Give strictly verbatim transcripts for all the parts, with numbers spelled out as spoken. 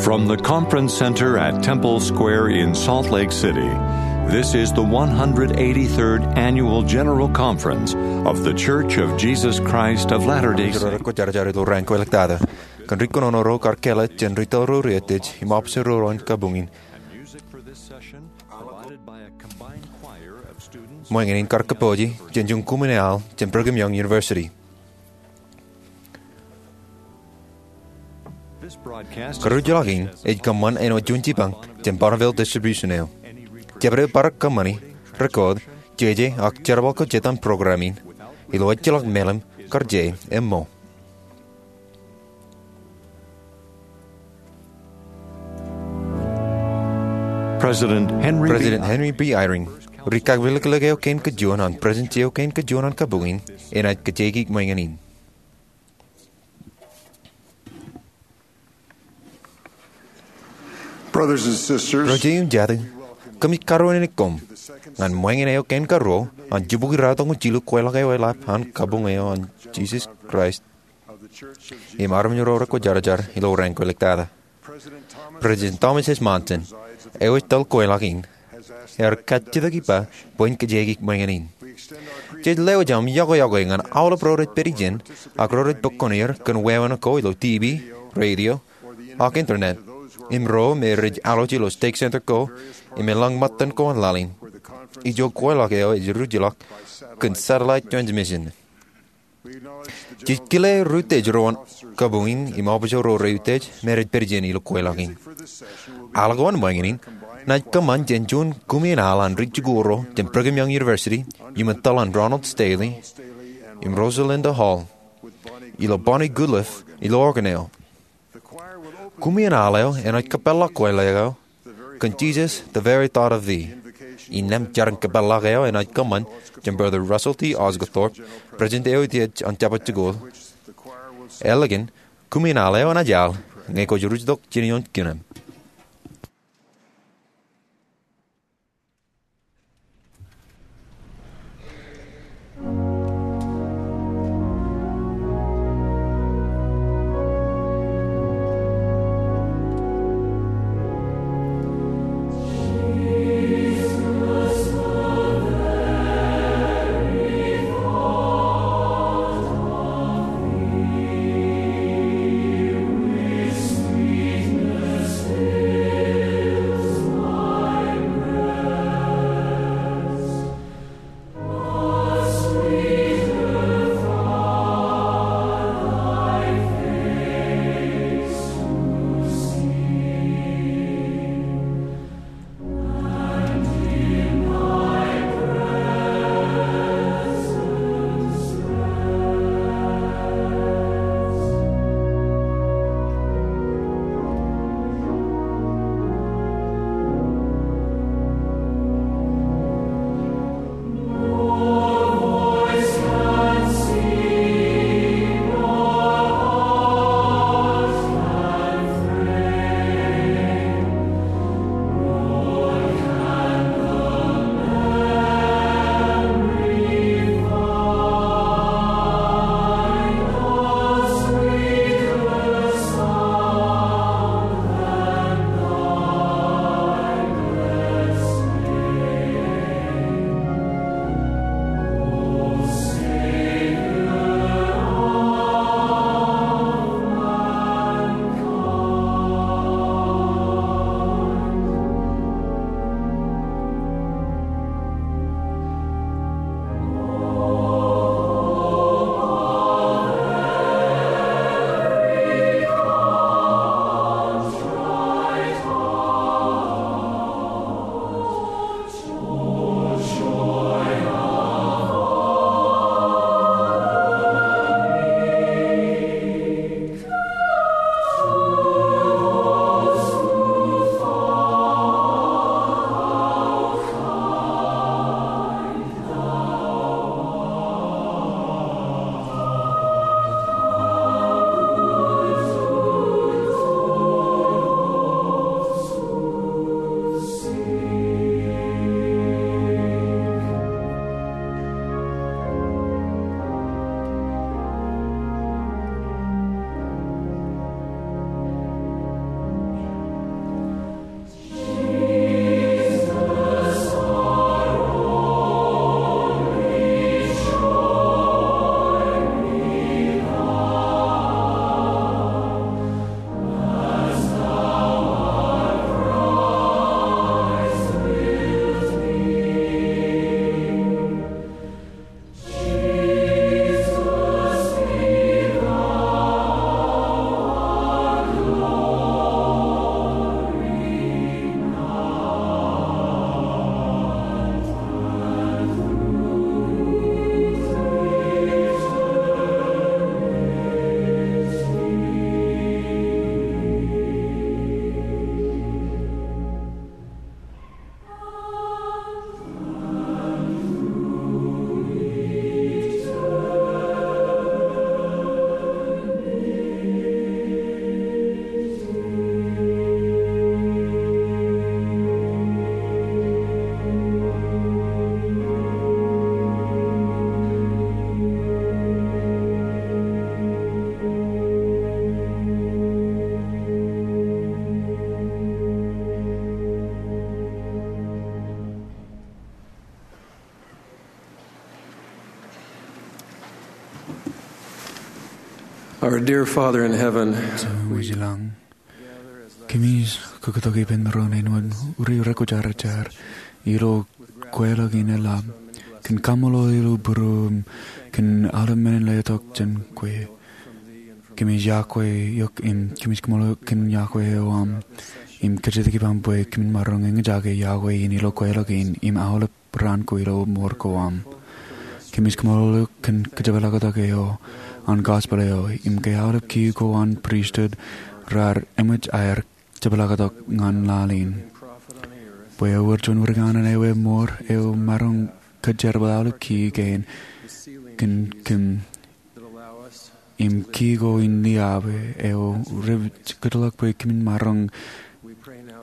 From the Conference Center at Temple Square in Salt Lake City, this is the one hundred eighty-third Annual General Conference of The Church of Jesus Christ of Latter-day Saints. Kwōjarjar ilo raan ko ḷọk tata. Kōn ri kōnono ro kar kāālōt jān ri tōl ro ri eteej im officer ro an kabuñ in. And music for this session provided by a combined choir of students. Ṃōñā in kar kōpooje jān juon kumi in al jān Brigham Young University. This broadcast is Karuj ḷọk in ej kōṃṃan āinwōt juon jipañ jān Bonneville Distribution eo. Jabdewōt bar kōṃṃani, record, jeje ak jerbal ko jet an program in ilo ejjeḷọk mālim kar jea im ṃo. President Henry B. President Henry B. Eyring, ri kakilōklōk eo kein kajuon an Presidentsi eo kein kajuon an kabuñ in, enaaj kajjieiki ṃōñā in. Brothers and sisters, Ro jeiū im jatū, kōmij karuwainene koṃ ñan ṃōñā eo kein karuo an jibukwi ratimjuonñoul jilu kweilọk eo eḷap an kabuñ eo an Jesus Christ im armej ro rekwōjarjar ilo raan ko ḷọk tata. President Thomas S. Monson, eo ej tōl kweilọk in, ear kajjitōk ippa bwe in kajjieiki ṃōñā in. Jej lewōj aṃ yokwe yokwe ñan aolep ro rej pād ijin ak ro rej bōk kuṇeir kōn wāween ko ilo T V, radio, ak internet, im ro me rej alooj ilo stake center ko im eḷap ṃōttan ko an laḷ in. Ijo kweilọk eo ej ruj ḷọk kōn satellite transmission. Jej kile rūtej ro an kabuñ in im officer ro rūtej me rej pād ijin ilo kweilọk in. Al ko an ṃōñā in enaaj kōṃṃan jān juon kumi in al an ri jikuuḷ ro jān Brigham Young University, iuṃwin tōl an Ronald Stanley im Rosalinda Hall, ilo Bonnie Goodliffe ilo organ eo. Kumi in al eo enaaj kōpeḷḷọk kweilọk eo kōn Jesus, the very thought of thee. Innām jarin kōpeḷḷọk eo enaaj kōṃṃan jān Brother Russell T. Osguthorpe, President eo ijo an Jabōt Jikuuḷ. Ālikin, kumi in al eo enaaj al ñe kwōj ruj tok jān ioon kinām. Our dear Father in heaven, Jemem eo ej ilañ, kōmij kōktak ippān doon āinwōt ri rekwōjarjar ilo kweilọk in eḷap kōn kaṃṃoolol ilo būruōm kōn aolep men in letok jān kwe. Kōmij yokwe eok im kōmij kaṃṃoolol eok kōn yokwe eo aṃ im kajjitōk ippaṃ bwe kōmin maroñ eñjake yokwe in ilo kweilọk in im aolep raan ko ilo mour ko aṃ. Kōmij kaṃṃoolol eok kōn kōjepḷaaktok eo an gospel eo im ke aolep kiiō ko an pristut raar eṃōj aer jepḷaaktok ñan laḷ in. Bwe ewōr juon wūr kanaan eo emour eo maroñ kōjerbal aolep kiiō kein kōn kōm im kiiō ko in liaabwe eo rej kōtḷọk bwe kōmin maroñ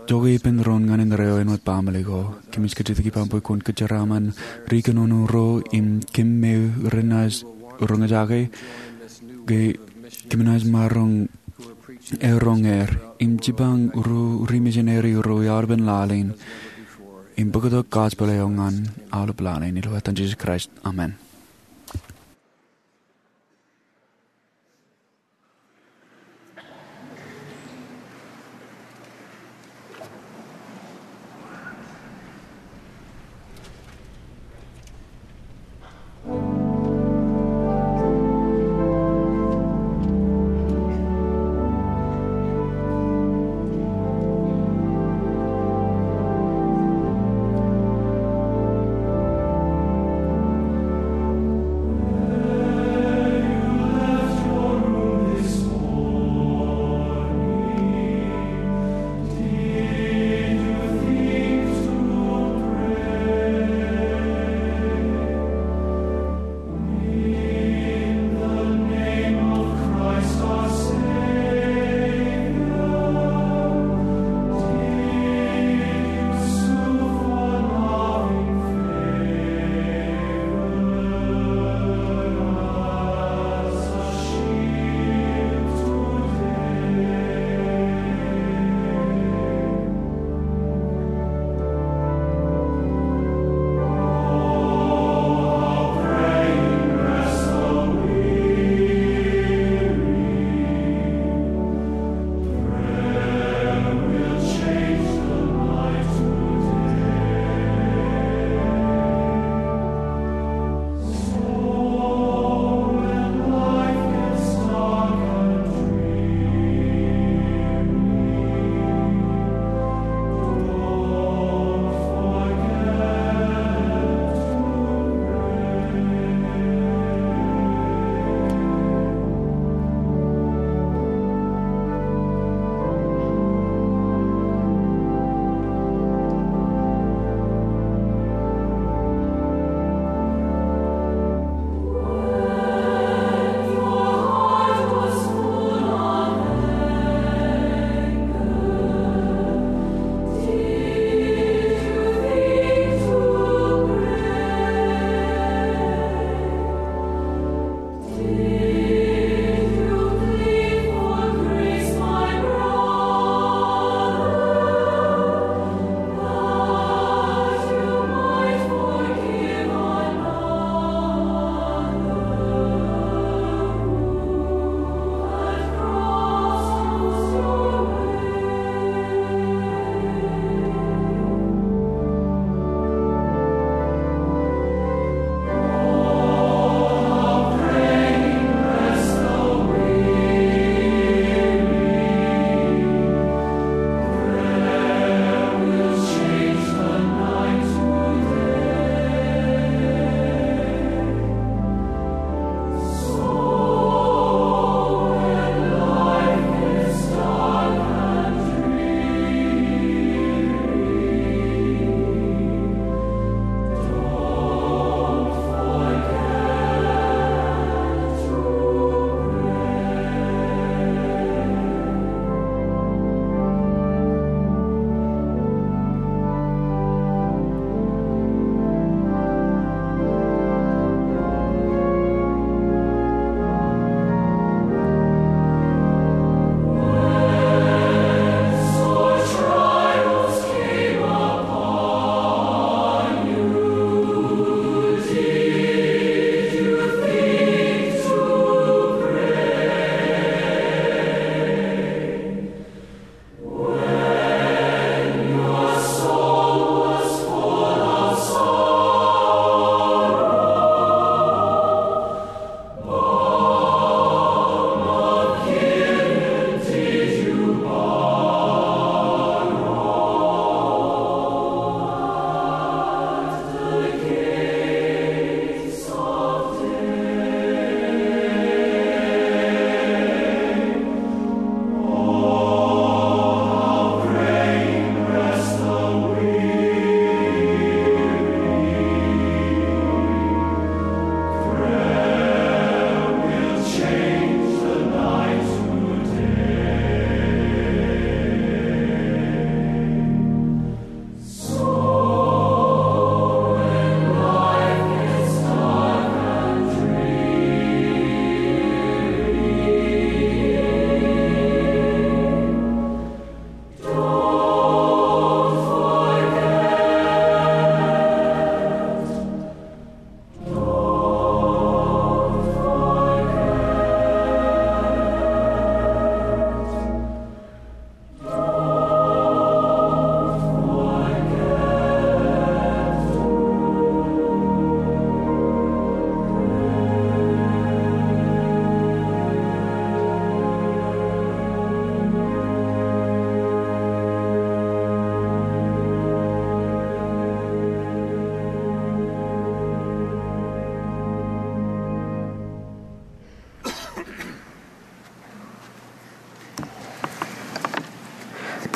jokwe ippān doon ñan indeeo āinwōt baaṃle ko. Kōmij kajjitōk ippaṃ bwe kwōn kōjeraaṃṃan ri kōnono ro im kōm me renaaj roñjake ke kōm naaj maroñ eroñ er im jipañ ri misineri ro aolepen laḷ in im bōktok gospel eo ñan aolep laḷ in. Ilo etan Jisōs Kraist, amen.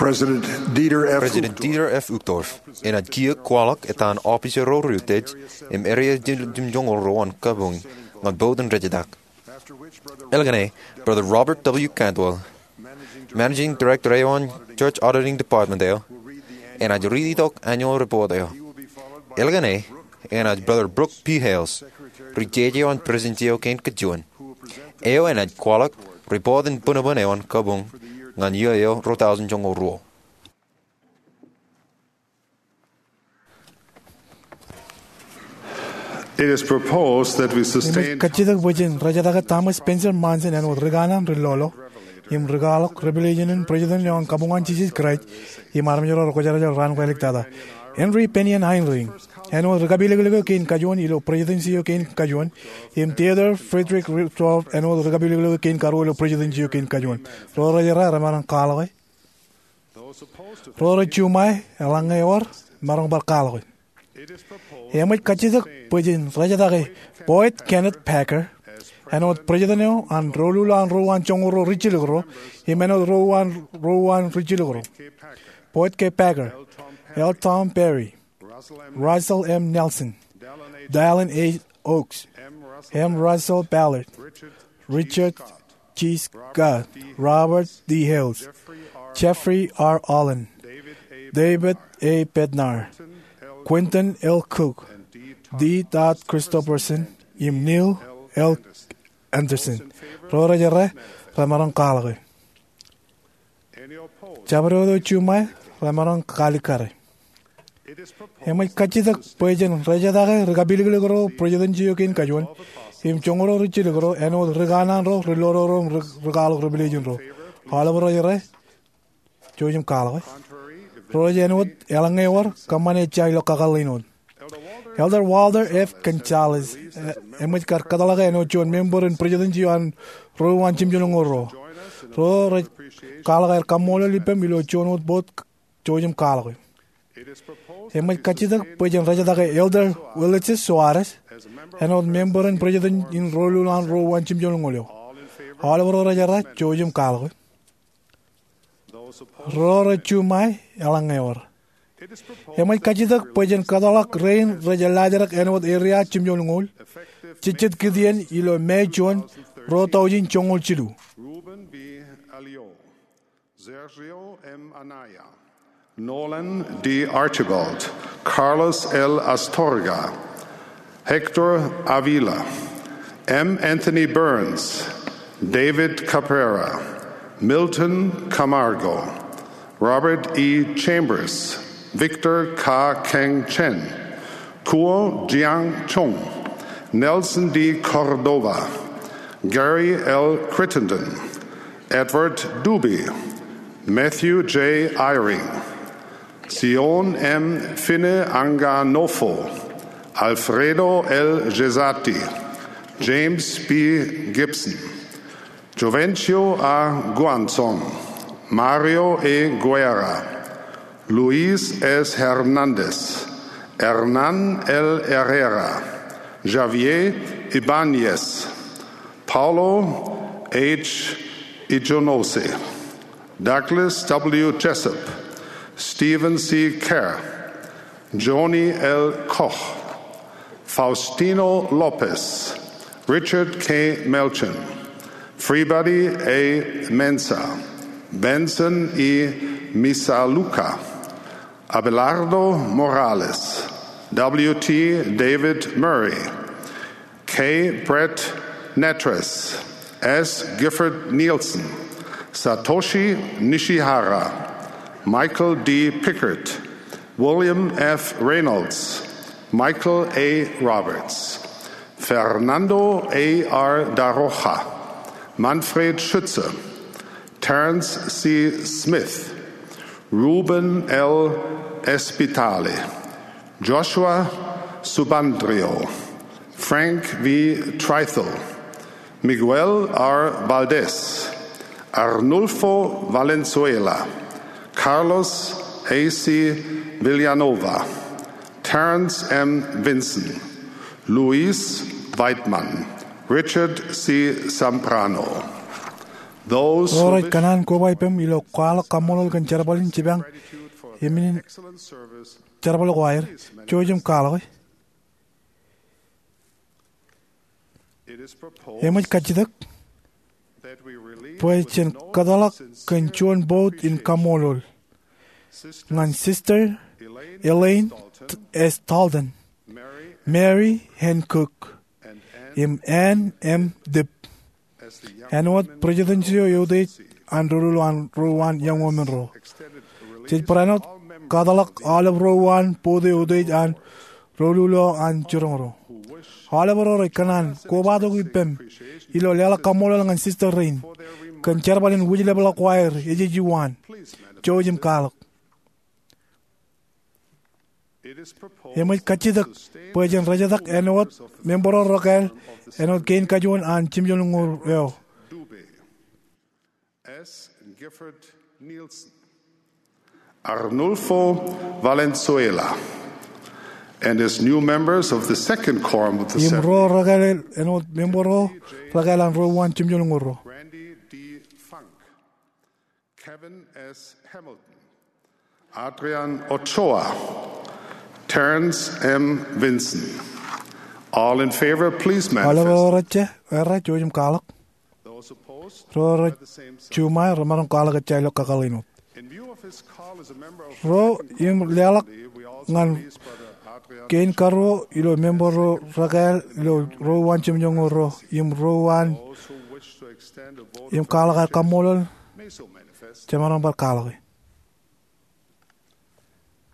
President Dieter F. President Uchtdorf. Dieter F. Uchtdorf enaaj kiiō kwaḷọk etan officer ro rej utiej im area jimjuonñoul ro an kabuñ ñan bōktok in rejtak. Elkene, Brother Robert W. Cantwell, Managing Director eo an Church Auditing Department eo, enaaj riiti tok annual report eo. Elkene, enaaj Brother Brooke P. Hales, ri-jeje eo an Presidency eo kein kajuon, eo enaaj kwaḷọk report in bōnbōn eo an kabuñ ñan iiō eo ruo tọujin joñoul ruo. It is proposed that we sustain. Im ej kajjitōk bwe jen rejtake Thomas Spencer Monson āinwōt ri-kanaan ri-lolo im ri-kwaḷọk Revelation in President eo an Kabuñ an Jisōs Kraist im armej ro rekwōjarjar raan kwōjeḷā tata. Henry Bennion Eyring āinwōt ri-kapilōklōk eo kein kajuon ilo Presidency eo kein kajuon, im Theodore Frederick Uchtdorf āinwōt ri-kapilōklōk eo kein karuo ilo Presidency eo kein kajuon. Ro rej errā remaroñ kwaḷọke. Ro rej juṃae, eḷaññe ewōr, maroñ bar kwaḷọke. Eṃōj kajjitōk bwe jen rejtake Boyd Kenneth Packer āinwōt President eo an Rōluuḷ an Ruo an Joñoul Ruo Rijjilōk Ro im āinwōt Ruo an Ruo an Rijjilōk Ro. Boyd K. Packer, L. Tom Perry, Russell M. Nelson, Dallin H. Oaks, M. Russell Ballard, Richard G. Scott, Robert D. Hales, Jeffrey R. Holland, David A. Bednar, Quentin L. Cook, D. Todd Christofferson, im Neil L. Andersen. Ro rej errā, remaroñ kwaḷọke. Jabdewōt eo juṃae, remaroñ kalikkare. Eṃōj kajjitōk bwe jen rejtake ri-kapilōklōk ro Presidency eo kein kajuon im Joñoul Ruo Rijjilōk Ro āinwōt ri-kanaan ro ri-lolo ro im ri-kwaḷọk Revelation ro. Aolep ro rej errā, jouj im kwaḷọke. Ro rej āinwōt, eḷaññe ewōr, kōṃṃane ejja ilo kakōḷḷe in wōt. Elder Walter F. Gonzalez, e, eṃōj kar kōtḷọk āinwōt juon member in Presidency eo an Ruo an Jimjuonñoul Ro. Ro rej kwaḷọk aer kaṃṃoolol ippaṃ ilo juon wōt bōd, jouj im kwaḷọke. Eṃōj kajjitōk bwe jen rejtake Elder Ulises Soares āinwōt member in Presidency in Rōluuḷ an Ruo an Jimjuonñoul Eo. Aolep ro rej errā, jouj im kwaḷọke. Ro rej juṃae, eḷaññe ewōr. Eṃōj kajjitōk bwe jen kōtḷọk rein rej ellaajrak āinwōt area jimjuonñoul, jejjet kid iien ilo May juon, ruo tọujin joñoul jilu. Ruben B. Alio, Sergio M. Anaya, Nolan D. Archibald, Carlos L. Astorga, Hector Avila, M. Anthony Burns, David Cabrera, Milton Camargo, Robert E. Chambers, Victor Ka Keng Chen, Kuo Jiang Chung, Nelson D. Cordova, Gary L. Crittenden, Edward Dube, Matthew J. Eyring, Sion M. Fineanganofo, Alfredo L. Gessati, James B. Gibson, Jovencio A. Guanzon, Mario E. Guerra, Luis S. Hernandez, Hernan L. Herrera, Javier Ibañez, Paulo H. Ijonose, Douglas W. Jessup, Stephen C. Kerr, Joni L. Koch, Faustino Lopez, Richard K. Melchin, Freebody A. Mensah, Benson E. Misalucha, Abelardo Morales, W. T. David Murray, K. Brett Nattress, S. Gifford Nielsen, Satoshi Nishihara, Michael D. Pickard, William F. Reynolds, Michael A. Roberts, Fernando A. R. Da Rocha, Manfred Schütze, Terence C. Smith, Ruben L. Spitale, Joshua Subandrio, Frank V. Trythall, Miguel R. Valdez, Arnulfo Valenzuela, Carlos A. C. Villanova, Terence M. Vinson, Louis Weidmann, Richard C. Zambrano. Ro rej kōṇaan koba ippem ilo kwaḷọk kaṃṃoolol kōn jerbal in jipañ im in jerbal ko aer, jouj im kwaḷọke. Eṃōj kajjitōk bwe jen kōtḷọk kōn juon bout in kaṃṃoolol ñan Sister Elaine S. Talden, Mary N. Cook, im Ann M. Dibb āinwōt President eo eutiej an doulul an ro uwaan iọñoul monro. Jej barāinwōt kōtḷọk aolep ro uwaan bout eo eutiej an doulul eo an jiroñ ro. Aolep ro rej kōṇaan kobatok ippem ilo leḷọk kaṃṃoolol ñan Sister Rein kōn jerbal in wūjlepḷọk ko aer ejejjet waan, jouj im kwaḷọk. Eṃōj kajjitōk bwe jen rejetak āinwōt member ro rekāāl āinwōt kein kajuon an jimjuonñoul eo. S. Gifford Nielsen, Arnulfo Valenzuela, and as new members of the second quorum of the Im ro rekāāl āinwōt member ro rekāāl an ro uwaan jimjuonñoul ro. Randy D. Funk, Kevin S. Hamilton, Adrian Ochoa, Terrence M. Vinson. All in favor, please manifest. Aolep ro rej errā, jouj im kwaḷọk. Those opposed, ro rej juṃae remaroñ kwaḷọk ejja ilo kakōḷḷe in wōt. In view of his call as a member of the second quorum of the Assembly, we also release Brother Adrian Ochoa. Ro im leḷọk ñan kein karuo ilo member ro rekāāl ilo ro uwaan jimjuonñoul ro im ro uwaan im kwaḷọk aer kaṃṃoolol, jemaroñ bar kwaḷọke.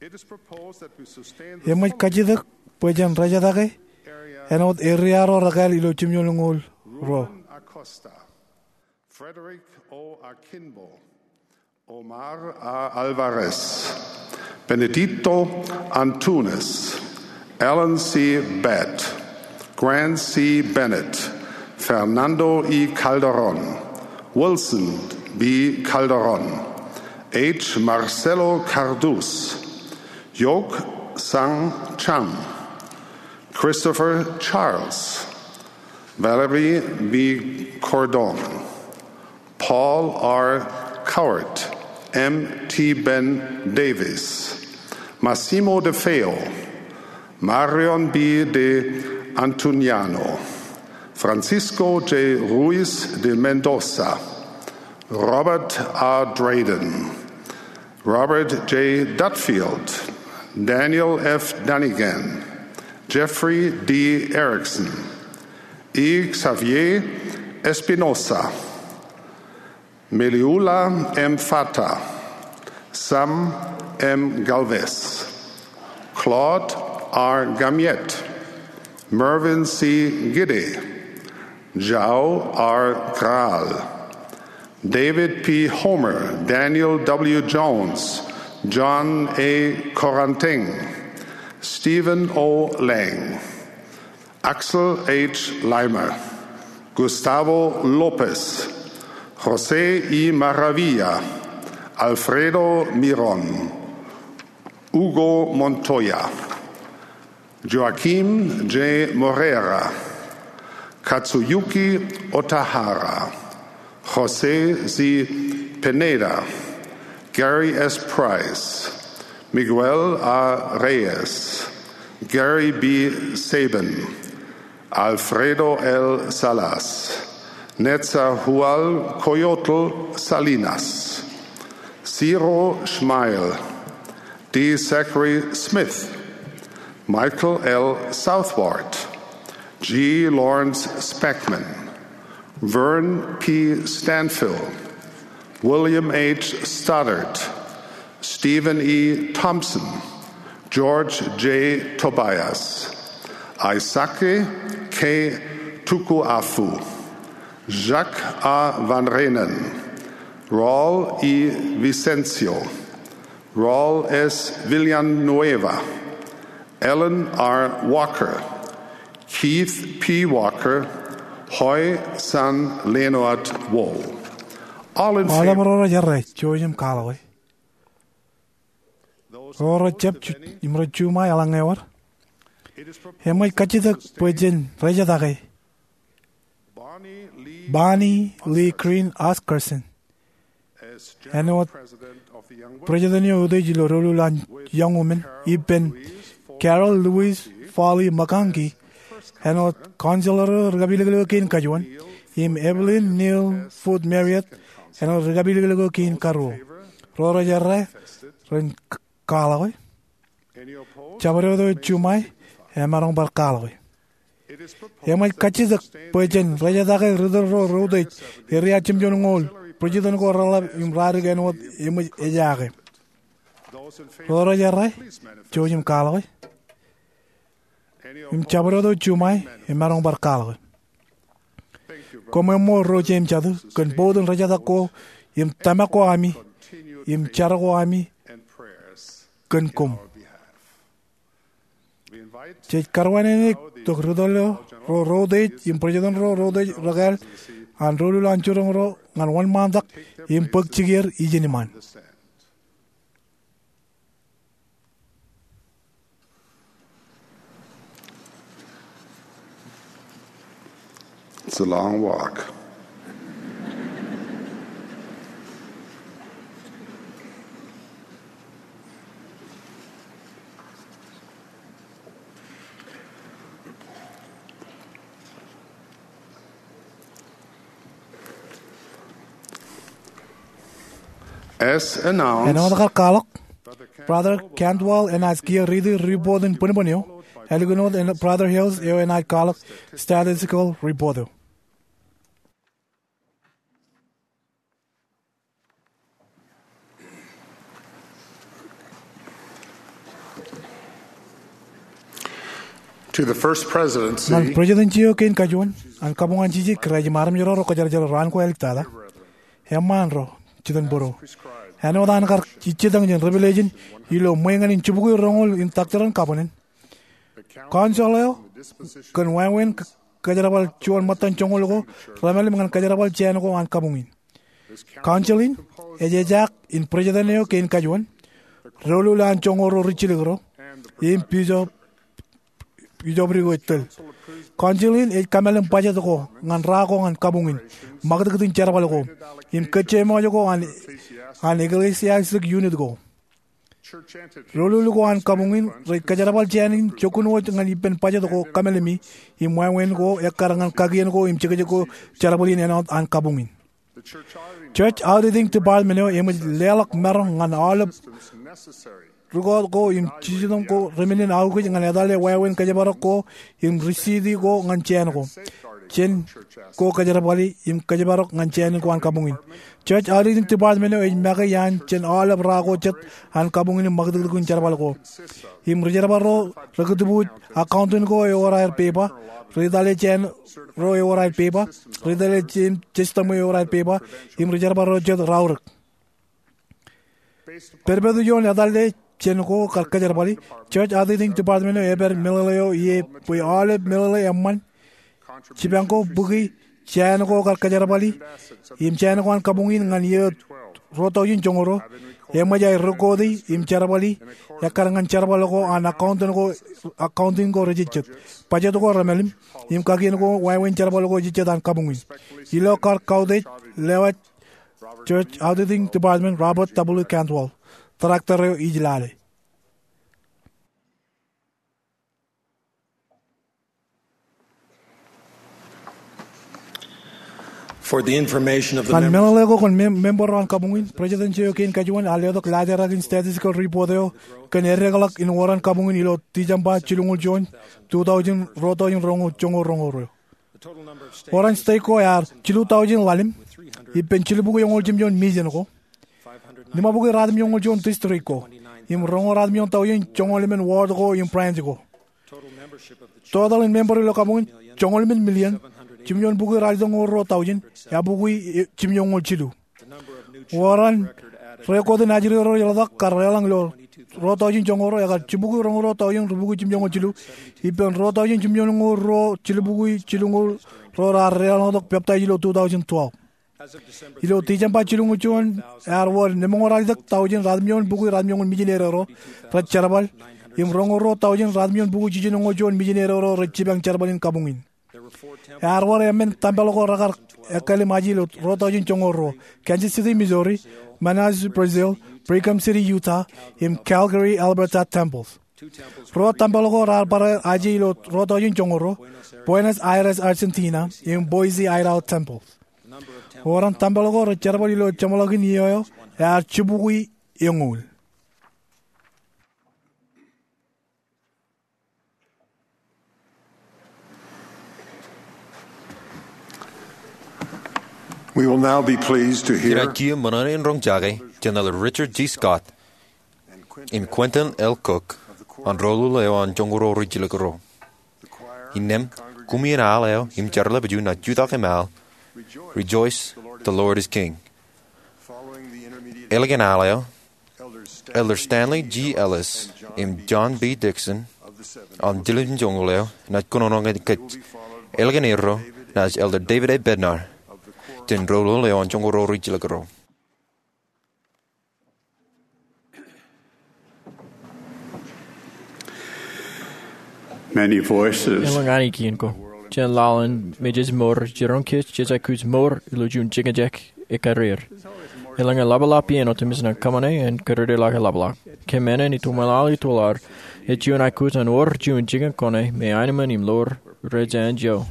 Eṃōj kajjitōk bwe jen rejetake āinwōt area ro rekāāl ilo jimjuonñoul ro. Ruben Acosta, Frederick O. Akinbo, Omar A. Alvarez, Benedicto Antunes, Alan C. Batt, Grant C. Bennett, Fernando E. Calderón, Wilson B. Calderón, H. Marcelo Cardús, Yok Sang Cham, Christopher Charles, Valerie B. Cordón, Paul R. Coward, M. T. Ben Davis, Massimo De Feo, Marion B. De Antoniano, Francisco J. Ruiz de Mendoza, Robert A. Drayden, Robert J. Dudfield, Daniel F. Dunnigan, Jeffrey D. Erickson, E. Xavier Espinosa, Meliula M. Fata, Sam M. Galvez, Claude R. Gamiette, Mervin C. Gide, Jao R. Graal, David P. Homer, Daniel W. Jones, John A. Koranteng, Stephen O. Lang, Axel H. Leimer, Gustavo Lopez, José E. Maravilla, Alfredo Miron, Hugo Montoya, Joaquim J. Moreira, Katsuyuki Otahara, José Z. Pineda, Gary S. Price, Miguel A. Reyes, Gary B. Sabin, Alfredo L. Salas, Netzahualcoyotl Salinas, Ciro Schmeil, D. Zachary Smith, Michael L. Southward, G. Lawrence Spackman, Vern P. Stanfill, William H. Stoddard, Stephen E. Thompson, George J. Tobias, Aisake K. Tukuafu, Jacques A. Van Reenen, Raul E. Vicencio, Raul S. Villanueva, Alan R. Walker, Keith P. Walker, Hoy San Leonard Wall. All in favor. Aolep ro rej errā, jouj im kwaḷọke. Ro rej jab ju-, im rej juṃae, eḷaññe ewōr. Eṃōj kajjitōk bwe jen rejetake Bonnie Lee Bonnie Lee Green Oscarson āinwōt President eo utiej ilo doulul an Young Women, ippān Carol Louise Foley McConkie āinwōt counselor eo ri kapilōklōk eo kein kajuon, im Evelyn Neal Foote Marriott āinwōt ri kapilōklōk eo kein karuo. Ro rej errā ren kwaḷọk e. Jabdewōt eo juṃae emaroñ bar kwaḷọk e. Eṃōj kajjitōk bwe jen rejatake ri tōl ro reutiej, eria jemjuon ñoul, bwijiten ko reḷap im radik āinwōt eṃōj ejaake. Ro rej errā, jouj im kwaḷọk e. Im jabdewōt eo juṃae emaroñ bar kwaḷọk e. Koṃ eṃṃool ro jeiū im jatū kōn bōktok rejatak ko im tōmak ko ami im jar ko ami kōn koṃ. Jej karuwaineneik tok ri tōl ro reutiej im bwijiten ro reutiej rekāāl an doulul an jiroñ ro ñan wōnṃaantak im bōk jikier ijin iṃaan. It's a long walk. As announced, āinwōt kar kwaḷọk, Brother Cantwell enaaj kiiō riiti ripoot in bōnbōn eo, ālikin wōt Brother Hales eo enaaj kwaḷọk statistical report eo. To the First Presidency. Ñan President eo kein kajuon an kabuñ an Jisōs Kraist im armej ro rej kwōjarjar raan ko āliktata, eṃṃaan ro jitōnbōro, āinwōt an kar ijjitōñ jān Revelation ilo ṃweeñān in jibukwi roñoul in Doctrine and Covenants, council eo kōn wāween kōjerbal juon ṃōttan joñoul ko remeḷeḷe ñan kōjerbal jāān ko an kabuñ in. Council in ej ejaak in president eo kein kajuon, doulul an joñoul ro rijjilōk ro, im bishop, bishop eo ej tōl. Council in ej kōmeḷeḷe budget ko ñan ra ko ñan kabuñ in, ṃakūtkūt in jerbal ko, im kōjjeṃḷọk ko an, an ecclesiastic unit ko. Doulul ko an kabuñ in rej kōjerbal jāān in jokkun wōj ñan ippān budget ko kōmeḷeḷe im wāween ko ekkar ñan kakien ko im jekjek ko jerbal in āinwōt an kabuñ in. Church Auditing Department eo eṃōj leḷọk maroñ ñan aolep record ko im jitōñ ko remenin aukōj ñan etale wāween kōjparok ko im receipt ko ñan jāān ko jān ko kōjerbali im kōjparok ñan jāān ko an kabuñ in. Church Auditing Department eo ej make iaan jān aolep ra ko jet an kabuñ in im ṃakūtkūt in jerbal ko. Im ri-jerbal ro rekūtbuuj accountant ko ewōr aer pepa, ri-tale jāān ro ewōr aer pepa, ri-tale jāān system eo ewōr aer pepa, im ri-jerbal ro jet raorōk. Pād ippaṃ ioon etale jān ko kar kōjerbali, Church Auditing Department eo epād meḷeḷe eo ie bwe aolep meḷeḷe eṃṃan, jipañ ko bukwi jāān ko kar kōjerbali im jāān ko an kabuñ in ñan iiō ruo taujin joñoul ruo, eṃōj aer record im jerbali ekkar ñan jerbal ko an accountant ko, accounting ko rejejjet, budget ko remeḷeḷe, im kakien ko wāween jerbal ko ejejjet an kabuñ in. Ilo kar kautiej, lewōj Church Auditing Department, Robert W. Cantwell, director eo ij lale. For the information of the members. Ñan meḷeḷe ko kōn mem-, member ro an kabuñ in, president eo kein kajuon ear letok laajrak in statistical report eo kōn eddekḷọk in wōr an kabuñ in ilo December jilñuul juon, two thousand, ruo taujin roñoul joñoul roñoul ruo. Wōr an state ko ear jilu taujin ḷalem, ippān jilubukwi eñoul jimjuon million ko. Limabukwi ratimjuon ñoul juon district ko, im roñoul ratimjuon taujin joñoul emān ward ko im branch ko. Total in member ilo kabuñ in, joñoul emān million, jimjuon bukwi ralitōñoul ruo taujin, eabukwi, e, jimjuon ñoul jilu. Wōr an record in ajri ro rej ḷotak kar leḷọñ ilo ruo taujin joñoul ruo, ekar jibukwi roñoul ruo taujin ribukwi jimjuon ñoul jilu, ippān ruo taujin jimjuon ñoul ruo jilubukwi jilñuul ruo raar deḷọñtok baptize ilo two thousand twelve. Ilo December jilñuul juon, ear wōr lemñoul ralitōk taujin ratimjuon bukwi ratimjuon ñoul million eroro rej jerbal, im roñoul ruo taujin ratimjuon bukwi jiljino ñoul juon million eroro rej jipañ jerbal in kabuñ in. Ear wōr emān tempel ko rekar ekkālim aje ilo ruo tọujin joñoul ruo: Kansas City, Missouri; Manaus, Brazil; Brigham City, Utah; im Calgary, Alberta temples. Ruo tempel ko raar bar aje ilo ruo tọujin joñoul ruo: Buenos Aires, Argentina; im Boise, Idaho temples. Wōr an tempel ko rej jerbal ilo jeṃḷọkin iiō eo ear jibukwi eñoul. We'll now be pleased to hear. Inaaj kiiō ṃōṇōṇō in roñjake jān Elder Richard G. Scott im Quentin L. Cook an Ro Lule eo an Joñoul Ro Rijjilōk Ro. Innām, koṃeañ aḷ eo im jeorḷapju naaj jutak im al, "Rejoice, the Lord is King." Ālikin aḷ eo, Elder Stanley G. Ellis im John B. Dixon an Tilden Joñoul eo naaj kōnono ñan kōj. Ālikin erro naaj Elder David A. Bednar jān Ro Lule eo an Joñoul Ro Rijjilōk Ro. Many voices. Elōñ ainikien ko jān laḷ in mejej mour jiroñ kōj jej aikuj mour ilo juon jikin jek ekkar er. Elōñ eḷapḷọk iien otemjej ñan kōṃṃane an kōdōdōḷọk eḷapḷọk. Kōm āinwōt itok ṃōṇōṇō ilo aḷ, ej juon aikuj an wōr juon jikin kōṇe me aenōṃṃan im ḷoor rej enjeḷ.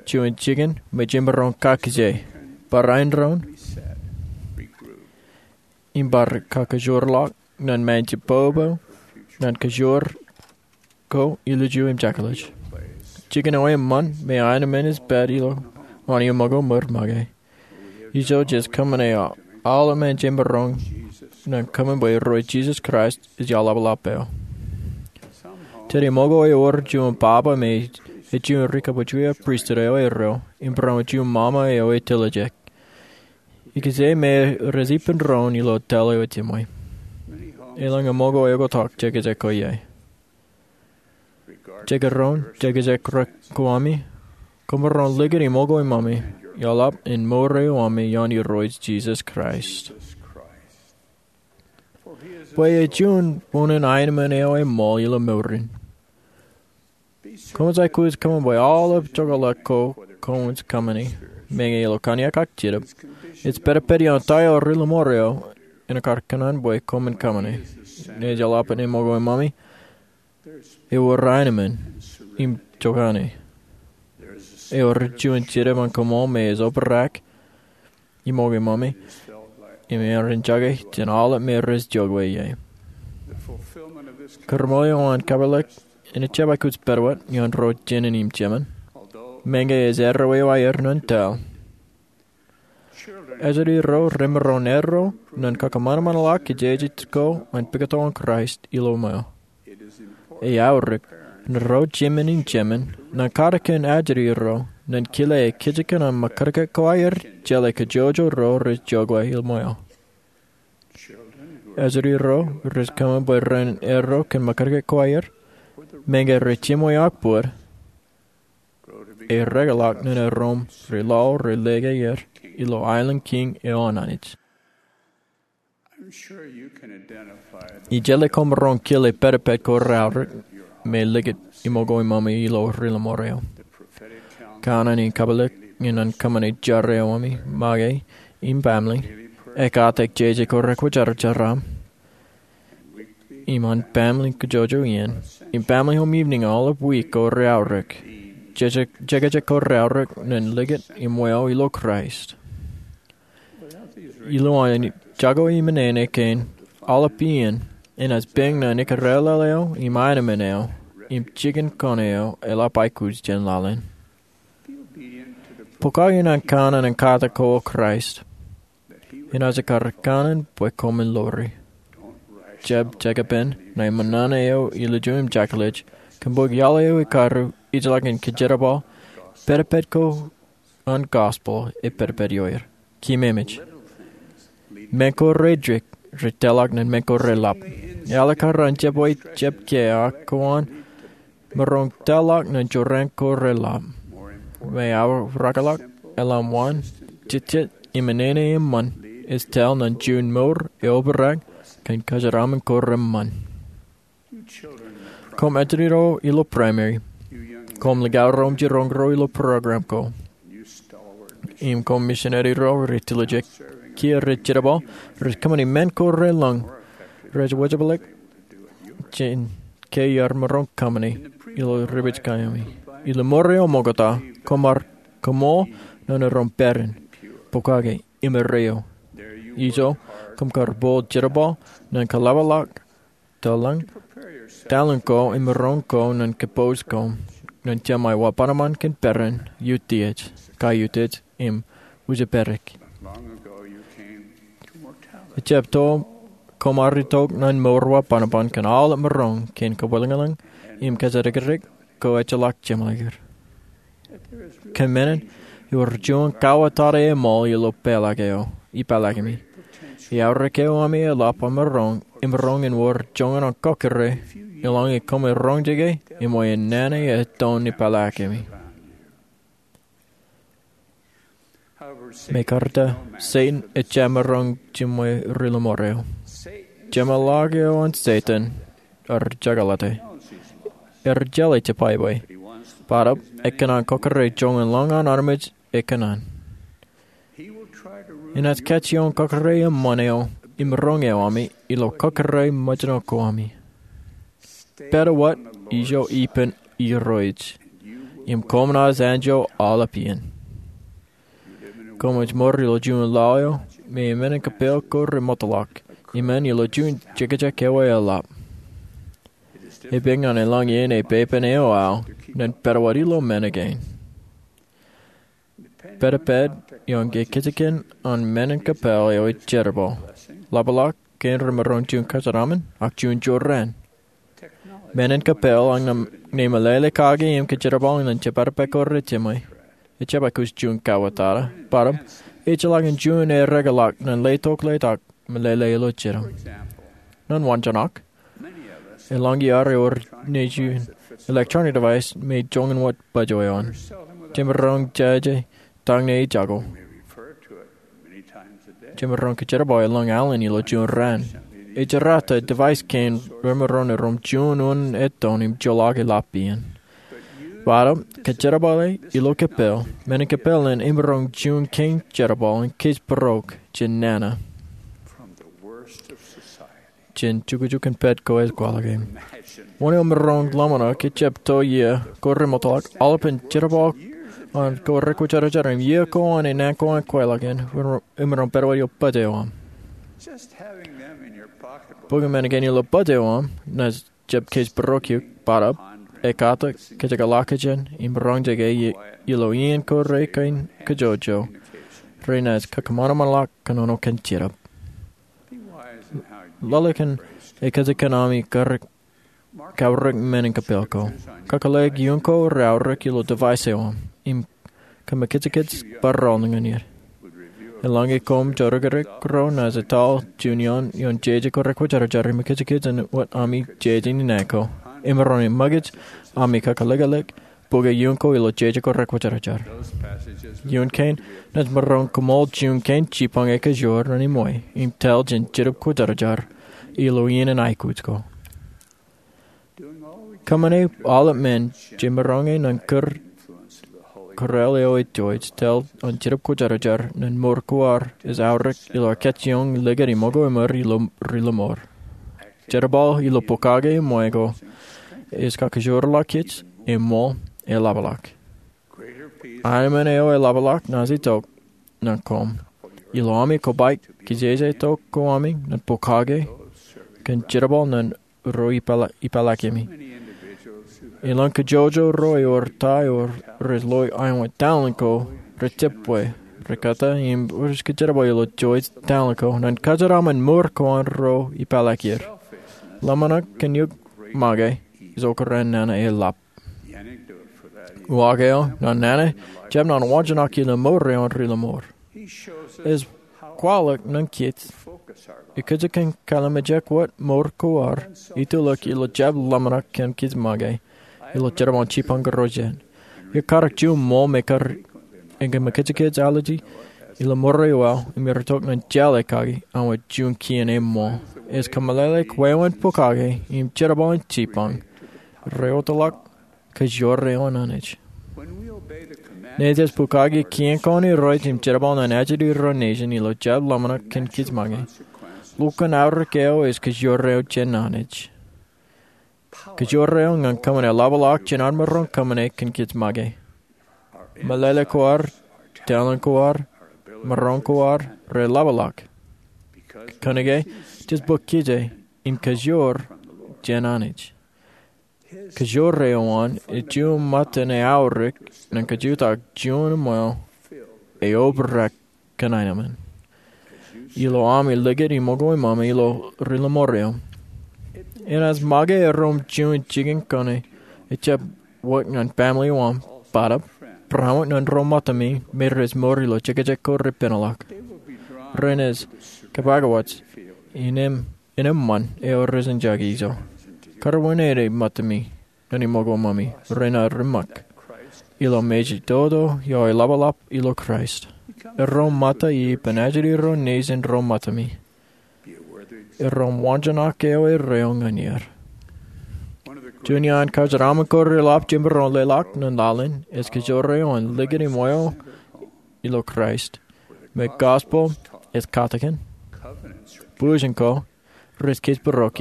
Juon jikin me jemaroñ kakkije, barāinwōt doon, im bar kakajoorḷọk ñan ṃae jibbobo ñan kajoor ko ilju im jekḷaj. Jikin eo eṃṃan me aenōṃṃan ej pād ilo aolepen ṃōko ṃōr make. Ijo jej kōṃṃane aolep ṃae jemaroñ ñan kōṃṃan bwe Irooj Jisōs Kraist ej aḷapḷap eo. Tōre ṃōko ewōr juon baba me ej juon ri kabwejweaik pristut eo erro im barāinwōt juon ṃaṃa eo etiljek. Ikijjien me rej ippān doon ilo tōl eo ejimwe. Elōñ eṃōko eoktak jekjek ko ie. Jekdọọn jekjek ko ami, koṃaroñ likūt iṃōko iṃōmi, eḷap in mour eo ami ioon Irooj Jisōs Kraist. Bwe ej juon wūnin aenōṃṃan eo eṃṃool ilo mour in. Koṃij aikuj kōṃṃan bwe aolep jokḷọk ko koṃij kōṃṃani, meñe ilo kanniōk ak jetōb, ej pedped ioon ta eo ri ḷōṃaro eo en kar kōṇaan bwe koṃwin kōṃṃane. Ej eḷap in iṃōko iṃōmi, ewōr aenōṃṃan im jokane. Ewōr juon jetōb an koṃṃool me ej obrak iṃōko iṃōmi, im ear enjake jān aolep me rej jokwe ie. Kōrṃool eo an kabwilōk en ejjab aikuj pād wōt ioon ro jān in im jemān, meñe ej erreo eo aer ñan tōl. Ejjeḷọk ro remaroñ erro ñan kakōṃanṃanḷọk kōjejjet ko an pukot in Kraist ilo ṃweo. Ej aorōk ñan ro jāmin im jemān ñan kar kōn ajri ro ñan kile ke kōjkan an ṃakūtkūt ko aer jeḷā kōjwōjwōj ro rej jokwe ilo ṃweo. Ejjeḷọk ro rej kōṃṃan bwe ren erro kōn ṃakūtkūt ko aer, meñe rej jimwe ak bōd, erekḷọk ñan erom ri laḷ rej lōke er ilo aelōñ kiiñ eo an Anij. Ij jeḷā koṃaroñ kile pedped ko reaorōk me likūt iṃōko iṃōmi ilo ri ḷōṃaro eo. Kanaan in kabwilōk ñan kōṃṃane jar eo ami make im baaṃle, ekkatak jeje ko rekwōjarjar aṃ im an baaṃle kōjwōjwōj iien, im baaṃle home evening aolep wiik ko reaorōk. Jekjek ko reaorōk ñan likūt im ṃweo ilo Kraist. Ilo an jako im āinwōt kein, aolep iien enaaj peñ ñan ikōrālel eo im aenōṃṃan eo im jikin kōṇe eo eḷap aikuj jān laḷ in. Pokake ñan kanaan in katak ko Kraist. Enaaj kar kanaan bwe koṃwin lori. Jab jekpen ṇae ṃōṇōṇō eo ilju im jekḷaj, kōn bōk iaḷ eo ekkaru ijellọkin kōjerbal, pedped ko an gospel epedped ioer. Keememej. Men ko reddik rej tōlḷọk ñan men ko reḷap. Eḷak aran jab ej jab ke ak ko an maroñ tōlḷọk ñan jorrāān ko reḷap. Ṃae aō rekḷọk eḷap wōn, jejjet im ānāāne eṃṃan ej tōl ñan juon mour eobrak kōn kōjeraaṃṃan ko reṃṃan. Koṃ ejjeḷọk ro ilo primary, Koṃ likao reṃ jiroñ ro ilo program ko. Im koṃ misineri ro rej tiljek kiiō rej jerbal, rej kōṃṃani men ko relōñ rej wōjepḷọk jān ke iar maroñ kōṃṃani ilo ripij kaemi. Ilo mour eo ṃokta, koṃ ar kōṃṃool ñan aer pād in, pokake, im erreo. Ijo, koṃ kar bōk jerbal ñan kaḷapḷọk talent ko im maroñ ko ñan kōpooj koṃ ñan jeṃae wa bōtaab kōn peran, utiej, kaiutiej, im wūjepād. Ejjab to koṃ ar itok ñan mour wa bōtaab kōn aolep maroñ kein kabwilōñlōñ im kōjatdikdik ko ejjeḷọk jeṃḷọk er. Kōn men in, ewōr juon kauwōtata eṃool ilo pālak eo ipālakimi. Eaorōk eo ami eḷap aṃ maroñ, imaroñ in wōr joñan kōkkure eḷaññe koṃ roñjake im bwe en nana ettoon ipālakimi. Mekarta, Setan ejjab maroñ jiṃwe ri-lọmọọr eo. Jeṃḷọk eo an Setan ej jekḷate. Ej jeḷā jebwābwe. Bōtaab, ekōṇaan kōkkure joñan lōñ an armej ekōṇaan. Enaaj kajjioñ kōkkure eṃṃan eo im maroñ eo ami ilo kōkkure ṃōjṇọ ko ami. Pād wōt ijo ippān Irooj, im koṃ naaj anjọ aolep iien. Koṃij mour ilo juon lao eo me emān in kōppāl ko remootḷọk, im ilo juon jekjek eo eḷap. Epiñ ñan eḷaññe epepen eo aō ñan pād wōt ilo men kein. Pād epād ioon kajjitōk in men in kōppāl eo ej jerbal. Ḷapḷọk kein remaroñ juon kōjeraṃṃan, ak juon jorrāān. Men in kōppāl eṇ ṇe meḷeḷe kake im kōjerbal ñan jepād epād ko rejeṃwe. Ejjab kōj juon kauwōtata, bōtaab, ejjeḷọk in juon ereḷọk ñan letok letok meḷeḷe ilo jidim. Ñan waanjoñak, eḷaññe iar ewōr nejin electronic device me joñan wōt bōjwōj eo an, jemaroñ jeje tañ ṇe ijako. Jemaroñ kōjerbal eḷap alen ilo juon raan. Ej jerata device kein remaroñ erom juon unin ettoon im joḷọk eḷap iien. Bōtaab, kōjerbale ilo kōppāl, men in kōppāl eṇ emaroñ juon kein jerbal in kōjparok jān nana, jān jukjukin pād ko ej kwaḷọk eṇ. Wōn eo maroñ ḷōmṇak ejjab to iiō ko remootḷọk, aolepān jerbal an ko rekwōjarjar im iiō ko an enana ko an kweilọk eṇ, emaroñ pād wōt ilo bōjwōj eo aṃ. Bōk men kein ilo bōjwōj eo aṃ naaj jab kōjparok eok, bōtaab, ekata kōjekḷọk jān im roñjake ilo iien ko rekein kajjojo, renaaj kakōṃanṃanḷọk kōnono kōn Jetōb. Lale kōn ekōjkan ami kaorōk men in kōppāl ko. Kakōḷḷe ioon ko reaorōk ilo device eo aṃ im kōmōkajkōj barāinwōt ñan er. Eḷaññe koṃ jodikdik ro naaj etal juon iien ioon jeje ko rekwōjarjar im kōmōkajkōj wōt ami jeje in nana ko. Emaroñ in ṃōkaj ami kakōḷḷe bōke ioon ko ilo jeje ko rekwōjarjar. Ioon kein naaj maroñ koṃṃool juon kein jipañ ekajoor ñan eṃṃan im etal jān Jetōb Kwōjarjar ilo iien in aikuj ko. Kōṃṃane aolep men jemaroñ ñan kūr kōrā eo ej ijo etal an Jetōb Kwōjarjar ñan mour ko ad ej aorōk ilo kajjioñ likūt im ṃōko im ri-lọmọọr. Jerbal ilo pokake eṃṃan ko ej kakajoorḷọk kōj eṃṃan eḷapḷọk. Anmān eo eḷapḷọk naaj itok ñan koṃ ilo ami kobaik kijeje tok ko ami ñan pokake kōn jerbal ñan ro ipālakimi. Elōñ kajjojo ro ewōr ta eo rej loi āinwōt talent ko rejjab bwe rekata im rej kōjerbal ilo ijo talent ko ñan kōjeraṃṃan mour ko an ro ipālakir. Ḷōmṇak kōn eok make ej okran nana eḷap. Uwaak eo ñan nana ejjab ñan waanjoñak ilo mour eo an ri-lọmọọr. Ej kwaḷọk ñan kōj ekōjkan kōḷmānjeḷọk wōt mour ko ad itulọk ilo jab ḷōmṇak kōn kōj make ilo jerbal in jipañ kōrā jet. Ekatak juon ṃool me kar eñin kōmōkajkōj allergy ilo mour eo aō im itok ñan jeḷā kake āinwōt juon kien eṃṃan. Ej kōmeḷeḷeik wāween pokake im jerbal in jipañ reootḷọk kōjro eo an Anij. Naaj bukaki kien ko an Irooj im jerbal ñan ajri ro nejin ilo jab ḷōmṇak kōn kōj make. Lukkuun aorōk eo ej kōjro eo jān Anij. Kōjro eo ñan kōṃṃane ḷapḷọk jān ad maroñ kōṃṃane kōn kōj make. Meḷeḷe ko ad, talent ko ad, maroñ ko ad, rej ḷapḷọk. Kōnke jej bōk kōjro im kōjro jān Anij. Kōjro eo an ej juon ṃōttan eaorōk ñan kōjutōk juon eṃṃan eobrak kōn aenōṃṃan ilo ami likūt im ṃōko ṃōmi ilo ri lọmọọr eo. Enaaj make erom juon jikin kōṇe ejjab wōt ñan family eo aṃ, bōtab barāinwōt ñan ro ṃōttami me rej mour ilo jekjek ko repenḷọk. Renaaj kōpakawōj in eṃ in eṃṃan eo rej enjake ijo. Karuwaineneik ṃōttami ñan ṃōko ṃōmi renaaj ri ṃōk ilo mejatoto eo eḷapḷap ilo Kraist. Erom ṃōtta ippān ajri ro nejin ro ṃōttami. Erom waanjoñak eo erreo ñan er. Juon iaan kōjeraaṃṃan ko reḷap jemaroñ leḷọk ñan laḷ in ej kōjro eo an likūt im wāween ilo Kraist, me gospel ej katakin, būjin ko rej kōjparok,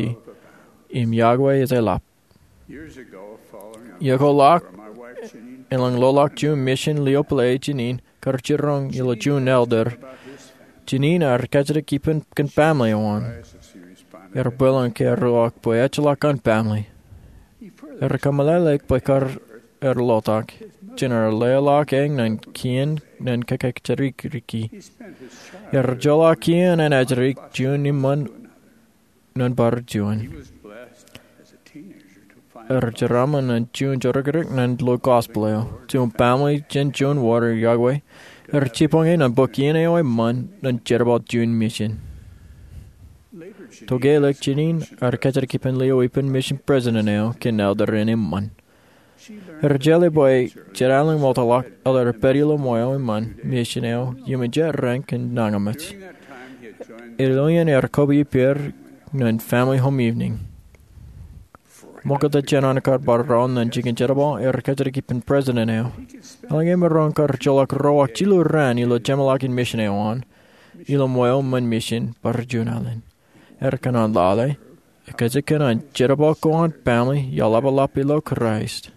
im Yahweh ej eḷap. Iọkwe ḷọk elōñ loḷọk juon mission lio pālle Jeanene kar jiroñ ilo juon elder. Jeanene ear kajjitōk ippān kōn family eo an. Ear bwilōñ ke ear ḷọk bwe ejjeḷọk an family. Ear kōmeḷeḷeik bwe kar ear ḷotak jān ear leḷọk eñ ñan kien ñan kōkajjitōk riki. Ear joḷọk kien an ajri juon eṃṃan ñan bar juon. Ear jeraaṃṃan ñan juon jodikdik ñan lo gospel eo, juon family jān juon wōr Yahweh. Ear jibboñe ñan bōk iien eo eṃṃan ñan jerbal juon mission. Tokālik Jeanene ear kajjitōk ippān lio ippān mission president eo kōn elder in eṃṃan. Ear jeḷā bwe jen alen ṃokta ḷọk elder ej pād ilo ṃweo eṃṃan mission eo iuṃwin jet raṇ kōn nañinmej. Ilo iien ear kobwe ippāer ñan family home evening. Ṃokta jān an kar bar raan ñan jikin jerbal ear kajjitōk ippān president eo. Eḷaññe emaroñ kar joḷọk ro ak jilu raan ilo jeṃḷọkin mission eo an ilo ṃweo eṃṃan mission bar juon alen. Ear kōṇaan lale ekōjkan an jerbal ko an family eḷapḷap ilo Kraist.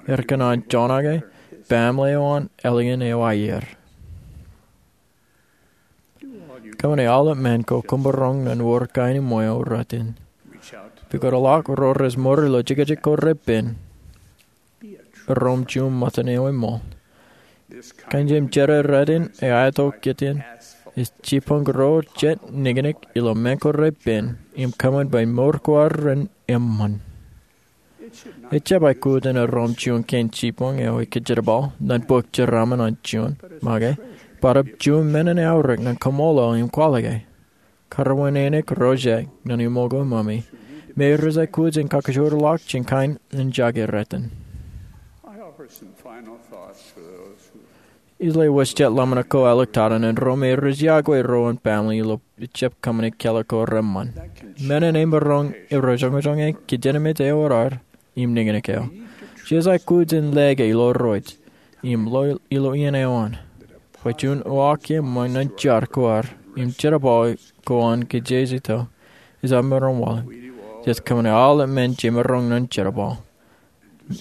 Ear kōṇaan joñak family eo an ālikin eo aer. Kōṃṃane aolep men ko kōṃṃan ro ñan wōr kain eṃṃan eo retin. Pukot ḷọk ro rej mour ilo jekjek ko repen. Erom juon ṃōttan eo eṃṃool. Kain jeiū im jerā retin eo aetok kōn jet ej jibboñ ro jet niñniñ ilo men ko repen im kōṃṃan bwe mour ko ad ren eṃṃan. Ejjab aikuj in erom juon kein jibboñ eo ekōjjerbal ñan bōk jeraaṃṃan an juon make, bōtab juon men in eaorōk ñan kaṃṃoolol im kwaḷọke. Karuwaineneik ro jek ñan iṃōko ṃōmi me rej aikuj in kakajoor ḷọk jān kain in jake retin. Ij lewōj jet ḷōmṇak ko āliktata ñan ro me rej yokwe ro an family ilo ejjab kōṃṃane kālọk ko reṃṃan. Men in emaroñ erojoñojoñe kōjatdikdik eo ad im niñniñ eo. Jej aikuj in lōke ilo Irooj im ilo iien eo an bwe juon uwaak eṃṃan ñan jar ko ad im jerbal ko an kōjatdikdik eo ejjab maroñ waḷọk. Jej kōṃṃane aolep men jemaroñ ñan jerbal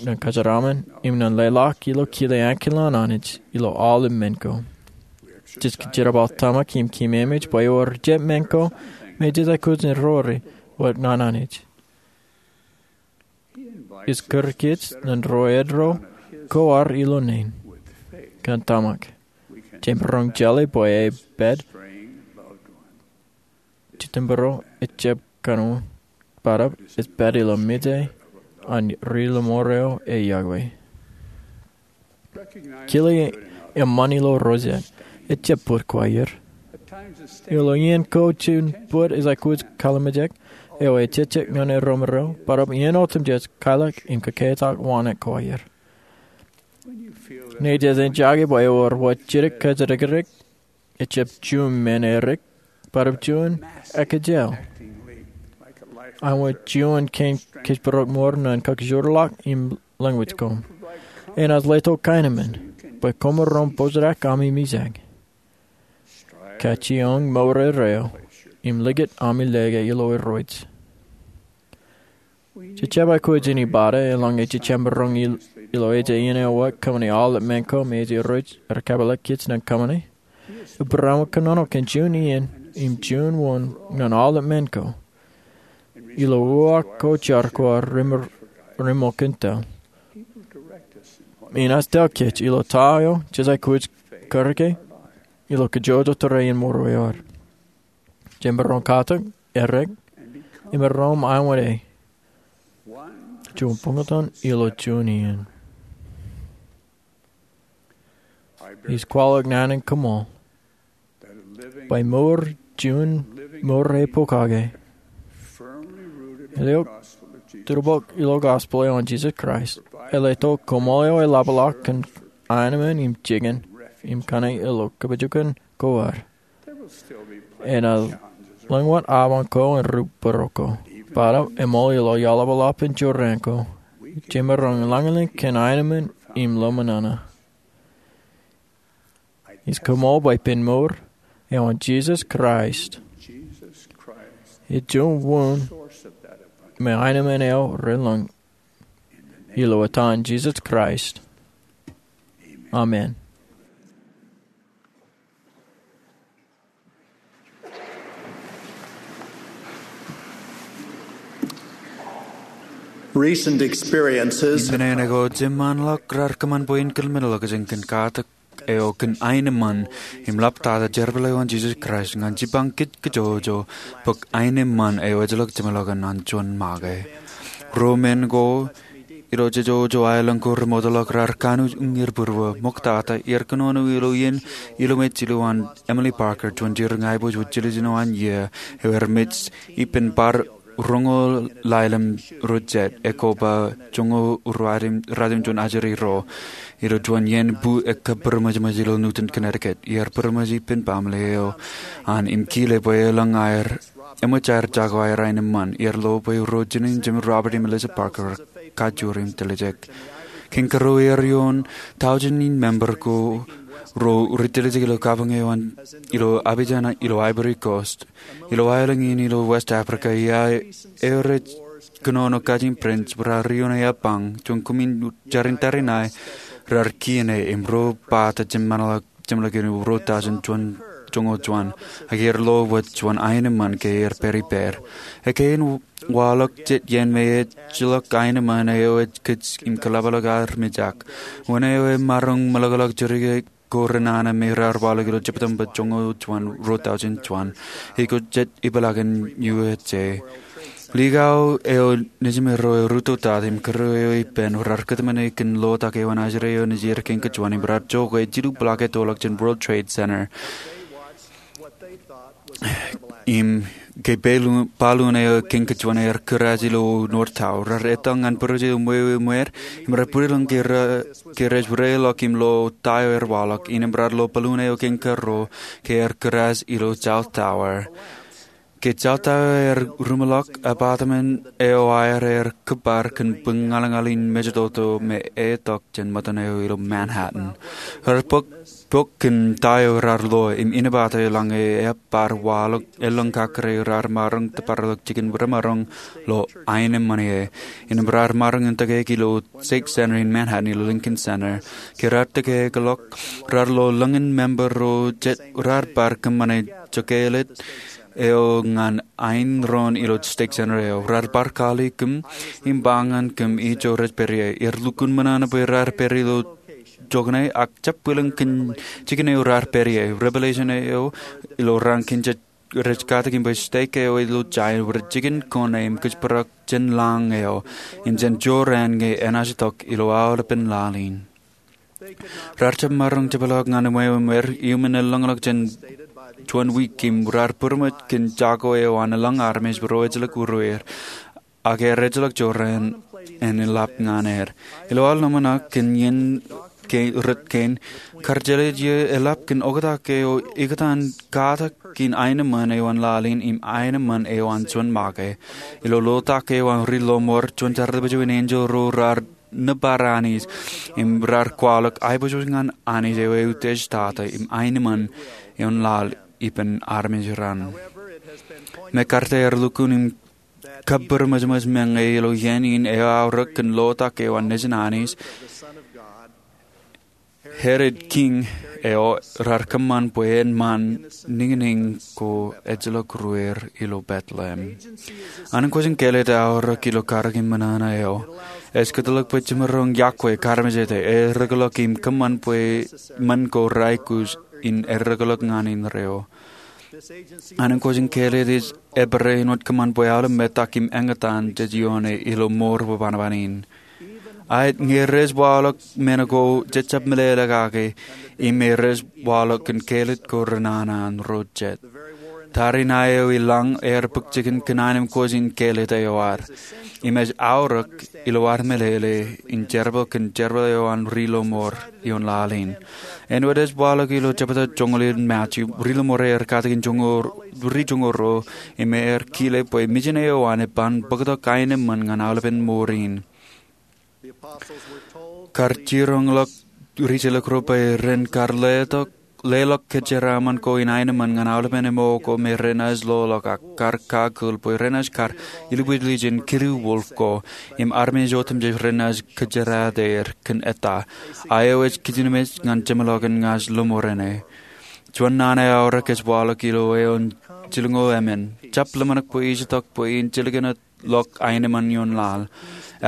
ñan kajeraaṃṃan im ñan leḷọk ilo kile ankilaan Anij ilo aolep men ko. Jej kōjerbal tōmak im keememej bwe ewōr jet men ko me jej aikuj in roñoul wōt ñan Anij. Ij kūr kōj ñan ro eddo ko ad ilo naan kōn tōmak. Jemaroñ jeḷā bwe e pād Jitōnbōro ejjab kōṇaan bōtab ej pād ilo mejān ri lọmọọr eo e Yokwe. Kile eṃṃan ilo ro jet ejjab bōd ko aer. Ilo iien ko juon bōd ej aikuj kalimjek eo ejejjet ñan eromro bōtab iien otemjej kailọk im kōketak waṇak ko aer. Ñe jej enjake bwe ewōr wōt jidik kōjatdikdik ejjab juon men erik bōtab juon ekōjel. Aṃ wōt juon kein kōjparok ṃoor ñan kakūrḷọk im lōñ wōj koṃ. Enaaj letok kaenōṃṃan bwe koṃ maroñ bōjrak ami mijak, kajjioñ mour eo, im likūt ami lōke ilo Irooj. Jej jab aikuj in ibada eḷaññe jej jab maroñ ilo ejja iien eo wōt kōṃṃane aolep men ko me ej Irooj ear kōpeḷḷọk kōj ñan kōṃṃane. Abraham kōnono kōn juon iien im juon wōn ñan aolep men ko ilo uwaak ko jar ko ad ri-, ri-, ri-, ṃōkaj tōl. Enaaj tōl kōj ilo ta eo jej aikuj karōke ilo kajjojo tōre in ṃoorwe eo ad. Jemaroñ katak, errā, im maroñ ṃweiwōde juon buñtōn ilo juon iien. Ij kwaḷọk naan in koṃṃool bwe mour juon mour eo pokake, eo tūrpọk ilo gospel eo an Jisōs Kraist, ej letok koṃṃool eo eḷapḷọk kōn aenōṃṃan im jikin im kaṇe ilo kōpojokan ko ad. Enaaj lōñ wōt aṃ ko im ri-bōro ko. Bōtaab eṃool ilo iaḷapḷọk in jorrāān ko, jemaroñ lañlōñ kōn aenōṃṃan im lọmọṇōṇō. Ij koṃṃool bwe ippān mour eo an Jisōs Kraist ej juon wōn me aenōṃṃan eo relōñ. Ilo etan Jisōs Kraist, amen. Recent experiences Innām ṇe ko jeṃaanḷọk raar kōṃṃan bwe in kōḷmānḷọkjeṇ kōn katak eo kōn aenōṃṃan im ḷaptata jerbal eo an Jisōs Kraist ñan jipañ kōj kajjojo bōk aenōṃṃan eo ejjeḷọk jeṃḷọkin an juon make. Ruo men ko ilo jejjo aelōñ ko remootḷọk raar kanooj uññūr būruō. Ṃoktata iar kōnono ilo iien ilomej ilowaan Emilie Parker, juon jiroñ aiboojoj wōt jiljino an iiō, eo ear mej ippān bar roñoul ḷalem ro jet, ekōba joñoul ruo ratimjuon ajri ro. Ilo juon iien bu ekkā bōrmōjmōj ilo Newtown, Connecticut. Iar bōrmōj ippān baaṃle eo an im kile bwe elōñ aer, eṃōj aer jako aer aenōṃṃan. Iar lo bwe ro jinen jemān Robert im Eliza Parker kajur im tiljek. Kein kōrā iar ioon taujin in member ko ro rej tiljek ilo kabuñ eo an ilo Abidjan ilo Ivory Coast. Ilo aelōñ in ilo West Africa, iar rej kōnono kajin Prince, raar ioon eapañ, juon koṃin jarin tariṇae raar kien e im ro bata jeṃḷọk, jeṃḷọkin ruo tọujin juon, joñoul juon, ak iar lo wōt juon aenōṃṃan ke iar pād ippād. Ekwe in waḷọk jet iien me ejjeḷọk aenōṃṃan eo ej kōj im kōḷapḷọk armej ak. Wōn eo emaroñ meḷọkḷọk jidik ko renana me raar waḷọk ilo September joñoul juon, ruo tọujin juon. Ej ko jet ipeḷaakin U S A. Likao eo nejimero eo rūtto tata im kōrā eo ippān raar kōtmāne kōn ḷotak eo an ajri eo nejid kein kajuon im raar jokwe jilu block ettoḷọk jān World Trade Center. Im ke balloon, balloon eo kein kajuon ear kūraaj ilo North Tower. Raar etal ñan bwidej eo ṃweo ṃweer, im raar bwidlōñ ke ra-, ke rej reiḷọk im lo ta eo ear waḷọk, innām raar lo balloon eo kein kōrā ke ear kūraaj ilo South Tower. Ke South Tower ear ruṃḷọk, apartment eo aer ear kōbar kōn bōk ñalñal in mejatoto me etok jān ṃōttan eo ilo Manhattan. Raar bōk bok kōn ta eo raar lo im inepata eḷaññe eabar waḷọk elōñ kakkure raar maroñ tōparḷọk jikin remaroñ lo aenōṃṃan ie. Innām raar maroñ in tōkeik ilo Stake Center in Manhattan ilo Lincoln Center. Ke raar tōkeik ḷọk, raar lo lōñin member ro jet raar bar kōṃṃane jokālōt eo ñan aenroñ ilo Stake Center eo. Raar bar kali kōm im ba ñan kōm ijo rej pād ie. Iar lukkuun ṃōṇōṇō bwe raar pād ilo jokane, ak jab bwilōñ kōn jikin eo raar pād ie. Revelation eo ilo raan kein rej katak im bwe stake eo ilo jān rej jikin kōn im kōjparok jān lañ eo im jān jorrāān ñe enaaj itok ilo aolepen laḷ in. Raar jab maroñ jepḷaak ñan ṃweo ṃweer, iuṃwin elōñḷọk jān juon wiik im raar būrṃōj kōn jako eo an elōñ armej ro ejjeḷọk urwōj, ak ear ejjeḷọk jorrāān en eḷap ñan er. Ilo aolep ḷōmṇak kōn iien ke rot kein, kar jeḷā eo eḷap kōn oktak eo ikōtaan katak in aenōṃṃan eo an laḷ in im aenōṃṃan eo an juon make. Ilo lotak eo an ri lọmọọr, juon jerbal bwe juon enjeḷ ro raar nōbar Anij im raar kwaḷọk aiboojoj ñan Anij eo eutiejtata im aenōṃṃan eo an laḷ ippān armej raṇ. Mekarta ear lukkuun im kabūroṃōjṃōj meñe ilo iien in eo aorōk kōn lotak eo an Nejin Anij, Herod kiiñ eo raar kōṃṃan bwe en ṃaan niñniñ ko ejjeḷọk ruer ilo Bethlehem. Anij kwōj in kāālōt aorōk ilo karōk in ṃōṇōṇō eo. Ej kōtḷọk bwe jemaroñ yokwe, karmejete, errōkḷọk im kōṃṃan bwe men ko raikuj in errōkḷọk ñan indeeo. Anij kwōj in kāālōt ej ebōrā āinwōt kōṃṃan bwe aolep metak im eñtaan jej ioone ilo mour bwe banoban in. Aet ñe rej waḷọk men ko jej jab meḷeḷe kake, im rej waḷọk kōn kāālōt ko renana an ro jet. Tariṇae eo i lañ ear bōk jikin kōn aenōṃṃan kwōj in kāālōt eo ad. Im ej aorōk ilo ad meḷeḷe in jerbal kōn jerbal eo an ri lọmọọr ioon laḷ in. Āinwōt ej waḷọk ilo jebta joñoul in Matu, ri lọmọọr ear katakin joñoul, ri joñoul ruo, im ear kile bwe mejān eo an eban bōktok aenōṃṃan ñan aolepen mour in. Kar jiroñḷọk ri jilkinḷọk bwe ren kar leḷọk, leḷọk kōjeraaṃṃan ko in aenōṃṃan ñan aolepen ṃōko me renaaj loḷọk ak kar kakūḷ bwe renaaj kar ilubwillijen kidu wolf ko im armej otemjej renaaj kōjeraaer kōn eta. A eo ej kijenmej ñan jeṃḷọkin ña ij lọmọọren e. Juon naan eo aorōk ej waḷọk ilo eoon jilñoul emān. Jab ḷōmṇak bwe ij itok bwe in jilkinḷọk aenōṃṃan ioon laḷ.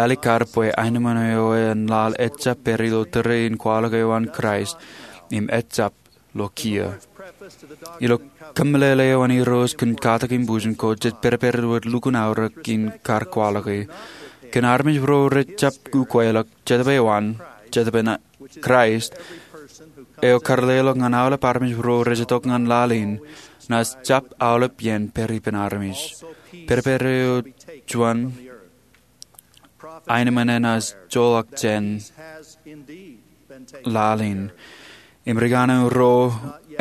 Alikkar bwe aenōṃṃan eo an laḷ ejjab pād ilo tōre in kwaḷọk eo an Kraist im ejjab lo kiiō. Ilo kōmeḷeḷe eo an Irooj kōn katakin bujen ko, jej pedped wōt lukkuun aorōk in kar kwaḷọke. Kōn armej ro rejjab ukweḷọk, Jetōb eo an, Jetōb in Kraist, eo kar leḷọk ñan aolep armej ro rej itok ñan laḷ in, naaj jab aolep iien pād ippān armej. Pedped eo juon aenōṃṃan enaaj joḷọk jān laḷ in. Im ri kanaan ro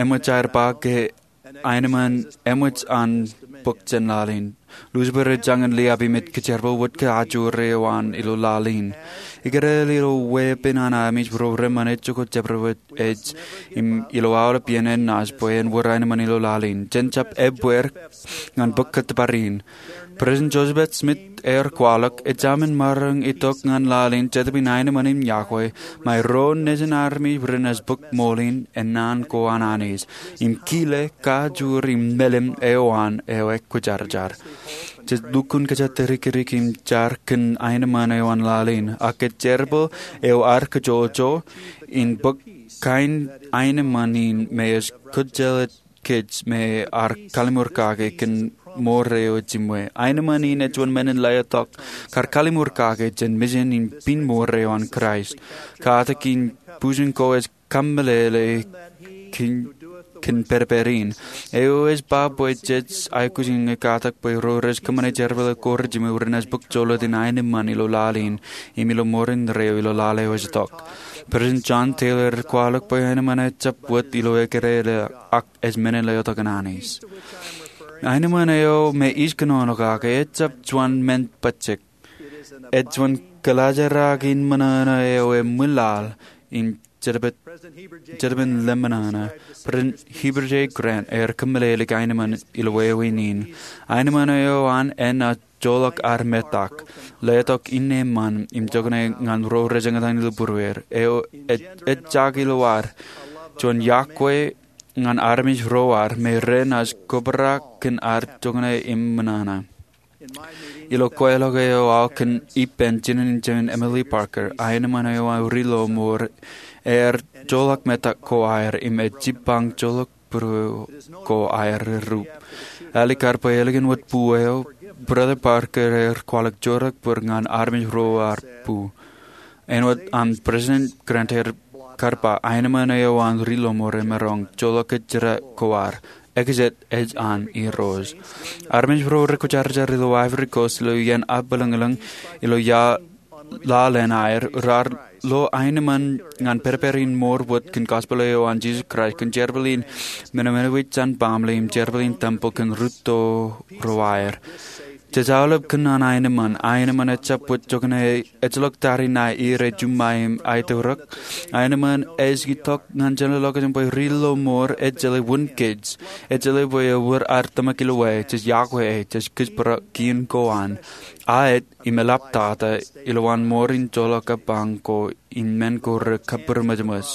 eṃōj aer ba ke aenōṃṃan eṃōj an bōk jān laḷ in. Lucifer ej jañin liab im ej kōjerbal wōt kajoor eo an ilo laḷ in. Ikōrā ilo weeppān an armej ro reṃṃan ejako jepdewōt ej im ilo aolep iien enaaj bwe en wōr aenōṃṃan ilo laḷ in. Jen jab ebbeer ñan bōk kōttōpar in. President Joseph F. Smith ear kwaḷọk, ejāmin maroñ itok ñan laḷ in Jetōb in aenōṃṃan im yokwe, ṃae ro nejin armej renaaj bōk ṃool in, ennaan ko an Anij, im kile, kajoor im melim eo an eo ekwōjarjar. Jej lukkuun kōjatdikdik im jar kōn aenōṃṃan eo an laḷ in, ak ej jerbal eo ad kōjojō in bōk kain aenōṃṃan in me ej kōjjeḷā kōj me ad kalliṃur kake kōn mour eo ejiṃwe. Aenōṃṃan in ej juon men in letok kar kalliṃur kake jān mejān in piin mour eo an Kraist. Katakin bujen ko ej kōmeḷeḷe kōn, kōn pedped in. Eo ej ba bwe jej aikuj in ñe katak bwe ro rej kōṃṃane jerbal ko rejiṃwe renaaj bōk jolōt in aenōṃṃan ilo laḷ in im ilo mour indeeo ilo laḷ eo ej itok. President John Taylor ear kwaḷọk bwe aenōṃṃan ejjab wōt ilo ekōrā ḷọk ak ej men in letok an Anij. Aenōṃṃan eo me ij kōnono kake ejjab juon men bajjek. Ej juon kōḷaajrak in ṃōṇōṇō eo eṃwilaḷ im Jetōb in, Jetōb in lemñoṇe. President Heber J. Grant ear kōmeḷeḷe aenōṃan ilo wāween in. Aenōṃan eo an enaaj joḷọk ad metak, letok inne ṃaan im jokane ñan ro rej eñtaan ilo būrueir. Eo ej, ejjake ilo ad juon yokwe ñan armej ro ad me renaaj kobrak kōn ad jokane im ṃōṇōṇō. Ilo kweilọk eo aō kōn ippān jinen in jemān Emilie Parker, aenōṃan eo an ri lọmọọr ear joḷọk metak ko aer im ej jibbañ joḷọk būrueir ko aer errūp. Alikkar bwe ālikin wōt bu eo, Brother Parker ear kwaḷọk joortak bōd ñan armej ro aer bu. Āinwōt an President Grant ear kar ba, aenōṃan eo an ri lọmọọr emaroñ joḷọk kōjjitōk ko ad. Ekajet ej an Irooj. Armej ro rekwōjarjar ilo Ivory Coast ilo iien abwilōñlōñ ilo ia laḷ in aer, raar lo aenōṃṃan ñan pedped in mour wōt kōn gospel eo an Jisōs Kraist, kōn jerbal in men eo enaaj wōj jān baaṃle im jerbal in tempel kōn rūtto ro aer. Jej aolep kōnono aenōṃṃan. Aenōṃṃan ejjab wōt jokane ejjeḷọk tariṇae, ire, juṃae im aetōrōk. Aenōṃṃan ej itok ñan jenaaj lo kōj bwe ri lo mour ejjeḷā wūn kōj. Ejjeḷā bwe ewōr ad tōmak ilowaan, jej yokwe, jej kōjparok kien ko an. Aet im eḷaptata ilowaan mour in joḷọk epañ ko im men ko rekabūroṃōjṃōj.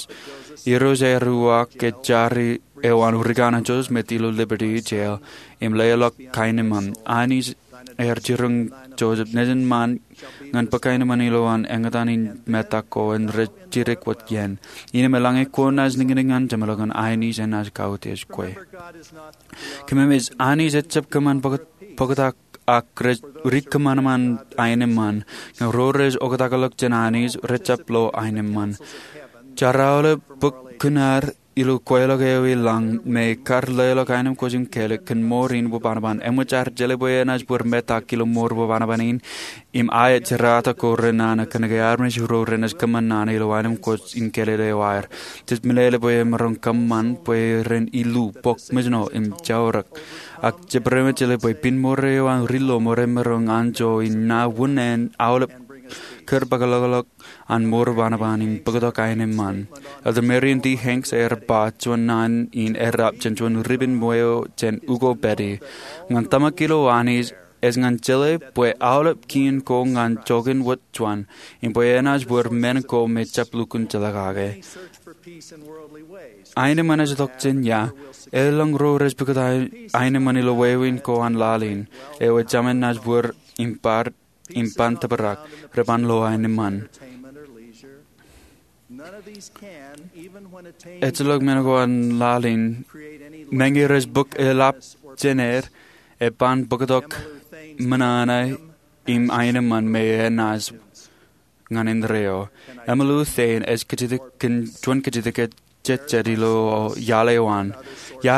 Irooj eo ear uwaak ke jar eo an Rick Ananchos met ilo Liberty Jail im leḷọk kaenōṃṃan. Anij ear jiroñ Joseph nejin ṃaan ñan bōk aenōṃṃan ilowaan eñtaan in metak ko en rej jidik wōt iien. Innām eḷaññe kwōn naaj niñniñ ñan jeṃḷọkin, Anij enaaj kautiej kwe. Kōmemej, Anij ejjab kōṃṃan bōktak ak ri kōṃanṃan aenōṃṃan, ñe ro rej oktakḷọk jān Anij rejjab lo aenōṃṃan. Jaar aolep bōk kūṇaar ilo kweilọk eo i lañ me kar leḷọk aenōṃṃan kwōj in kele kōn mour in wōnṃaanṃaan. Eṃōj ad jeḷā bwe enaaj wōr metak ilo mour wōnṃaanṃaan in im aet jerata ko renana kōnke armej ro renaaj kōṃṃan nana ilo aenōṃṃan kwōj in kele eo aer. Jej meḷeḷe bwe emaroñ kōṃṃan bwe ren illu, bōk mejno im jaorōk. Ak jebōd emaroñ jeḷā bwe pen mour eo an ri lo mour emaroñ anjọ in ṇa wūn en aolep kōrpaakḷọk an mour wōnṃaanṃaan im bōktok aenōṃṃan. Elder Marion D. Hanks ear ba juon naan in errā jān juon ripen ṃweo jān Hugo Betti. Ñan tōmak ilo Anij ej ñan jeḷā bwe aolep kien ko ñan joñan wōt juon, im bwe enaaj wōr men ko me jab lukkuun jeḷā kake. Aenōṃṃan ej itok jān ia? Elōñ ro rej pukot aenōṃṃan ilo wāween ko an laḷ in, eo ejāmin naaj wōr im ban tōprak, reban lo aenōṃṃan. Ejjeḷọk men ko an laḷ in, meñe rej bōk eḷap jān er, eban bōktok ṃōṇōṇō im aenōṃṃan me enaaj ñan indeeo. Emily Lou Thayne ej kajjitōk kōn juon kajjitōk ejejjet ilo iaḷ eo an. Ia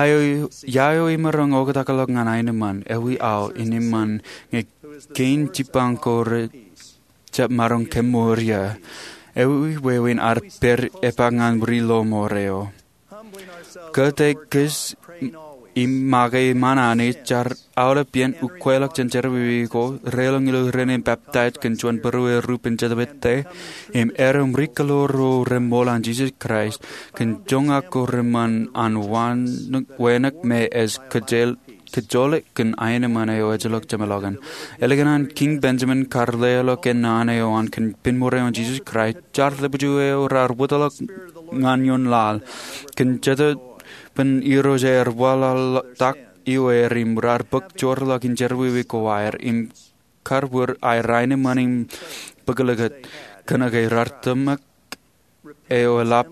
eo imaroñ oktakḷọk ñan aenōṃṃan, ewi aō in eṃṃan ñe kein jibbañ ko rejab maroñ kemour ia? Ewi wāween ad pād epaak ñan ri lo mour eo? Kōttāik kōj im make iṃaan Anij, jaar aolep iien ukweḷọk jān jerọwiwi ko, reilọk ilo rainin peptaij kōn juon būruerupen Jetōb Ete, im erom ri kōḷoor ro reṃool an Jisōs Kraist, kōn joñak ko reṃṃan an wānōk me ej kōjjeḷọk kōn aenōṃṃan eo ejjeḷọk jeṃḷọkin. Ālikin an Kiiñ Benjamin kar leḷọk naan eo an kōn pen mour eo an Jisōs Kraist, jaar ḷapḷap eo raar wōtlọk ñan ioon laḷ. Kōn Jetōb an Irooj ear waḷọktok ioer im raar bōk joorḷọk in jerọwiwi ko aer im kar wōr aer aenōṃṃan im bōklōkōt, kōnke raar tōmak eo eḷap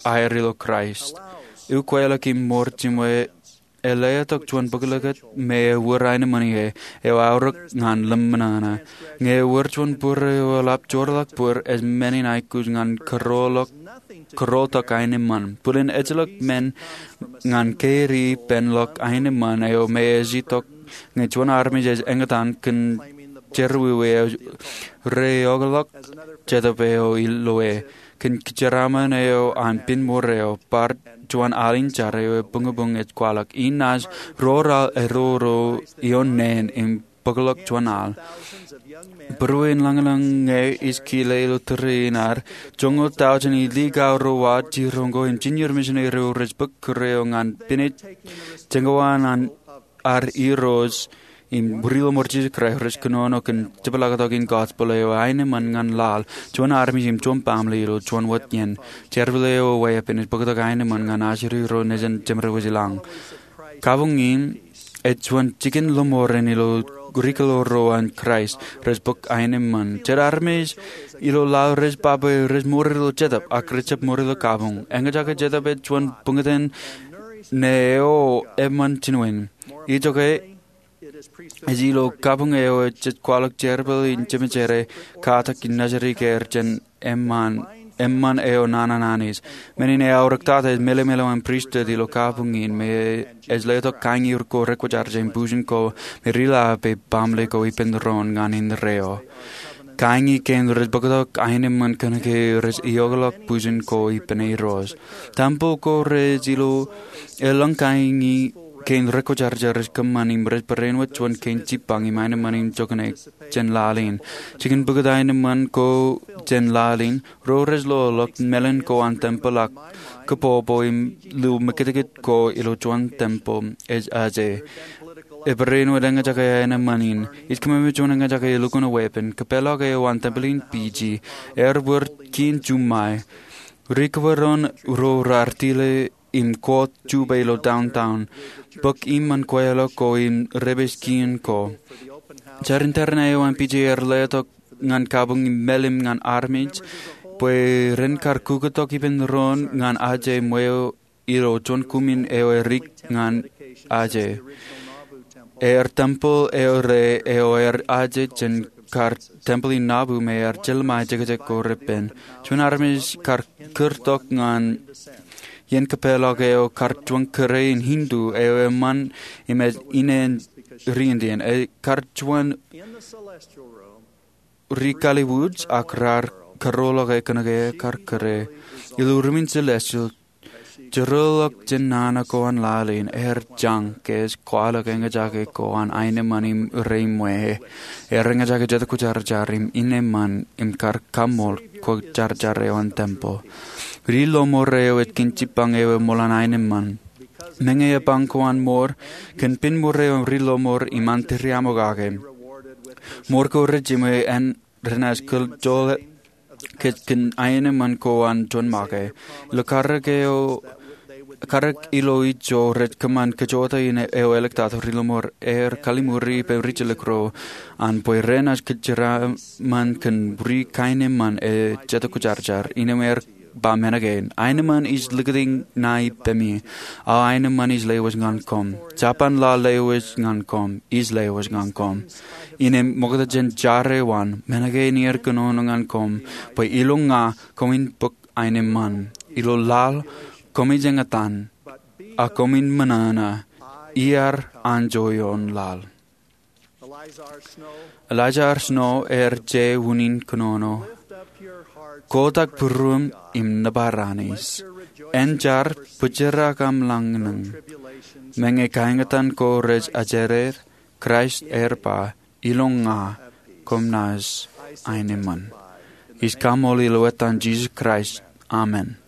aer ilo Kraist. Ukweḷọk im mour jiṃwe ej letok juon bōklōkōt me ewōr aenōṃṃan ie, eo aorōk ñan ḷōmṇōṇō. Ñe ewōr juon bōro eo eḷap joorḷọk bōd, ej men in aikuj ñan kōrọọltok aenōṃṃan. Bōlen ejjeḷọk men ñan kein ippān ḷọk aenōṃṃan eo me ej itok ñe juon armej ej eñtaan kōn jerọwiwi eo reokḷọk Jetōb eo iloe. Kōn jeraaṃṃan eo an pen mour eo, bar juon al in jar eo ebuñbuñ ej kwaḷọk, inaaj ro raar eddo ro ioon neen im bōkḷọk juon al. Būruein lañlōñ ñe ij kile ilo tōre in ad, joñoul tọujin iliik aorōk jiroñ ko im junior missionary ro rej bōk kūr eo ñan pinej jeñoul an ad irooj im ri ḷōṃaro Jisōs Kraist rej kōnono kōn jepḷaaktok in gospel eo aenōṃṃan ñan laḷ, juon armej im juon baaṃle ilo juon wōt iien. Jerbal eo weeppān ej bōktok aenōṃṃan ñan ajri ro nejin jemed wōj i lañ. Kabuñ in ej juon jikin ḷōṃaro ilo ri kōḷoor ro an Kraist rej bōk aenōṃṃan. Jet armej ilo laḷ rej ba bwe rej mour ilo jetōb ak rejjab mour ilo kabuñ. Eñjake jetōb ej juon buñtōn ne eo eṃṃan jinen. Ijoke ej ilo kabuñ eo jej kwaḷọk jerbal in jemejeer, katak in najidik er jān eṃṃan eo naan an Anij. Men in eaorōktata ej meḷeḷe ilo an pristut ilo kabuñ in me ej letok kañiur ko rekwōjarjar im bujen ko me ri laḷ bwe baaṃle ko ippān doon ñan indeeo. Kaiñi kein rej bōktok aenōṃṃan kōnke rej eokḷọk bwijin ko ippān Irooj. Tempel ko rej ilo eḷap kaiñi kein rekwojarjar rej kōṃṃan im rej barāinwōt juon kein jipañ im aenōṃṃan im jokane jān laḷ in. Jikin bōktok aenōṃṃan ko jān laḷ in, ro rej loḷọk mālōtlōt ko an tempel ak kōpopo im lo mekitkit ko ilo juon tempel ej aje. Ebarāinwōt eñjake aenōṃṃan in. Ij kōṃṃane juon eñjake elukkuun weeppān. Kōpeḷḷọk eo an tempel in Fiji. Ear bōk kien juṃae. Ri kōbōron ro raar tile im koot jupe ilo downtown, bōk iṃaan kweilọk ko im rej pād kien ko. Jar in tōre ṇa eo an Fiji ear letok ñan kabuñ im mālim ñan armej bwe ren kar kukkutok ippān doon ñan aje ṃweo ilo juon kuṃin eo erik ñan aje. Ear tempel eo rej eo ear aje jān kar tempel in Nauvoo me ear jelṃae jekjek ko reppen. Juon armej kar kūrtok ñan iien kōpeḷḷọk eo kar juon kūr in Hindu eo eṃṃan im ej ine ri Indian. Ekar juon ri kalibuuj ak raar karoḷọke kōnke ekar kūr e. Ilo ruumin celestial, jeraḷọk jān nana ko an laḷ in, ear jañ ke ej kwaḷọk eñjake ko an aenōṃṃan im reiṃwe. Ear eñjake jetkwōjarjar im ineṃṃan im kar kaṃṃool kwōjarjar eo an tempel. Ri lọmọọr eo ej kien jipañ eo eṃool an aenōṃṃan. Meñe epañ ko an mour, kōn pen mour eo an ri lọmọọr iṃaan tūriaṃo kake. Mour ko rej jiṃwe en renaaj kōl joḷọk kōn aenōṃṃan ko an juon make. Ilo karōk eo, karōk ilo ijo rej kōṃṃan kajjojo in eo eḷḷọk tok, ri lọmọọr ear kalliṃur ippān ri jilkinro an bwe renaaj kōjeraaṃṃan kōn ri kaenōṃṃan eo jetkwōjarjar. Innem ear ba men kein: Aenōṃṃan ij likūti ṇa ippemi, a aenōṃṃan ij lewōj ñan koṃ. Jabōn laḷ lewōj ñan koṃ, ij lewōj ñan koṃ. Innem ṃokta jān jar eo an, men kein iar kōnono ñan koṃ, bwe ilo ña koṃwin bōk aenōṃṃan. Ilo laḷ koṃij eñtaan, a koṃwin ṃōṇōṇō, iar anjọ ioon laḷ. Eliza R. Snow ear je unin kōnono: Kotak būruōṃ im nōbar anis. Enjar, bōjrak aṃ laññe. Meñe kaeñtaan ko rej ajered, Kraist ear ba, ilo ña koṃ naaj aenōṃṃan. Ij kaṃṃoolol etan Jisōs Kraist. Amen.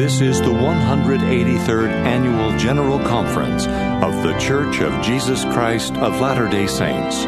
This is the one hundred eighty-third Annual General Conference of The Church of Jesus Christ of Latter-day Saints.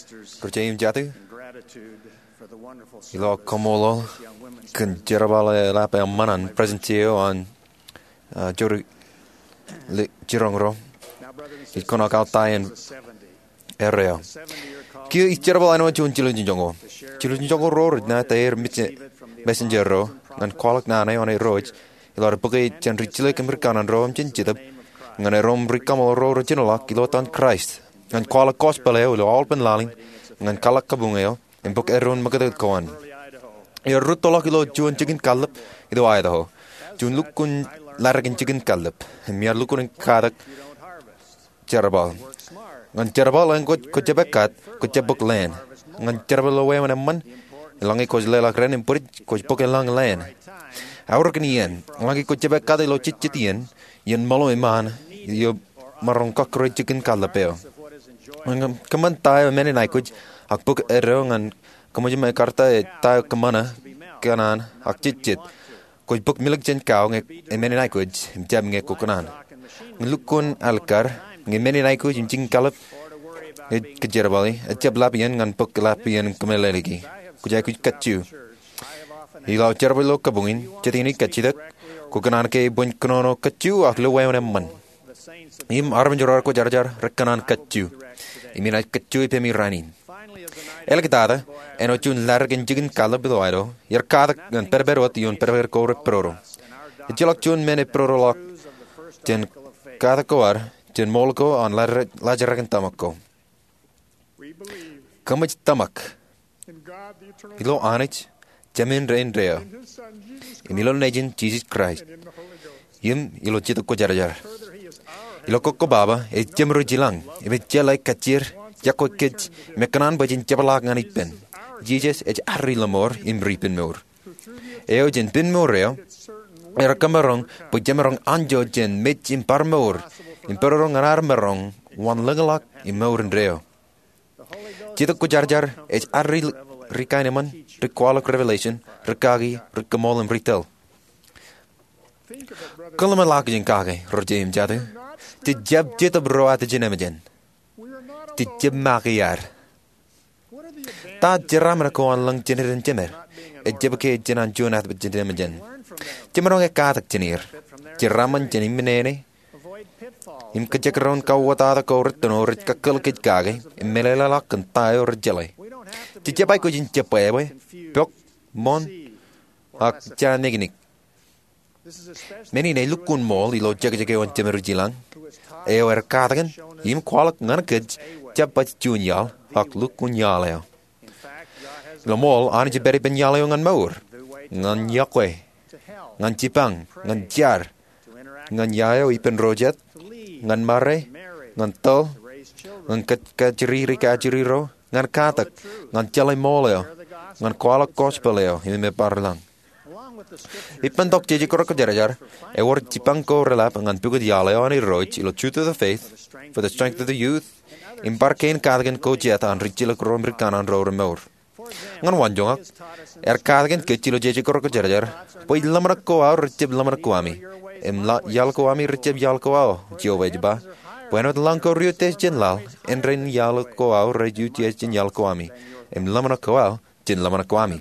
Ri-jeim jatū, ilo kaṃṃoolol kōn jerbal eḷap eṃṃan an President eo an, uh, Jori Jiroñ ro, ij kōṇaan aō ta ien erreo. Kiiō ej jerbal āinwōt juon jiljilimjuonñoul. Jiljilimjuonñoul ro rej ṇa ta er messenger ro ñan kwaḷọk naan eo an Irooj, ilo ad bōke jān ri-jilōk im ri kanaan ro im jān Jetōb, ñan erom ri kaṃṃoolol ro rej jinoḷọk ilo etan Kraist, ñan kwaḷọk gospel eo ilo aolepen laḷ in, ñan kwaḷọk kabuñ eo, im bōk eddoin ṃakūtkūt ko an. Iar rūttoḷọk ilo juon jikin kallib ilo Idaho, juon lukkuun ḷadik in jikin kallib, im iar lukkuun in katak jerbal. Ñan jerbal, eñin kwōj, kwōjjab ekkat, kwōjjab bōk leen. Ñan jerbal ilo wāween eṃṃan, eḷaññe kwōj leḷọk dān im bwidej, kwōj bōk eḷaññe leen. Eor kōn iien, eḷaññe kwōjjab ekkat ilo jejjet iien, iien ṃōḷo iṃaan, eo emaroñ kọkkure jikin kallib eo. Ñan kōṃṃan ta eo emenin aikuj, ak bōk eddo ñan kōṃṃan ṃōjin karta ta eo kōṃṃane kōṇaan ak jejjet, kwōj bōk milōk jān kau ñe emenin aikuj, im jab ñe kwō kōṇaan. Ñe lukkuun alikkar, ñe emenin aikuj im jikin kallib ej kōjerbali, ejjab ḷap iien ñan bōk ḷap iien kōmeḷeḷeiki. Kwōj aikuj kajju. Ilo aō jerbal ilo kabuñ in, jet iien ij kajjitōk, kwō kōṇaan ke ebwe in kōnono kajju ak ilo wāween eṃṃan. Im armej ro rekwōjarjar rekōṇaan kajju. Im inaaj kajju ippemi rainin. Āliktata, āinwōt juon ḷadik in jikin kallib ilo Idaho, iar katak ñan pedped wōt ioon pedped ko repororo. Ejjeḷọk juon men epororoḷọk jān katak ko ad, jān ṃool ko an laajrak in tōmak ko. Kōmij tōmak ilo Anij, Jemān Indeeo, im ilo Nejin Jisōs Kraist, im ilo Jetōb Kwōjarjar. Ilo kōkkobaba, ej Jemed ri jilañ, im ej jeḷā kajjier, iọkwe kōj, im ekōṇaan bwe jen jepḷaak ñan ippān. Jisōs ej ad ri-lọmọọr im ri-penmour. Eo jān penmour eo, ear kōmaroñ bwe jemaroñ anjọ jān mej im bar mour, im pororo ñan ad maroñ wanlōñḷọk im mour indeeo. Jetōb Kwōjarjar ej ad ri, ri kaenōṃṃan, ri kwaḷọk revelation, ri kaki, ri kōṃṃool im ri tōl. Kōḷmānḷọkjeṇ kake, ri-jeim jatū. Jej jab Jetōb ro attōr jān emōjān. Jej jab make ad. Ta jeraaṃṃan ko an lōñ jān iten jemed? Ejjab ke ej jān an juon attōr jān emōjān. Jemaroñ ekkatak jān er. Jeraaṃṃan jān im nene, im kajekdọọn kauwōtata ko rūttoṇo rej kakkōl kōj kake, im meḷeḷeḷọk kōn ta eo rej jeḷā. Jej jab aikuj in jebwābwe, pok, ṃoon, ak jañikñik. Men in elukkuun ṃool ilo jekjek eo an Jemed ri jilañ, eo ear katakin im kwaḷọk ñan kōj jab baj juon iaḷ, ak lukkuun iaḷ eo. Ilo ṃool, Anij ej pād ippān iaḷ eo ñan mour, ñan iọkwe, ñan jipañ, ñan jar, ñan ia eo ippān ro jet, ñan ṃare, ñan tōl, ñan kajjiri ri kajjiri ro, ñan katak, ñan jeḷā ṃool eo, ñan kwaḷọk gospel eo im ej bar lañ. Ippān tok Jejekdọọn Kwōjarjar, ewōr jipañ ko reḷap ñan pukot iaḷ eo an Irooj ilo Truth of the Faith, For the Strength of the Youth, im bar kein katakin ko jet an rijjilōk ro im rikanaan ro remour. Ñan waanjoñak, ear katakin kōj ilo Jejekdọọn Kwōjarjar bwe ḷōmṇak ko aō rejjab ḷōmṇak ko ami, im iaḷ ko ami rejjab iaḷ ko aō, Jeova ej ba, bwe āinwōt lañ ko ri-utiej jān laḷ, āindein iaḷ ko aō rej utiej jān iaḷ ko ami, im ḷōmṇak ko aō jān ḷōmṇak ko ami.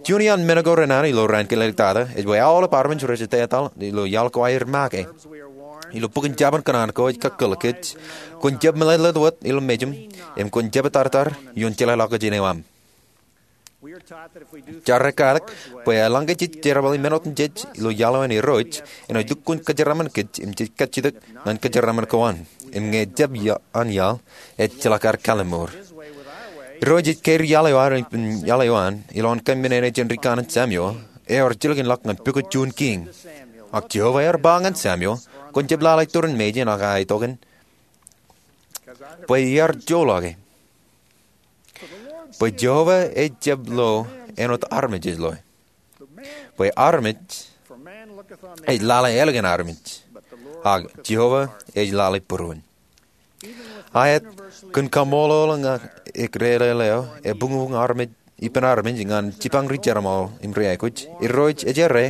Juon iaan men ko renana ilo raan kōn āliktata ej bwe aolep armej rej jab etal ilo iaḷ ko aer make. Ilo bok in Jabōn Kōṇaan ko ej kakkōl kōj, kwōn jab meḷeḷe wōt ilo mejūṃ, im kwōn jab etartar ioon jeḷāḷọkjeṇ eo aṃ. Jaar ekkatak bwe eḷaññe jej jerbali men otemjej ilo iaḷ eo an Irooj, enaaj lukkuun kōjeraaṃṃan kōj im jej kajjitōk ñan kōjeraaṃṃan ko an. Im ñe ejjab ia-, an iaḷ, ejjeḷọk ad kalliṃur. Irooj ej kōjerbal iaḷ eo an, iaḷ eo an, ilowaan kōmmenin jān rikanaan Samuel, eo ejjeḷọk in ḷọk ñan pukot juon kiiñ. Ak Jeova ear ba ñan Samuel, kwōn jab lale iturin mejān ak aetokan, bwe iar joḷọke. Bwe Jeova ejjab lo āinwōt armej ej loe. Bwe armej ej lale ālikin armej, ak Jeova ej lale būruon. Aet, kōn kaṃṃoolol ñan eklele eo, ebuñbuñ armej, ippān armej ñan jipañ ri-jerbal im ri-aikuj, Irooj ej errā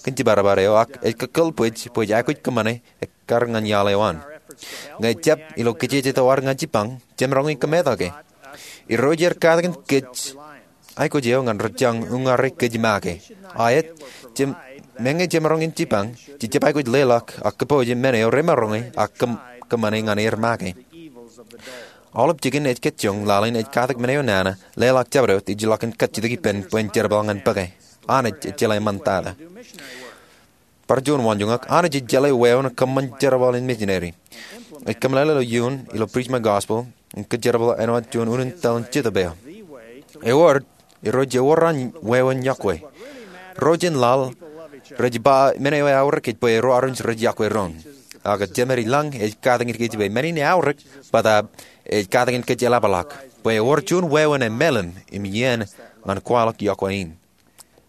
kōn jibadbad eo, ak ej kakkōl bwij bwe jej aikuj kōṃṃane ekkar ñan iaḷ eo an. Ñe ejjab ilo kajjitōk eo ad ñan jipañ, jemaroñ in kōmetak e. Irooj ear katakin kōj aikuj eo ñan rej jañ uññāre kōj make. Aet, meñe jemaroñ in jipañ, jej jab aikuj leḷọk ak kōpooje men eo remaroñe ak kōṃṃane ñan er make. Aolep jikin ej kajjioñ laḷ in ej katak men eo nana, leḷọk jabdewōt ej ilọk in kajjitōk ippān bwe en jerbal ñan bōke. Anij ej jeḷā eṃṃantata. Bar juon waanjoñak, Anij ej jeḷā wāween kōṃṃan jerbal in mejineri. Ej kōmeḷeḷe ilo iuun ilo Preach My Gospel im kōjerbal āinwōt juon unin tōl in Jetōb eo. Ewōr, Irooj ewōr an wāween yokwe. Ro jān laḷ rej ba men eo eaorōk ej bwe ro armej rej yokwe doon. Ak jemed ilañ ej katakin kōj bwe men in eaorōk, bōtaab ej katakin kōj eḷapḷọk bwe ewōr juon wāween emālim im iien ñan kwaḷọk yokwe in.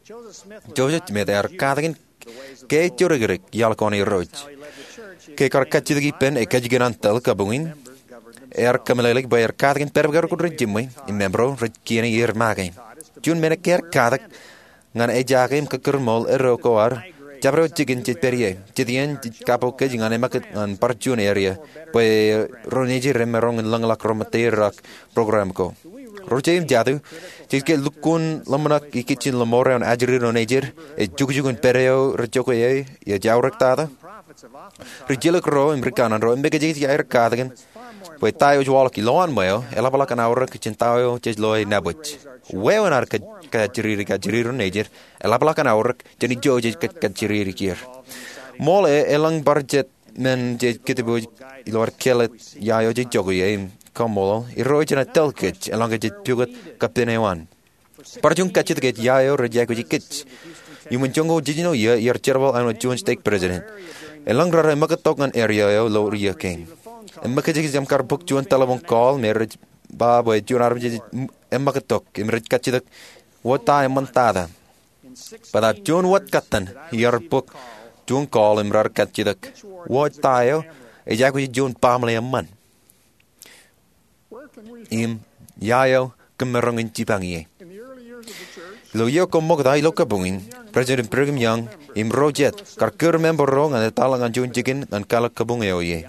Joseph Smith ear katakin ke ej jodikdik iaḷ ko an Irooj. Ke ekar kajjitōk ippān ekajikin an tōl kabuñ in, ear kōmeḷeḷeik bwe ear katakin pād bwe kar kōn ri jimwe im ro rej kiiō er make. Juon men ke ear katak ñan ejaake im kōkkure ṃool eddo ko ad, jabdewōt jikin jej pād ie. Jet iien jej kapo kōj ñan eṃṃakūt ñan bar juon eria bwe ro nejid remaroñ in lōñḷọk ro ṃōtteier ak program ko. Ro jeiū im jatū, jej ke lukkuun ḷōmṇak ikijjien lọmọọr eo an ajri ro nejid, ej jukjuk in pād eo rej jokwe ie, ej aorōk tata? Ri jilkinro im ri kanaan ro eṃōkajekjek aer katakin bwe ta eo ej waḷọk ilowaan ṃweo eḷapḷọk an aorōk jān ta eo jej loe nabōj. Wāween ad kajjiriri kajjiri ro nejid eḷapḷọk an aorōk jān ijo jej kajjiriri er. Ṃool e elōñ bar jet men jej kōtbōj ilo ad kāālōt ia eo jej jokwe ie im kaṃṃoolol Irooj enaaj tōl kōj eḷaññe jej pukot kappān eo an. Bar juon kajjitōk ej ia eo rej aikuji kōj. Iuṃwin joñoul jiljino iiō iar jerbal āinwōt juon stake president. Elōñ raar eṃōkōttok ñan eria eo ilo iiō kein. Eṃōkajekjek im kar bōk juon telephone call me rej ba bwe juon armej ej eṃōkōttok im rej kajjitōk wōt ta eṃṃantata. Bōtaab juon wōt katten iar bōk juon call im raar kajjitōk wōt ta eo ej aikuji juon baaṃle eṃṃan. Im ia eo kōm maroñ in jipañ ie. Ilo iiō ko ṃokta ilo kabuñ in, President Brigham Young im ro jet kar kūr member ro ñan etal ñan juon jikin ñan kwaḷọk kabuñ eo ie.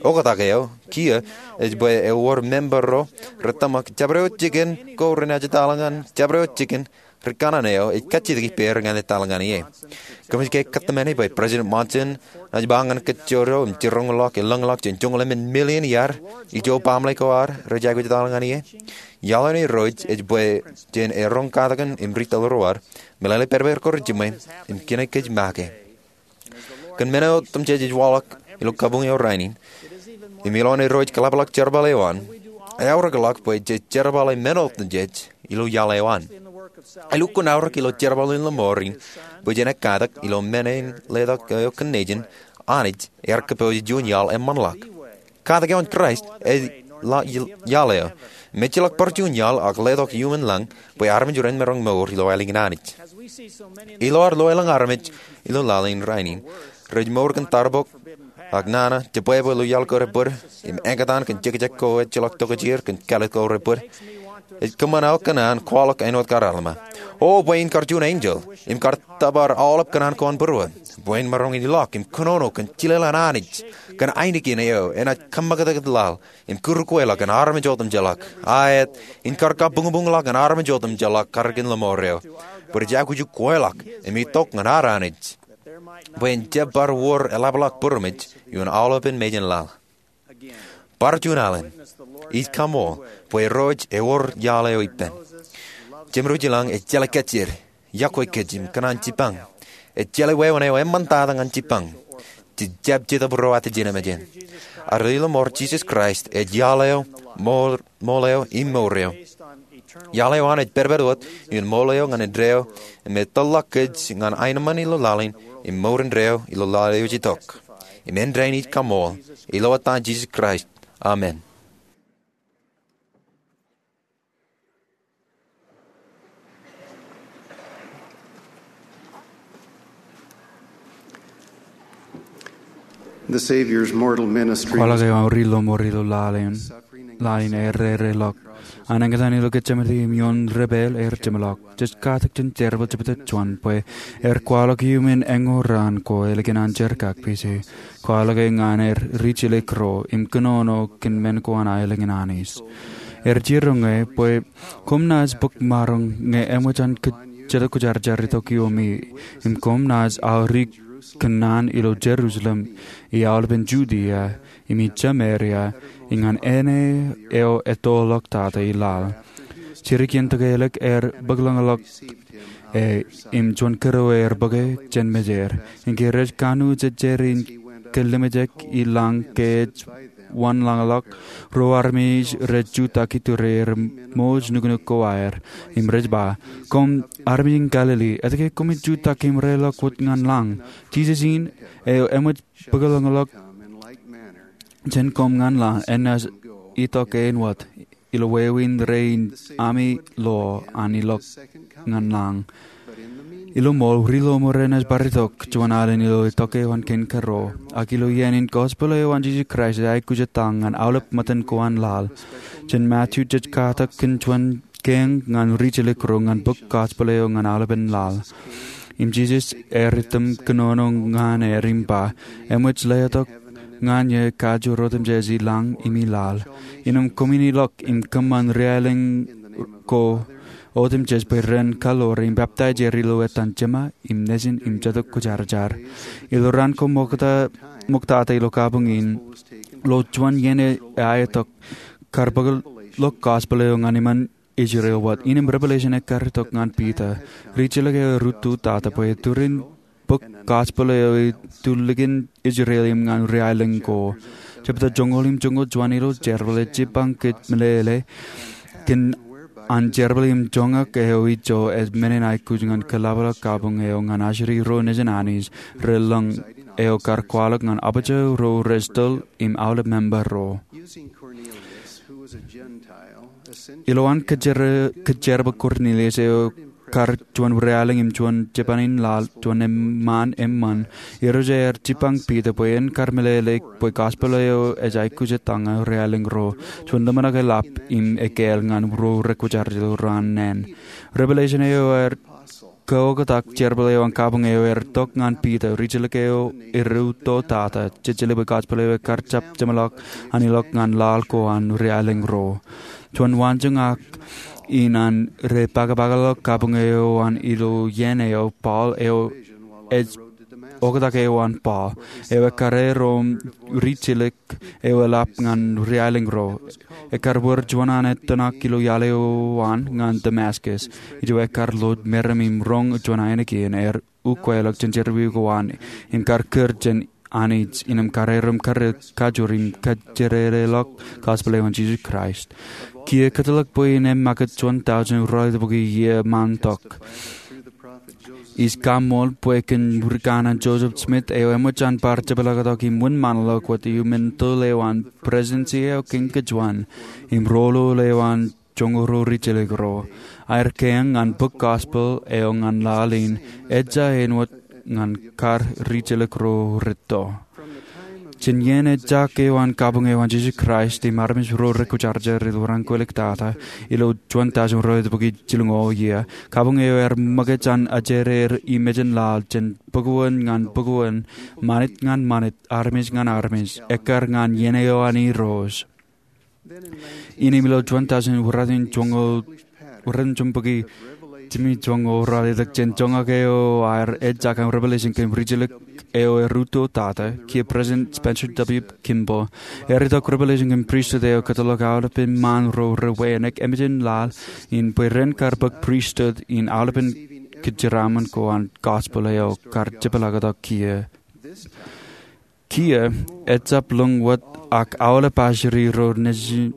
Oktak eo kiiō ej bwe ewōr member ro rej tōmak jabdewōt jikin ko renaaj etal ñan jabdewōt jikin ri kanaan eo ej kajjitōk ippāer ñan etal ñan ie. Kōmij ke kōtmāne bwe President Monson enaaj ba ñan kajjojo im jiroñḷọk elōñḷọk jān joñoul emān million iaad ijo baaṃle ko ad rej aikuj etal ñan ie? Iaḷ eo an Irooj ej bwe jān eroñ katakin im ri tōl ro ad, meḷeḷe pād bwe kar kōn ri jimwe im kine kōj make. Kōn men eo otemjej ej waḷọk ilo kabuñ eo rainin, im ilo an Irooj kōḷapḷọk jerbal eo an, eaorōkḷọk bwe jej jerbale men otemjej ilo iaḷ eo an. Elukkuun aorōk ilo jerbal in lọmọọr in bwe jen ekkatak ilo men in letok eo kōn Nejin, Anij ear kōpooje juon iaḷ eṃṃanḷọk. Katak eo an Kraist ej iaḷ eo im ejjeḷọk bar juon iaḷ ak letok iuṃwin lañ bwe armej ren maroñ mour ilo aelōñ in Anij. Ilo ad lo elōñ armej ilo laḷ in rainin rej mour kōn tarbok ak nana, jebwābwe ilo iaḷ ko rej bōd, im āinkataan kōn jekjek ko ejjeḷọk tokjāer kōn kāālōt ko rej bōd, ej kōṃṃan aō kōṇaan kwaḷọk āinwōt kar Alma. O bwe in kar juon enjeḷ im kar tōpar aolep kōṇaan ko an būruō, bwe in maroñ in ilọk im kōnono kōn jilel an Anij, kōn ainikien eo enaaj kōṃṃakūtkūt laḷ im kūr kweilọk ñan armej otemjeḷọk. Aet, in kar kabuñbuñḷọk ñan armej otemjeḷọk karōkin lọmọọr eo, bwe rej aikuj kweilọk im itok ñan ad Anij, bwe en jab bar wōr eḷapḷọk būroṃōj ioon aolepān mejān laḷ. Bar juon alen, ij kaṃool bwe Irooj ewōr iaḷ eo ippān. Jemdewōt ilañ ej jeḷā kajjitōk, yokwe kōj im kōṇaan jipañ. Ej jeḷā wāween eo eṃṃantata ñan jipañ. Jej jab Jetōb ro atijinmejān. Ad lelōñ ṃool Jisōs Kraist ej iaḷ eo, ṃool eo im mour eo. Iaḷ eo an ej pād wōt ioon ṃool eo ñan indeeo, im etōrḷọk kōj ñan aenōṃṃan ilo laḷ in im mour indeeo ilo laḷ eo ej itok. Im āindein ij kaṃool ilo etan Jisōs Kraist, amen. The Savior's mortal ministry. Kwaḷọk eo an Ri Lọmọọr ilo laḷ in, laḷ in ear errelọk. An āinkataan ilo Getsemane im ioon debwāāl ear jeṃḷọk. Jej katak jān jerbal jebta juon bwe ear kwaḷọk iuṃwin eñoul raan ko ālikin an jerkakpeje. Kwaḷọk e ñan er ri jilkinro im kōnono kōn men ko an aelōñ in Anij. Er jiroñe bwe koṃ naaj bōk maroñ ñe eṃōj an Jetōb Kwōjarjar itok iomi, im koṃ naaj aō ri kōnnaan ilo Jerusalem, im aolepen Judia, im Samaria, im ñan āne eo ettoḷọk tata i laḷ. Jidik iien tōkelōk er bōklōñḷọk e im juon kōrā er bōke jān mejād. Im ke rej kanooj ejjeer in kallimjek i lañ ke ej wanlōñḷọk, ruo armej rej jutak iturier im mouj nuknuk ko aer, im rej ba, "Koṃ armej in Galili, etke koṃij jutak im reḷọk wōt ñan lañ? Jisōs in eo eṃōj bōklōñḷọk jān koṃ ñan laḷ, enaaj itok āinwōt ilo wāween rein ami lo an ilọk ñan lañ." Ilo ṃool, ri ḷōṃōd enaaj bar itok juon alen ilo itok eo an kein kōrā. Ak ilo iien in, gospel eo an Jisōs Kraist ej aikuj etal ñan aolep ṃōttan ko an laḷ. Jān Matu jej katak kōn juon kein ñan rijjelōk ro ñan bōk gospel eo ñan aolepen laḷ. Im Jisōs ear item kōnono ñan er im ba, "Eṃōj letok ñan eō kajoor otemjej i lañ im i laḷ. Innām koṃwin ilọk im kōṃṃan riaelōñ ko otemjej bwe ren kaḷoor im peptaij er ilo etan Jema im Nejin im Jetōb Kwōjarjar." Ilo raan ko ṃoktata ilo kabuñ in, ilo juon iien eo aetok, kar bōkḷọk gospel eo ñan iṃaan Israel wōt. Innām Revelation ekkar itok ñan Piter, rijjelōk eo erūtto tata, bwe eturin bōk gospel eo itulikin Israel im ñan riaelōñ ko. Jebta joñoul im joñoul juon ilo jerbal ej jipañ kōj meḷeḷe kōn an jerbal im joñak eo ijo ej men in aikuj ñan kōḷapḷọk kabuñ eo ñan ajri ro nejin Anij relōñ eo kar kwaḷọk ñan apōjā ro rej tōl im aolep member ro. Ilowaan kōjjerbal Kornilius eo kar juon riaelōñ im juon jipañ in laḷ, juon eṃṃaan eṃṃan, Irooj ear jipañ Piter bwe en kar meḷeḷe bwe gospel eo ej aikuj etal ñan riaelōñ ro. Juon ḷōmṇak eḷap im ekāāl ñan ro rekwōjarjar ilo raan naan. Revelation eo ear kaoktak jerbal eo an kabuñ eo ear tok ñan Piter, rijjelōk eo erūtto tata, jejeḷā bwe gospel eo ekar jab jeṃḷọk an ilọk ñan laḷ ko an riaelōñ ro. Juon waanjoñak in an rej pakpakḷọk kabuñ eo an ilo iien eo, Paul eo ej oktak eo an Paul, eo ekkar erom rijjelōk eo eḷap ñan riaelōñ ro. Ekkar wōr juon an etōṇak ilo iaḷ eo an ñan Damascus. Ijo ekkar ḷooj meram im roñ juon ainikien ear ukweḷọk jān jerọwiwi ko an im kar kūr jān Anij, innām kar erom kar kajoor im kajjitōḷọk gospel eo an Jisōs Kraist. Kiiō kōtḷọk bwe en ṃakūt juon tọujin ralitōk bōki iiō ṃaantok. Ij kaṃṃool bwe kōn rikanaan Joseph Smith eo eṃōj an bar jepḷaaktok im wūnṃaanḷọk wōt iuṃwin tōl eo an Presidency eo Kein Kōjuon im roñoul eo an joñoul ruo rijjelōk ro, aer kein ñan bōk gospel eo ñan laḷ in, ejja āinwōt ñan kar rijjelōk ro rūtto. Jān iien ejjak eo an kabuñ eo an Jisōs Kraist im armej ro rekwōjarjar ilo raan kwōlōk tata, ilo juon tọujin ralitōk bōki jilñoul iiō, kabuñ eo ear ṃōkaj an ajereer i mejān laḷ jān bōkōn ñan bōkōn, ṃanit ñan ṃanit, armej ñan armej, ekkar ñan iien eo an Irooj. Innām ilo juon tọujin ralitōk bōki jimjuonñoul ralitōk, jān joñak eo aer ejjak an Revelation kōn rijjelōk eo erūtto tata, kiiō President Spencer W. Kimball ear itok Revelation kōn pristut eo kōtḷọk aolepān ṃaan ro rewein eṃōj an laḷ in bwe ren kar bōk pristut in aolepān kōjeraaṃṃan ko an gospel eo kar jepḷaaktok kiiō. Kiiō, ejjab lōñ wōt ak aolep ajri ro nejin,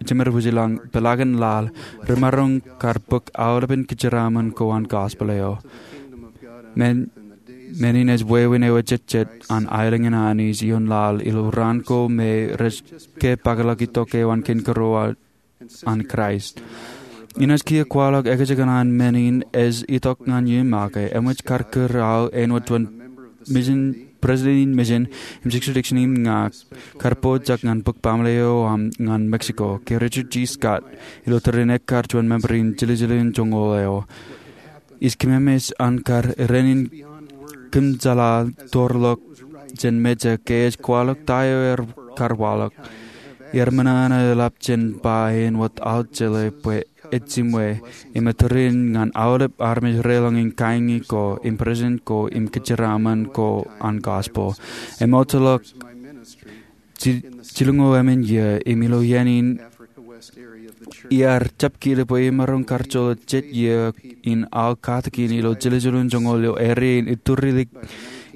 jemād wōjlañ, peḷaakin laḷ, remaroñ kar bōk aolepān kōjeraaṃṃan ko an gospel eo. Men, men in ej wāween eo ejejjet an aelōñ in Anij ioon laḷ ilo raan ko me rej ke pakpakḷọk itok eo an kein kōrā an Kraist. Inaaj kiiō kwaḷọk ekajjikōṇaan men in ej itok ñan iṃake, eṃōj kar kūr aō āinwōt juon mission, president in mission im sixty-six in ña kar pojak ñan bōk baaṃle eo aṃ ñan Mexico, ke Richard G. Scott, ilo tōre in ekkar juon member in jiljilimjuonñoul eo. Ij kememej an kar rein in kōmjeḷā tōrḷọk jān mejān ke ej kwaḷọk ta eo ear kar waḷọk. er ṃōṇōṇō eḷap jān ba āinwōt aō jeḷā bwe ej jimwe, im etōrin ñan aolep armej reḷọñ in kaiñi ko, im presiden ko, im kōjeraaṃṃan ko an gospel. Im ejjeḷọk ji-, jilñuul emān iiō, im ilo iien in iar jab kiiō bwe imaroñ kar joḷọk jet iiō in aō katakin ilo jiljilimjuonñoul ilo area in iturilik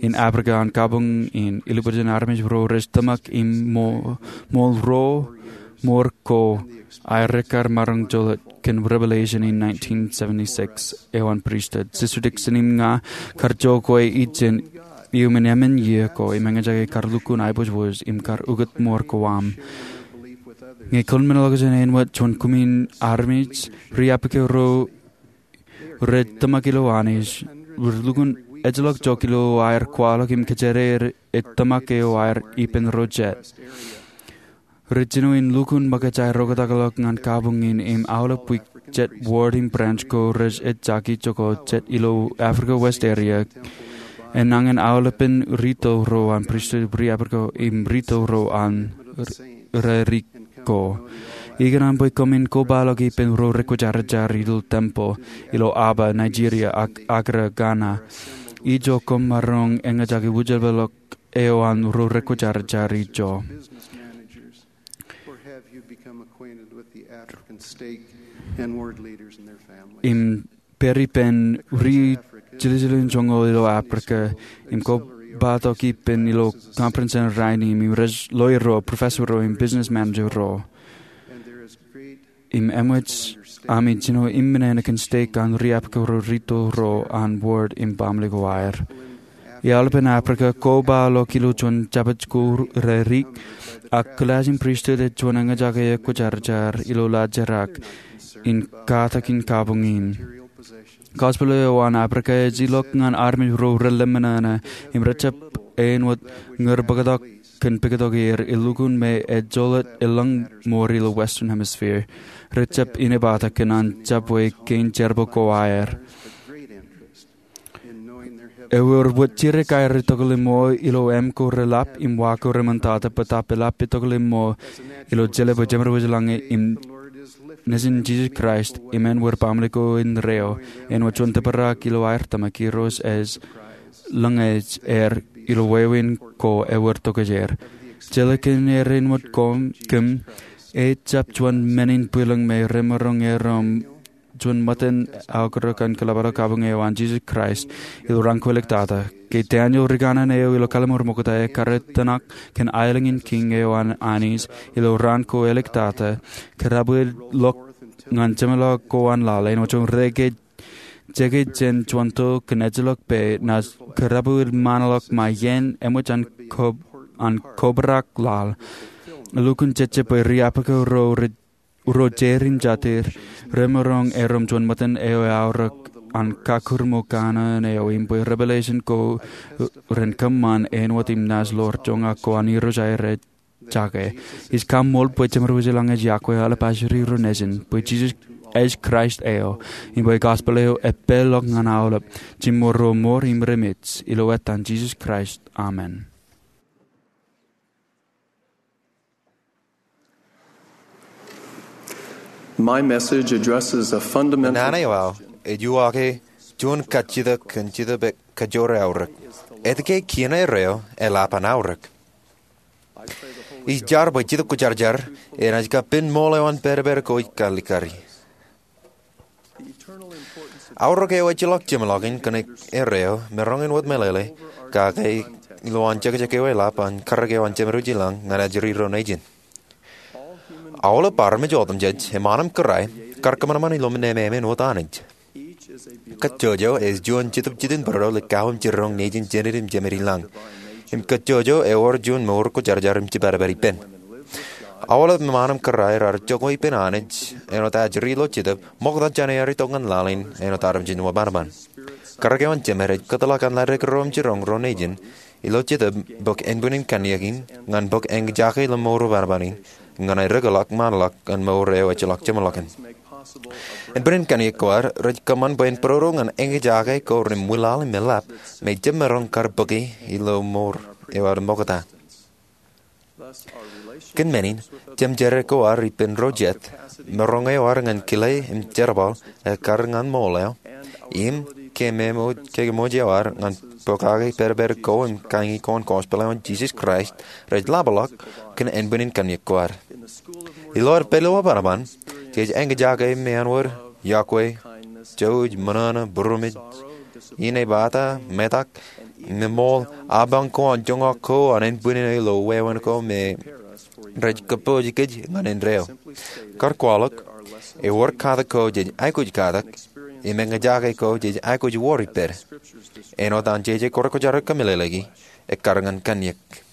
in Africa an kabuñ in, ilubwiljin armej ro rej tōmak im ṃo-, ṃool ro mour ko aer ekkar maroñ joḷọk kōn Revelation in nineteen seventy-six eo an pristut. Sister Dixon im ña kar jokwe ijin iuṃwin emān iiō ko im eñjake kar lukkuun aiboojoj im kar ukōt mour ko aṃ. Ñe kwōn men ḷọk jān āinwōt juon kumi in armej, riappeke ro rej tōmak ilo Anij, rej lukkuun ejjeḷọk jok ilo aer kwaḷọk im kōjjeer ej tōmak eo aer ippān ro jet. Rej jino in lukkuun ṃōkaj aer oktakḷọk ñan kabuñ in im aolep wiik jet ward im branch ko rej ejjaki jokwe jet ilo Africa West area. Enañin aolepen rito ro an pristut, riappeke im rito ro an r-, rarik ko. Ikōṇaan bwe koṃwin kobaḷọk ippān ro rekwōjarjar ilo tempeḷ ilo Aba, Nigeria, ak Accra, Ghana. Ijo koṃ maroñ eñjake wūjeḷā eo an ro rekwōjarjar ijo. Im pād ippān ri jiljilimjuonñoul ilo Africa, im kobatok ippān ilo conference in rainin, im rej lawyer ro, professor ro, im business manager ro. Im eṃōj ami jino im men kōn stake an riappeke ro rito ro an ward im baaṃle ko aer. Ilo aolepen Africa, kobaḷọk ilo juon jabōj ko rarik, ak kilaaj in pristut ej juon eñjake ekwōjarjar ilo laajrak in katakin kabuñ in. Gospel eo an Africa ej ilọk ñan armej ro relōṃōṇōṇō, im rejjab āinwōt ñūr bōktok kōn pektok er, elukkuun me ejjeḷọk eḷap mour ilo Western Hemisphere. Rejjab inepata kōn an jabwe kein jerbal ko aer. Ewōr wōt jidik aer etokḷọk ṃool ilo im ko relap im wa ko reṃōntata, bōtab elap etokḷọk ṃool ilo jeḷā bwe Jemedwōj lañ im Nejin Jisōs Kraist im en wōr baaṃle ko in reo, āinwōt juon tōprak ilo aer tōmak, Irooj ej lōñej er ilo wāween ko ewōr tokjāer. Jeḷā kōn er āinwōt koṃ, kōm, ejjab juon men in bwilōñ me remaroñ erom juon ṃōttan aokarōk an kōḷapḷọk kabuñ eo an Jisōs Kraist ilo raan ko āliktata. Ke Daniel rikaṇan eo ilo Kalliṃur Mokta ekkar etōṇak kōn aelōñ in kiiñ eo an Anij ilo raan ko āliktata, kōrabwilḷọk ñan jeṃḷọk ko an laḷ, āinwōt juon reke jeke jān juon to kōn ejjeḷọk pā, naaj kōrabwil ṃaanḷọk ṃae iien eṃōj an ko-, an kobrak laḷ. Elukkuun jejjab bwe riappeke ro rej ro jerin jatid, remaroñ erom juon ṃōttan eo eaorōk an kakūrṃōj kanooj eo im bwe revelation ko ren kōṃṃan āinwōt im naaj ḷoor joñak ko an Irooj aer ej jake. Ij kaṃṃool bwe Jemedwōj lañ ej yokwe aolep ajri ro nejin, bwe Jisōs ej Kraist eo, im bwe gospel eo epālḷọk ñan aolep, jiṃor ro mour im remej, ilo etan Jisōs Kraist. Amen. My message addresses a fundamental Naan eo aō ej uwaake juon kajjitōk kōn Jetōb Kajoor Aorōk. Etke kien erreo eḷap an aorōk? Ij jar bwe Jetōb Kwōjarjar enaaj kapen ṃool eo an pād pād ko ij kalikkari. Aorōk eo ejjeḷọk jeṃḷọkin kōn erreo, maroñ in wōt meḷeḷe, kake ilo an jekjek eo eḷap an karōk eo an Jemedwōj lañ ñan ajri ro nejin. Aolep armej otemjej, eṃṃan im kōrā, kar kōṃanṃan ilo men ememān wōt Anij. Kajjojo ej juon Jetōb Jidik būruō ḷe kauwōj jiroñ nejin jened im jemād ilañ. Im kajjojo ewōr juon mour kwōjarjar im jepād pād ippān. Aolep eṃṃan im kōrā raar jokwe ippān Anij āinwōt ajri ilo Jetōb, ṃokta jān eaar itok ñan laḷ in āinwōt armej in wōnṃaanṃaan. Karōk eo an Jemād ej kōtḷọk an ladik ro im jiroñ ro nejin ilo Jetōb bōk ānbwin in kanniōk in ñan bōk eñjake ilo mour wōnṃaanṃaan in, ñan aer rōkḷọk ṃaanḷọk an mour eo ejjeḷọk jeṃḷọkin. Ānbwin in kanniōk ko aer rej kōṃṃan bwe en būrodo ñan eñjake ko ren ṃwilaḷ im eḷap, me jemaroñ kar bōki ilo mour eo aer ṃokta. Kōn men in, jemjerā ko ad ippān ro jet, maroñ eo ad ñan kile im jerbal ekkar ñan ṃool eo, im keememej, keememej eo ad ñan pokake pedped ko im kañi ko an gospel eo an Jisōs Kraist rej ḷapḷọk kōn ānbwinnin kanniōk ko ad. Ilo ad pād ilo ṃōṇōṇō, jej eñjake meanwōd, iọkwe, jouj, ṃōṇōṇō, būroṃōj, inepata, metak, im ṃool apañ ko an joñak ko an ānbwinnin eo ilo wāween ko me rej kōpooj kōj ñan indeeo. Kar kwaḷọk, ewōr katak ko jej aikuj katak, im eñjake ko jej aikuj wor ippād. Āinwōt an jeje ko rekwōjarjar kōmeḷeḷeiki, ekkar ñan kanniōk.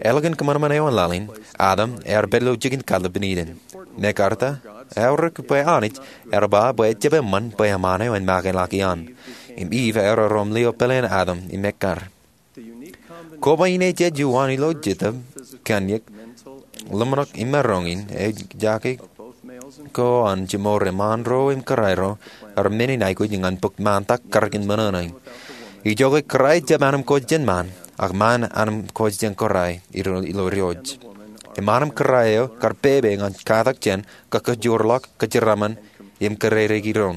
Eḷap an kōṃanṃan eo an laḷ in, Adam ear pād ilo jikin kallib in Iden. Mekarta, eaorōk bwe Anij ear ba bwe ejjab eṃṃan bwe eṃṃaan eo en make ḷọk iaan. Im Iv ear erom lio pāleen Adam im ekkar. Koba in ej juon ilo Jetōb, kanniōk, ḷōmṇak im maroñ in eñjake ko an jimor eṃṃaan ro im kōrā ro, ear men in aikuj ñan bōk ṃaantak karōk in ṃōṇōṇō in. Ijoke kōrā ejjab anemkwōj jān ṃaan, ak ṃaan anemkwōj jān kōrā ilo, ilo diwōj. Im anemkōrā eo kar pepe ñan katak jān, kōkōjorḷọk, kōjeraaṃṃan, im kōrā ro.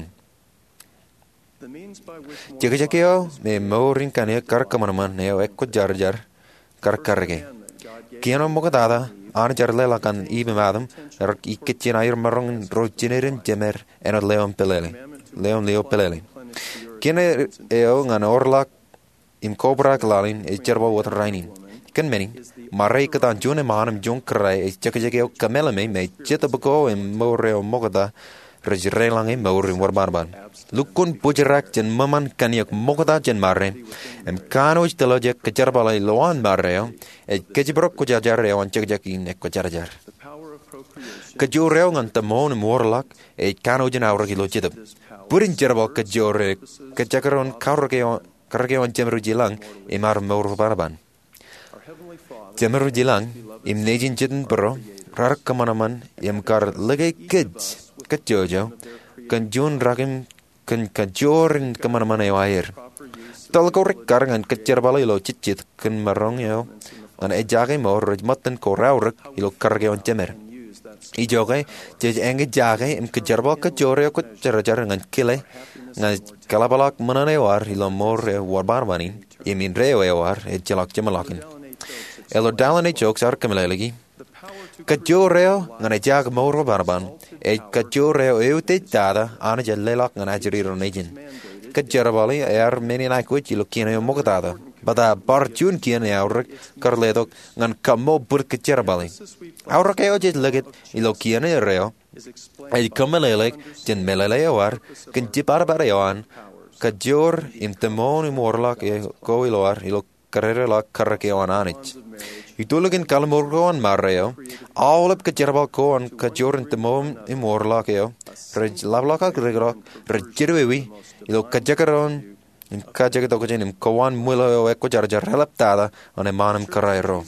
Jekjek eo me mour in kanniōk kar kōṃanṃan eo ekwōjarjar kar karōke. Kien eo ṃoktata Anij ear leḷọk ñan Iv im Adam, ear ikijjien aer maroñ in ro jined in jemed āinwōt leo in pālele. Leo in lio pālele. Kien eo ñan orḷọk im kobrak laḷ in ej jerbal wōt rainin. Kōn men in, ṃare ikōtaan juon eṃṃaan im juon kōrā ej jekjek eo kōmeḷeḷe me jetōb ko im mour eo ṃokta rej deḷọñe mour im wōnṃaanṃaan. Lukkuun bōjrak jān ṃōṃan kanniōk ṃokta jān ṃare, im kanooj tōllọjek kōjerbale ilowaan ṃare eo, ej kōjparok kwōjarjar eo an jekjek in ekwōjarjar. Kajoor eo ñan tōṃoon im wōrḷọk, ej kanooj in aorōk ilo jetōb. Bōd in jerbal kajoor eo, kajekdọọn karōk eo, karōk eo an Jemedwōj ilañ, im ad mour wōnṃaanṃaan. Jemedwōj ilañ, im Nejin jet in būro, raar kōṃanṃan im kar lōke kōj, kōj jouj eo, kōn juon rakim kōn kajoor in kōṃanṃan eo aer. Tōl ko rekkar ñan kōjerbale ilo jejjet kōn maroñ eo, ñan ejjake mour rej ṃōttan ko raorōk ilo karōk eo an Jemed. Ijoke, jej eñjake im kōjerbal kajoor eo kwōjarjar ñan kile, ñan kōḷapḷọk ṃōṇōṇō eo ad ilo mour eo wōnṃaanṃaan in, im indeeo eo ad ejjeḷọk jeṃḷọkin. Elder Dallin H. Oaks ear kōmeḷeḷeiki, kajoor eo ñan ejjake mour wōnṃaanṃaan, ej kajoor eo eutiej tata Anij ear leḷọk ñan ajri ro nejin. Kōjerbale ear men in aikuj ilo kien eo ṃoktata. Bōtab bar juon kien eaorōk kar letok ñan kaṃṃool bōd kōjerbale. Aorōk eo jej likūt ilo kien eo, ej kōmeḷeḷeik jān meḷeḷe eo ad, kōn jibadbad eo an, kajoor im tōṃoon im wōrḷọk eo ko ilo ad, ilo kōdōdōḷọk karōk eo an Anij. Itulōk in kalliṃur ko an ṃare eo, aolep kōjerbal ko an kajoor im tōṃoon im wōrḷọk eo, rej ḷapḷọk ak rūkūtḷọk, rej jidiwōj, ilo kajekdọọn, im kajekdọọn im kōwaan ṃwilaḷ eo ekwōjarjar eḷaptata, an eṃṃaan im kōrā ro.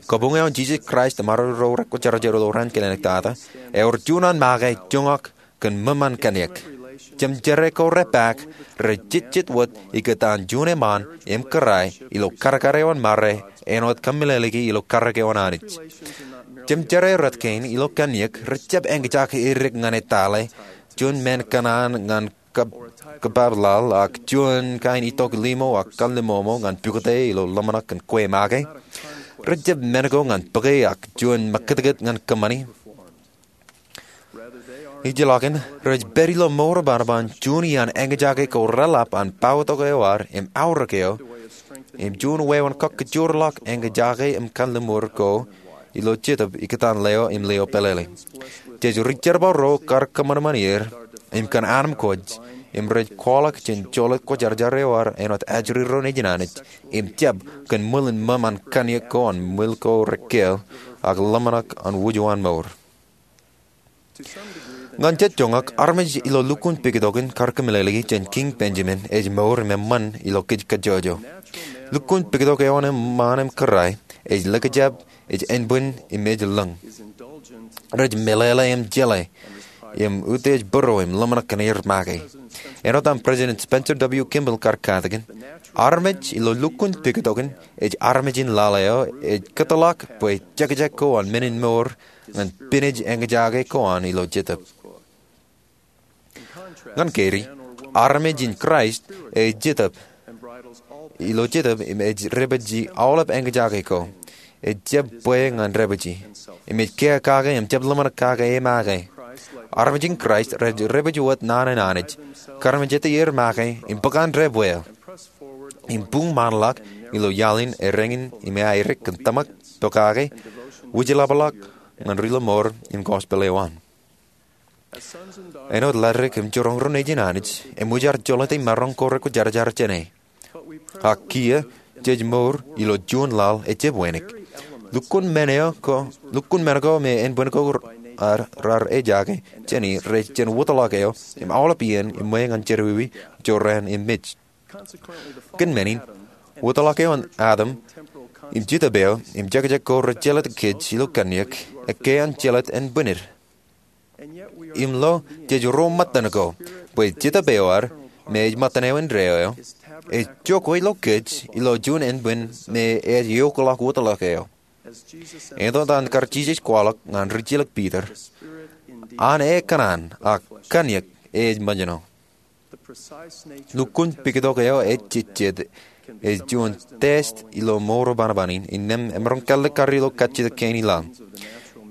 Kabuñ eo an Jisōs Kraist im armej ro rekwōjarjar ilo raan kilenek tata, ewōr juon an make joñak kōn ṃōṃan kanniōk. Jemjerā ko repaak, rej jejjet wōt ikōtaan juon eṃṃaan im kōrā ilo kadkad eo an ṃare, āinwōt kōmeḷeḷeiki ilo karōk eo an Anij. Jemjerā rot kein ilo kanniōk, rejjab eñjake edik ñan etale, juon men kōṇaan ñan kab-, kabab laḷ, ak juon kain itok limo ak kalliṃoṃo ñan pukot ilo ḷōmṇak kōn kwe make. Rejjab men ko ñan bōke ak juon ṃakūtkūt ñan kōṃṃani. Ijellọkin, rej pād ilo mour wōnṃaanṃaan juon iaan eñjake ko reḷap an poutok eo ad im aorōk eo, im juon wāween kōkōjorḷọk eñjake im kalliṃur ko ilo jetōb ikōtaan leo im lio pālele. Jej ri-jerbal ro kar kōṃanṃan er, im kōn anemkwōj, im rej kwaḷọk jān joḷọk kwōjarjar eo ad āinwōt ajri ro nejin Anij, im jab kōn ṃwilen ṃōṃan kanniōk ko an ṃwil ko rekkeel, ak ḷōmṇak an wūjuon mour. Ñan jet joñak, armej ilo lukkuun pekitokin kar kōmeḷeḷeiki jān Kiiñ Benjamin ej mour im eṃṃan ilo kōj kajjojo. Lukkuun pekitok eo an eṃṃaan im kōrā ej likjab, ej ānbwin im ej lōñ. Rej meḷeḷe im jeḷā. im utiej būruō im ḷōmṇak kōn aer make. Āinwōt aṃ President Spencer W. Kimball kar katakin, armej ilo lukkuun pektokin ej armej in laḷ eo ej kōtḷọk bwe jekjek ko an men in mour ñan pinej eñjake ko an ilo jetōb. Ñan kein, armej in Kraist ej jetōb ilo jetōb im ej dāpiji aolep eñjake ko. Ej jab bwe ñan dāpiji, im ej kiiō kake im jab ḷōmṇak kake e make. Armej in Kraist rej dāpiji wōt naan in Anij, karmejetaer make im bōk an dāpwe eo, im buñmanḷọk ilo iaḷ in ereñin im aerōk kōn tōmak, pokake, wūjlepḷọk ñan ri-lọmọọr im gospel eo an. Āinwōt ladik im jiroñ ro nejin Anij, eṃōj aer jolōte maroñ ko rekwōjarjar jāne. Ak kiiō, jej mour ilo juon laḷ ejab wānōk. Lukkuun men ko, lukkuun men ko me ānbwin ko raar ejake jāne rej jān wōtlọk eo im aolep iien im ṃweo ñan jerọwiwi, jorrāān im mej. Kōn men in, wōtlọk eo an Adam im jetōb eo im jekjek ko rej jelōt kōj ilo kanniōk, ekkā an jelōt ānbwinid. Im lo jej ro ṃōttan ko, bwe jetōb eo ad, me ej ṃōttan eo indeeo eo, ej jokwe ilo kōj ilo juon ānbwin me ej eokḷọk wōtlọk eo. Āinwōt an kar Jisōs kwaḷọk ñan rijilōk Piter, an e kōṇaan, ak kanniōk e ej ṃōjṇọ. Lukkuun pektok eo ejejjet ej juon test ilo mour eo banobanin, innām emaroñ kallikkar ilo kajjitōk kein i laḷ.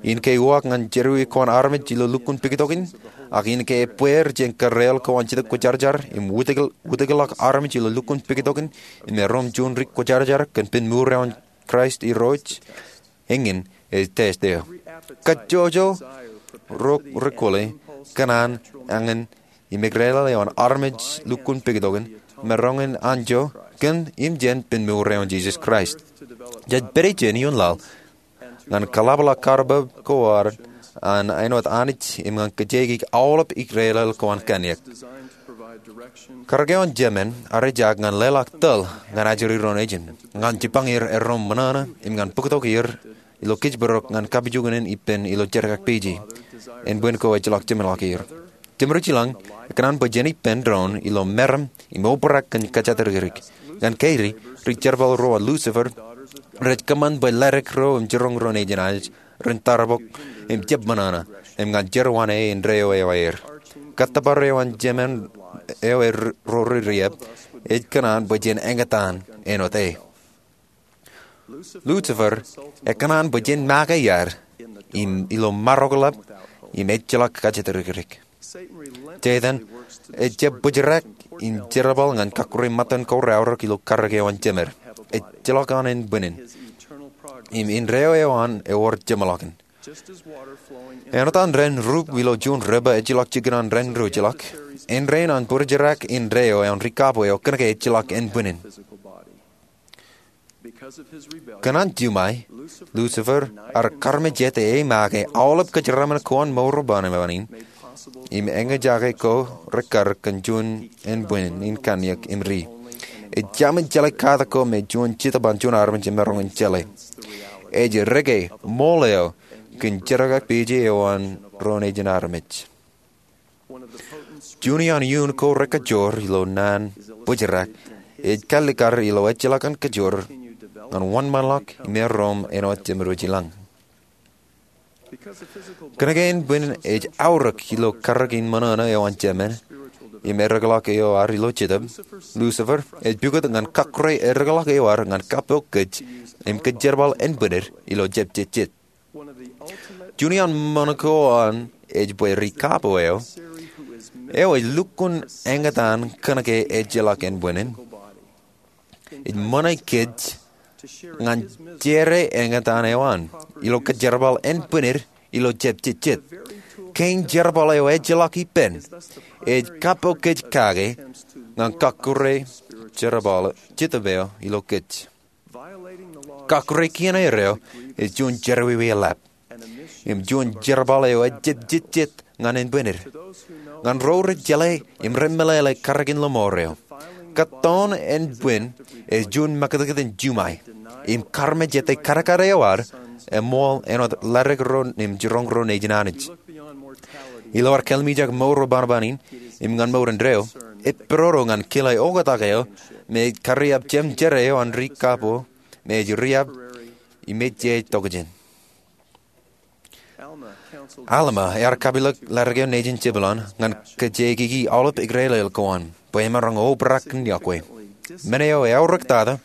In ke uwaak ñan jerọwiwi ko an armej ilo lukkuun pektokin, ak in ke ebbeer jān karreel ko an Jetōb Kwōjarjar im wūtikḷọk armej ilo lukkuun pektokin im erom juon ri kwōjarjar kōn pen mour eo an Kraist Irooj, eñin ej test eo. Kajjojo ro rekwōle kōṇaan, eñin, im eklejel eo an armej lukkuun pektokin, maroñ in anjọ kōn im jān pen mour eo an Jisōs Kraist. Jej pād ijin ioon laḷ ñan kōḷapḷọk kar bōb ko ad an āinwōt Anij im ñan kōjeañ aolep eklejel ko an kanniōk. Karōk eo an Jemān ear ejaak ñan leḷọk tōl ñan ajri ro nejin, ñan jipañ er erom ṃōṇōṇō im ñan bōktok er ilo kōjparok ñan kapijuknen ippān ilo jerkakpeje. Ānbwin ko ejjeḷọk jeṃḷọk er. Jeṃrujḷọk, ekōṇaan bwe jen ippān doon ilo meram im obrak kōn kōjatdikdik. Ñan kein, ri-jerbal ro an Lucifer rej kōṃṃan bwe ladik ro im jiroñ ro nejin Anij ren tarpok im jab ṃōṇōṇō im ñan jerọwiwi indeeo eo aer. Kōttōpar eo an Jemān eo ej ro ri-riab ej kōṇaan bwe jen eñtaan āinwōt e. Lucifer ekōṇaan bwe jen make iar im ilo maroñ ḷap im ejjeḷọk kōjatdikdik. Setan ejab bōjrak im jerbal ñan kakkure ṃōttan ko raorōk ilo karōk eo an Jemān. Ejjeḷọk an ānbwinnin im indeeo eo an ewōr jeṃḷọkin. Āinwōt an ren rup ilo juon river ejjeḷọk jikin an ren ruj ḷọk, āindein an bōjrak indeeo eo an ri-kapo eo kōnke ejjeḷọk ānbwinnin. Kōn an juṃae, Lucifer ear karmejete e make aolep kōjeraṃṃan ko an mour eo banobanin im eñjake ko rekar kōn juon ānbwinnin kanniōk im ri. Ej jaṃin jeḷā katak ko me juon jetōb an juon armej emaroñ in jeḷā. Ej dike ṃool eo kōn jerkakpeje eo an ro nejin armej. Juon iaan iuun ko rekajoor ilo naan bōjrak ej kallikkar ilo ejjeḷọk an kajoor ñan wōnṃaanḷọk im erom āinwōt jeṃdooj i lañ. Kōnke ānbwinnin ej aorōk ilo karōk in ṃōṇōṇō eo an Jemān im eddekḷọk eo ad ilo jetōb, Lucifer ej pukot ñan kakkure eddekḷọk eo ad ñan kappok kōj im kōjjerbal ānbwinnid ilo jab jejjet. Juon iaan ṃōṇōṇō ko an ej bwe ri-kapo eo, eo ej lukkuun eñtaan kōnke ejjeḷọk ānbwinnin, ej ṃōṇe kōj ñan jere eñtaan eo an ilo kōjjerbal ānbwinnid ilo jab jejjet. Kein jerbal eo ejjeḷọk ippān ej kappok kōj kake ñan kakkure jerbal jetōb eo ilo kōj. Kakkure kien eo ej juon jerọwiwi eḷap im juon jerbal eo ejab jejjet ñan ānbwinnid. Ñan ro rej jeḷā im rej meḷeḷe karōk in lọmọọr eo, kōttoon ānbwin ej juon mekitkiten juṃae im karmejete kadkad eo ad eṃool āinwōt ladik ro im jiroñ ro nejin Anij. Ilo ad kallimjek mour eo banobanin im ñan mour indeeo, ej pād ro ñan kile oktak eo me ej kariab jemjer eo an ri kab eo me ej riab im ej jej tokjān. Alma ear kapilōk ladik eo nejin Jebulon ñan kōjeikiki aolep ikrelel ko an bwe emaroñ obrak kōn yokwe. Men eo eaorōktata,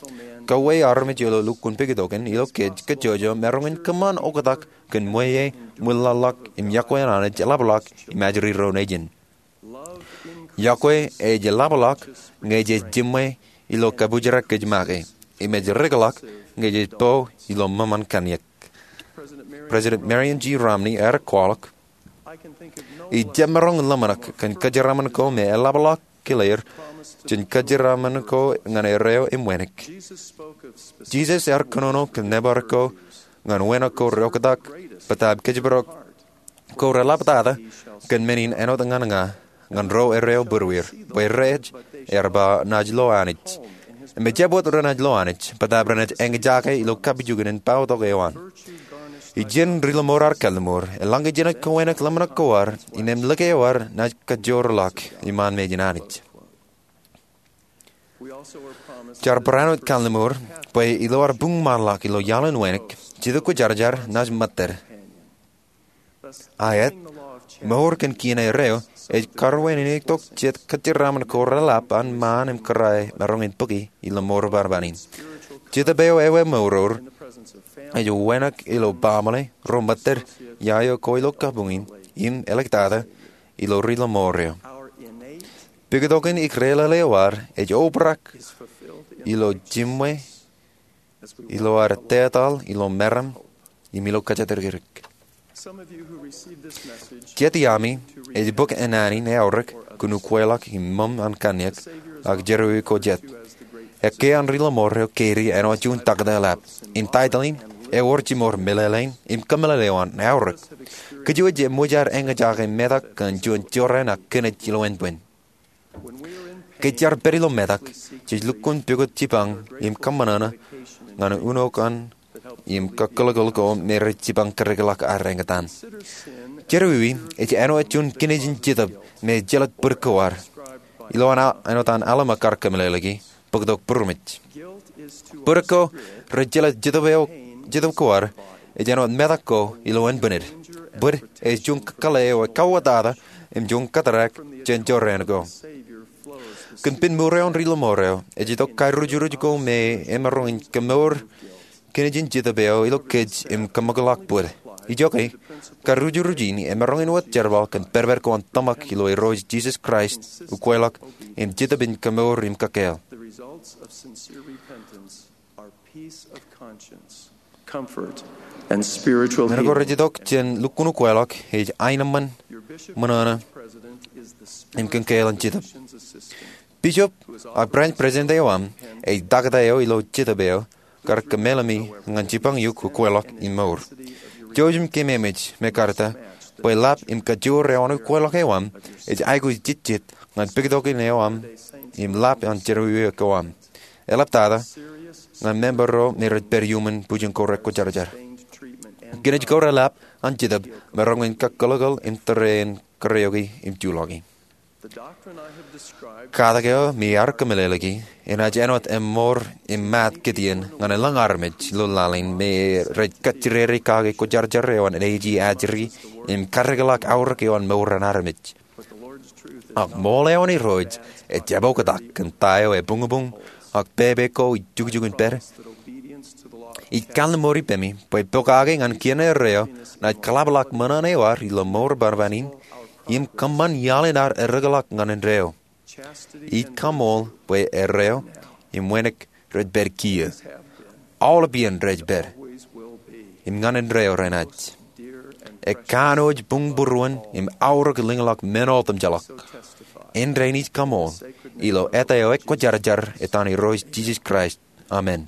kauwe armej ilo lukkuun pikitok in ilo kōj kajjojo maroñ in kōṃṃan oktak kōn ṃweiie ṃwilaḷḷọk im yokwe an Anij eḷapḷọk im ajri ro nejin. Yokwe ej eḷapḷọk ñe jej jiṃwe ilo kabujrak kōj make, im ej rikḷọk ñe jej bo ilo ṃōṃan kanniōk. President Marion G. Romney ear kwaḷọk, ij jab maroñ ḷōmṇak kōn kōjeraaṃṃan ko me eḷapḷọk kile er jān kōjeraaṃṃan ko ñan erreo im wānōk. Jisōs ear kōnono kōn nōbar ko ñan wānōk ko reoktak bōtab kōjparok ko reḷaptata kōn men in āinwōt ñan ña, ñan ro erreo būrueir, bwe rej, ear ba, naaj lo Anij. Im ejjab wōt renaaj lo Anij bōtab renaaj eñjake ilo kapijuknen in bōktok eo an. Ijin ri-lọmọọr ar kalliṃur, eḷaññe jenaaj kowānōk ḷōmṇak ko ad, innem lōke eo ad naaj kajoorḷọk iṃaan mejān Anij. Jaar barāinwōt kalliṃur bwe ilo ad buñmaanḷọk ilo iaḷ in wānōk, Jetōb Kwōjarjar naaj ṃōttan. Aet, mour kōn kien erreo ej karuwainene tok jet kōjeraaṃṃan ko reḷap an ṃaan im kōrā emaroñ in bōki ilo mour banobanin. Jetōb eo ewi mour eo ej wānōk ilo baaṃle ro ṃōttan iaio ko ilo kabuñ in im āliktata ilo ri-lọmọọr eo. Pikitok in ikrelel eo ad ej obrak ilo jiṃwe, ilo ad tetaḷ ilo meram im ilo kōjatdikdik. Jet iaami ej bōk āne in eaorōk kōn ukweḷọk im ṃōṃ an kanniōk ak jerọwiwi ko jet. Ekkā an ri-lọmọọr eo Katie āinwōt juon taktō eḷap. Im taitōḷ in ewōr jiṃor meḷeḷein im kōmeḷeḷe eo an eaorōk. Kōjwōj eṃōj ad eñjake metak kōn juon jorrāān ak kinej ilowaan bōd. Ke jaar pād ilo metak, jej lukkuun pukot jipañ im kōṃṃan ñan unokan im kakōḷkōḷ ko me rej jipañ karikḷọk ad eñtaan. Jerọwiwi ej āinwōt juon kinejin jetōb me ejjeḷọk bōd ko ad. Ilo an, āinwōt an Alma kar kōmeḷeḷeiki, bōktok būroṃōj. Bōd ko rej jeḷā jetōb ko ad ej āinwōt metak ko ilowaan bōd. Bōd ej juon kakōḷḷe eo ekauwōtata im juon kōttar jān jorrāān ko. Kōn pen mour eo an ri-lọmọọr eo, ej itok karujuruj ko me emaroñ in kemour kinejin jetōb eo ilo kōj im kōṃakḷọk bōd. Ijoke, karujuruj in emaroñ in wōt jerbal kōn pedped ko an tōmak ilo Irooj Jisōs Kraist, ukweḷọk, im jetōb in kemour im kōkāāl. Men ko rej itok jān lukkuun ukweḷọk ej aenōṃṃan, ṃōṇōṇō, im kōkāāl in jetōb. Bishop ak branch president eo aṃ ej taktō eo ilo jetōb eo kar kōmeḷeḷe ñan jipañ eok ukweḷọk im mour. Jouj im keememej me kar ta bwe lap im kajoor eo an ukweḷọk eo aṃ ej aikuj jejjet ñan pikitok in eo aṃ im lap an jerọwiwi ko aṃ. Eḷaptata ñan member ro me rej pād iuṃwin bwijin ko rekwōjarjar. Kinej ko reḷap an jetōb maroñ in kakōḷkōḷ im tōre in kōreoki im juḷọki. Katak eo mi ear kōmeḷeḷeiki enaaj āinwōt eṃṃoor im maat kitien ñan elōñ armej ilo laḷ in me rej kajjirere kake kwōjarjar eo an enaaj ajri im karikḷọk aorōk eo an mour an armej. Ak ṃool eo an Irooj ejjab oktak kōn ta eo ebuñbuñ ak pepe ko ijukjuk in pād. Ij kalliṃur ippaṃ bwe pokake ñan kien erreo naaj kōḷapḷọk ṃōṇōṇō eo ad ilo mour banobanin im kōṃṃan iaḷ in ad erikḷọk ñan indeeo. Ij kaṃool bwe erreo im wānōk rej pād kiiō. Aolep iien rej pād. Im ñan indeeo renaaj. Ekanooj buñbūruon im aorōk lōñḷọk men otemjeḷọk. Āindein ij kaṃool ilo eta eo ekwōjarjar etan Irooj Jisōs Kraist. Amen.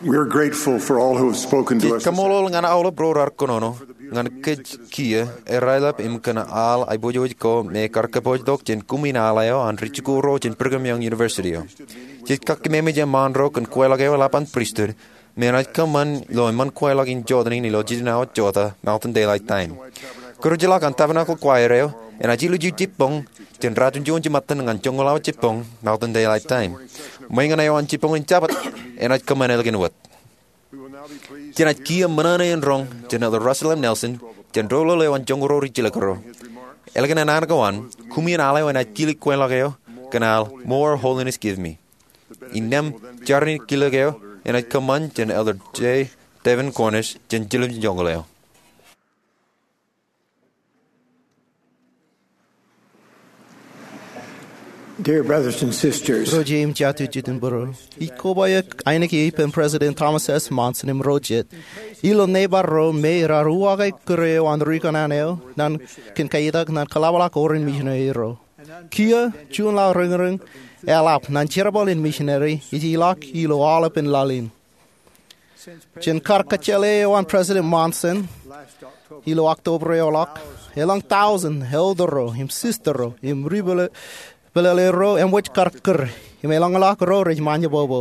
We are grateful for all who have spoken to us this afternoon. Ij kaṃṃoolol ñan aolep ro raar kōnono ñan kōj kiiō, aeraelep im kōn aḷ aiboojoj ko me kar kōpooj tok jān kumi in aḷ eo an ri-jikuuḷ ro jān Brigham Young University eo. jej kakkememej eṃṃaan ro kōn kweilọk eo eḷap an pristut, me enaaj kōṃṃan ilo eṃṃan kweilọk in jotenin ilo jiljino awa jota, Mountain Daylight Time. Kōjeḷā an Tabernacle Choir eo enaaj ilju jibboñ jān ratimjuon jimattan ñan joñoul awa jibboñ, Mountain Daylight Time. Ṃweeṇ eo an jibboñ in Jabōt enaaj kōṃṃan ālikin wōt. Jenaaj kiiō ṃōṇōṇō in roñ jān Elder Russell M. Nelson jān doulul eo an joñoul ro ri jilkinro. Ālikin an an ko an, koṃwin al eo enaaj kile kweilọk eo kōn al More Holiness Give Me. Innām jar in kile eo enaaj kōṃṃan jān Elder J. Devin Cornish jān jilkinjoñoul eo. Dear brothers and sisters, ro jeiū im jatū jet im būruō, ij koba eok ainikien ippān President Thomas S. Monson im ro jet ilo nebar ro me raar uwaake kūr eo an ri kōṇaan eo kōn kaitak ñan kōḷapḷọk orin misineri ro. Kiiō juon laḷ riñriñ eḷap ñan jerbal in misineri ej ilọk ilo aolepān laḷ in. Jān kar kōjjeḷā eo an President Monson ilo October eoḷọk, elōñ tọujin elder ro im sister ro im ri pālle ro eṃōj kar kūr im elōñḷọk ro rej ṃaanjebōbō.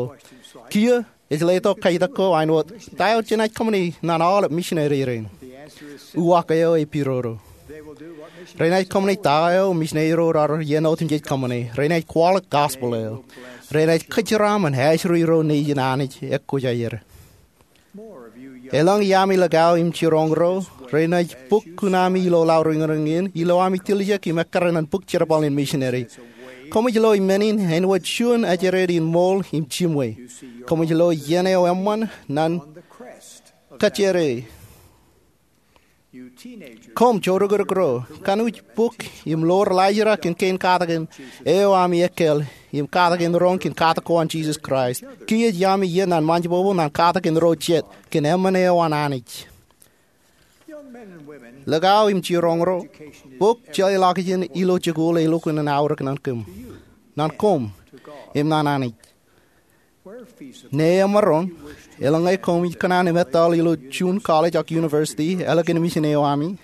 Kiiō ej letok kaitak ko āinwōt, ta eo jenaaj kōṃṃani ñan aolep misineri rein? Uwaak eo ej pidodo. Renaaj kōṃṃani ta eo misineri ro raar iien otemjej kōṃṃane. Renaaj kwaḷọk gospel eo. Renaaj kōjeraaṃṃan ajri ro nejin Anij ekkojaer. Elōñ iaami likao im jiroñ ro renaaj bōk kuṇaami ilo laḷ riñriñ in ilo ami tiljek im ekkar ñan bōk jerbal in misineri. Koṃij lo men in āinwōt juon ajri in ṃool im jimwe. Koṃij lo iien eo eṃṃan ñan kōjro. Koṃ joorūkūtōk ro, kōn uj bōk im lo laajrak in kein katakin eo ami ekkal im katakin roñ kōn katak ko an Jisōs Kraist. Kiiō ej ami iien ñan ṃaanjebōbō ñan katakin ro jet kōn emān eo an Anij. Likao im jiroñ ro, bōk jeḷāḷọkjeṇ ilo jikuuḷ ej lukkuun aorōk ñan kōm, ñan koṃ, im ñan Anij. Ñe emaroñ, eḷaññe koṃij kōṇaan im etal ilo juon college ak university ālikin mission eo ami,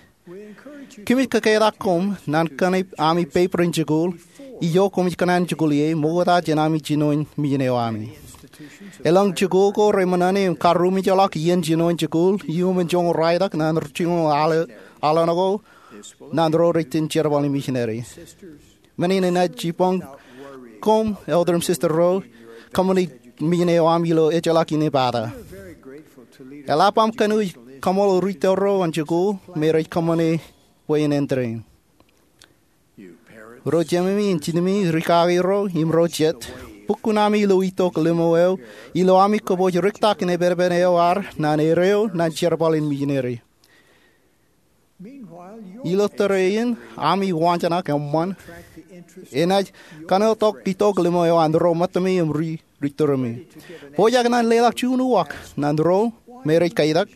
kōmij kōketak koṃ ñan kōṇaan ami paper in jikuuḷ, ijo koṃij kōṇaan jikuuḷ ie, ṃokta jān ami jinoin mission eo ami. Elōñ jikuuḷ ko reṃōṇōṇō im karūmijḷọk iien jinoin jikuuḷ iuṃwin joñoul ralitōk ñan joñoul al, al ko ñan ro rej iten jerbal in misineri. Men in enaaj jibboñ koṃ elder im sister ro kōṃṃani mission eo aṃ ilo ejjeḷọk in epata. Eḷap aṃ kōn uj kaṃool rūtto ro an jikuuḷ me rej kōṃṃane bwe en entertain. Ro jememi im jinemi, ri kaki ro im ro jet, bōk kuṇaami ilo itok limo eo ilo ami kōpooj riktak in epepen eo ad ñan erreo ñan jerbal in misineri. Ilo tōre in, ami waanjoñak eṃṃan enaaj kanotok itok limo eo an ro ṃōttami im ri, ri tōremi. Pojak ñan leḷọk juon uwaak ñan ro me rej kaitak,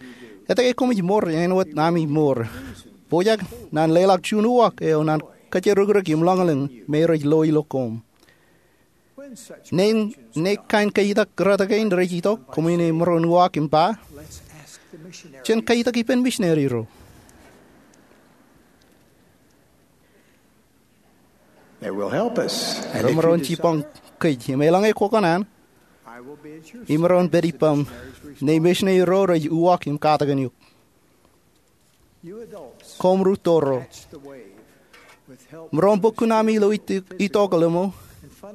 etke koṃij mour āinwōt ami mour? Pojak ñan leḷọk juon uwaak eo ñan kōjerukūtōk im ḷōñḷōñ me rej lo ilo koṃ. Ñe, ñe kain kaitak rot kein rej itok, koṃwin maroñ uwaak im ba, jen kaitak ippān misineri ro. They will help us. And if you desire, imaroñ jibboñ kōj, im eḷaññe kwōkōṇaan, imaroñ pād ippaṃ ñe misineri ro rej uwaak im katakin eok. Koṃ rūtto ro, maroñ bōk kuṇaami ilo itok, itok limo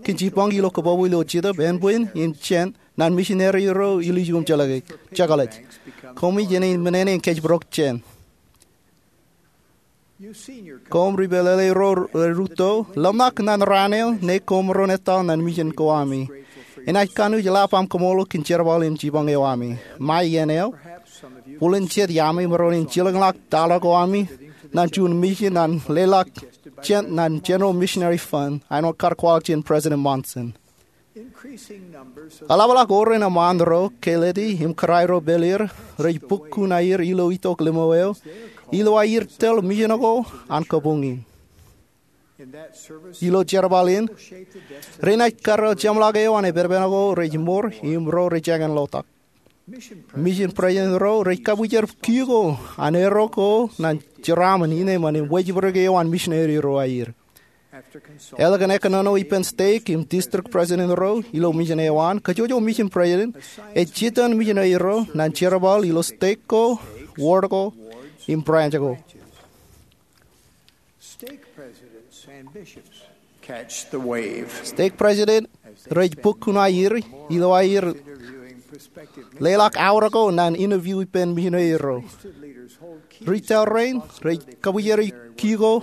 kōn jibboñ ilo kōpopo ilo jetōb, ānbwin, im jān ñan misineri ro ilju im jeḷā, jekḷaj. Koṃij enaaj men in kōjparok jān. Koṃ ri pālle ro rūtto, ḷōmṇak ñan raan eo ñe koṃ maroñ etal ñan mission ko ami. Enaaj kōn uj eḷap aṃ kaṃool kōn jerbal im jibboñ eo ami. Ṃae iien eo, bōlen jet iaami maroñ in jilkinḷọk taḷa ko ami ñan juon mission ñan leḷọk jān, ñan General Missionary Fund, āinwōt kar kwaḷọk jān President Monson. Eḷapḷọk orin eṃṃaan ro Kaleti im Kōrā ro Pālier rej bōk kuṇaer ilo itok limo eo ilo aer tōl mission ko an kabuñ in. Ilo jerbal in, renaaj karreo jeṃḷọk eo an epepen ko rej mour im ro rej jañin lotak. Mission president ro rej kabwijer kiiō ko an erro ko ñan jeraaṃṃan, innem, im wōjibdik eo an misineri ro aer. Eḷap kōn kōnono ippān stek im district president ro ilo mission eo an, kōjwōj mission president ej jitōn missionary ro ñan jerbal ilo stek ko, ward ko, im branch ko. Stake presidents rej bōk kuṇaer ilo aer leḷọk aorōk ko ñan interview ippān missionary ro. Ri tōl rein rej kabwijeri ki ko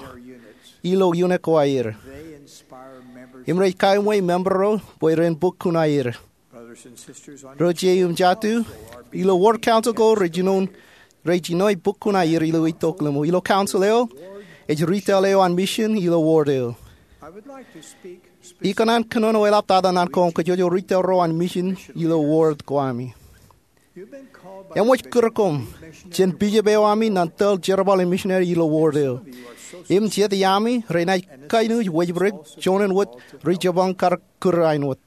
ilo unit ko aer im rej kaṃṃool member ro bwe ren bōk kuṇaer. Ro jet im jatū, ilo ward council ko rej jino, rej jino bōk kuṇaer ilo itok limo. Ilo council eo, ej ri tōl eo an mission ilo ward eo. Ikōṇaan kōnono eḷaptata ñan koṃ kōjwōj ri tōl ro an mission ilo ward ko ami. Eṃōj kūr koṃ jān bishop eo ami ñan tōl jerbal in missionary ilo ward eo. Im jet iaami renaaj kainuj wōjbrik juon wōt ri jipañ kar kūr āinwōt.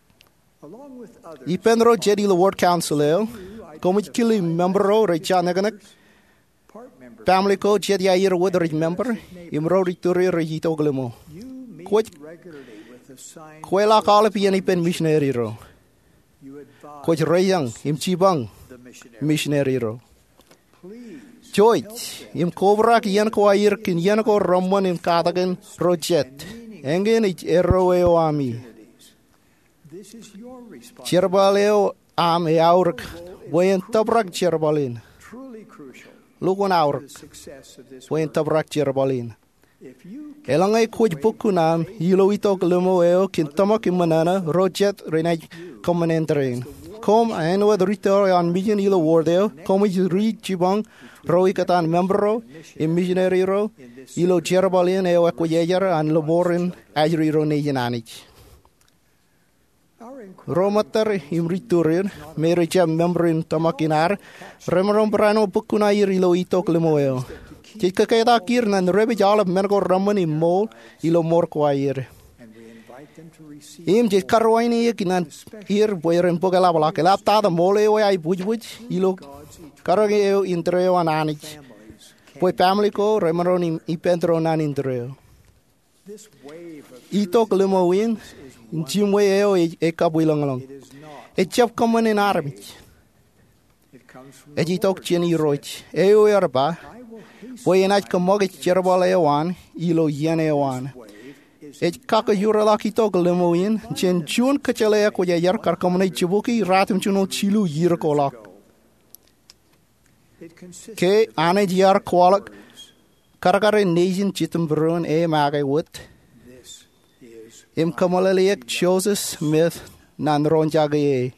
Ippān ro jet ilo ward council eo, koṃij kile member ro rej jañeknek, family ko jet iaer wōt rej member, im ro ri tūrier rej itok limo. Kwōj kweḷọk aolep iien ippān missionary ro. Kwōj reijañ im jipañ missionary ro. Jouj im kobrak iien ko aer kōn iien ko reṃṃan im katakin ro jet. Eñin ej erro eo ami. Jerbal eo aṃ eaorōk bwe en tōprak jerbal in. Lukkuun aorōk bwe en tōprak jerbal in. Eḷaññe kwōj bōk kuṇaṃ ilo itok limo eo kōn tōmak im ṃōṇōṇō, ro jet renaaj kōṃṃan interview in. Koṃ āinwōt ri tōl eo an mission ilo ward eo, koṃij ri jipañ ro ikkōtaan member ro im missionary ro ilo jerbal in eo ekwōj ejjeḷọk an lọmọọren ajri ro nejin Anij. Ro ṃōttad im ri tūrier, me rej jab member in tōmak in ad, remaroñ barāinwōt bōk kuṇaer ilo itok limo eo. Jej kōketak er ñan repej aolep men ko reṃṃan im ṃool ilo mour ko aer. Im jej karuwaineik ñan er bwe ren bōk eḷapḷọk, eḷaptata ṃool eo eaibwijbwij ilo karōke eo indeeo an Anij, bwe family ko remaroñ ippān tōre ñan indeeo. Itok limo in jiṃwe eo ej kabwilōñlōñ. Ejjab kōṃṃan in armej. Ej itok jān Irooj. Eo ear ba, bwe enaaj kōṃṃakūt jerbal eo an ilo iien eo an. Ej kakkōjorḷọk itok limo in jān juon kōjjeḷā ekwōjarjar kar kōṃṃane jibukwi ratimjuonñoul jilu iiō ko ḷọk. Ke Anij ear kwaḷọk karkaren nejin jitōnbōro in e make wōt im kōmeḷeḷeik Joseph Smith ñan roñjake e.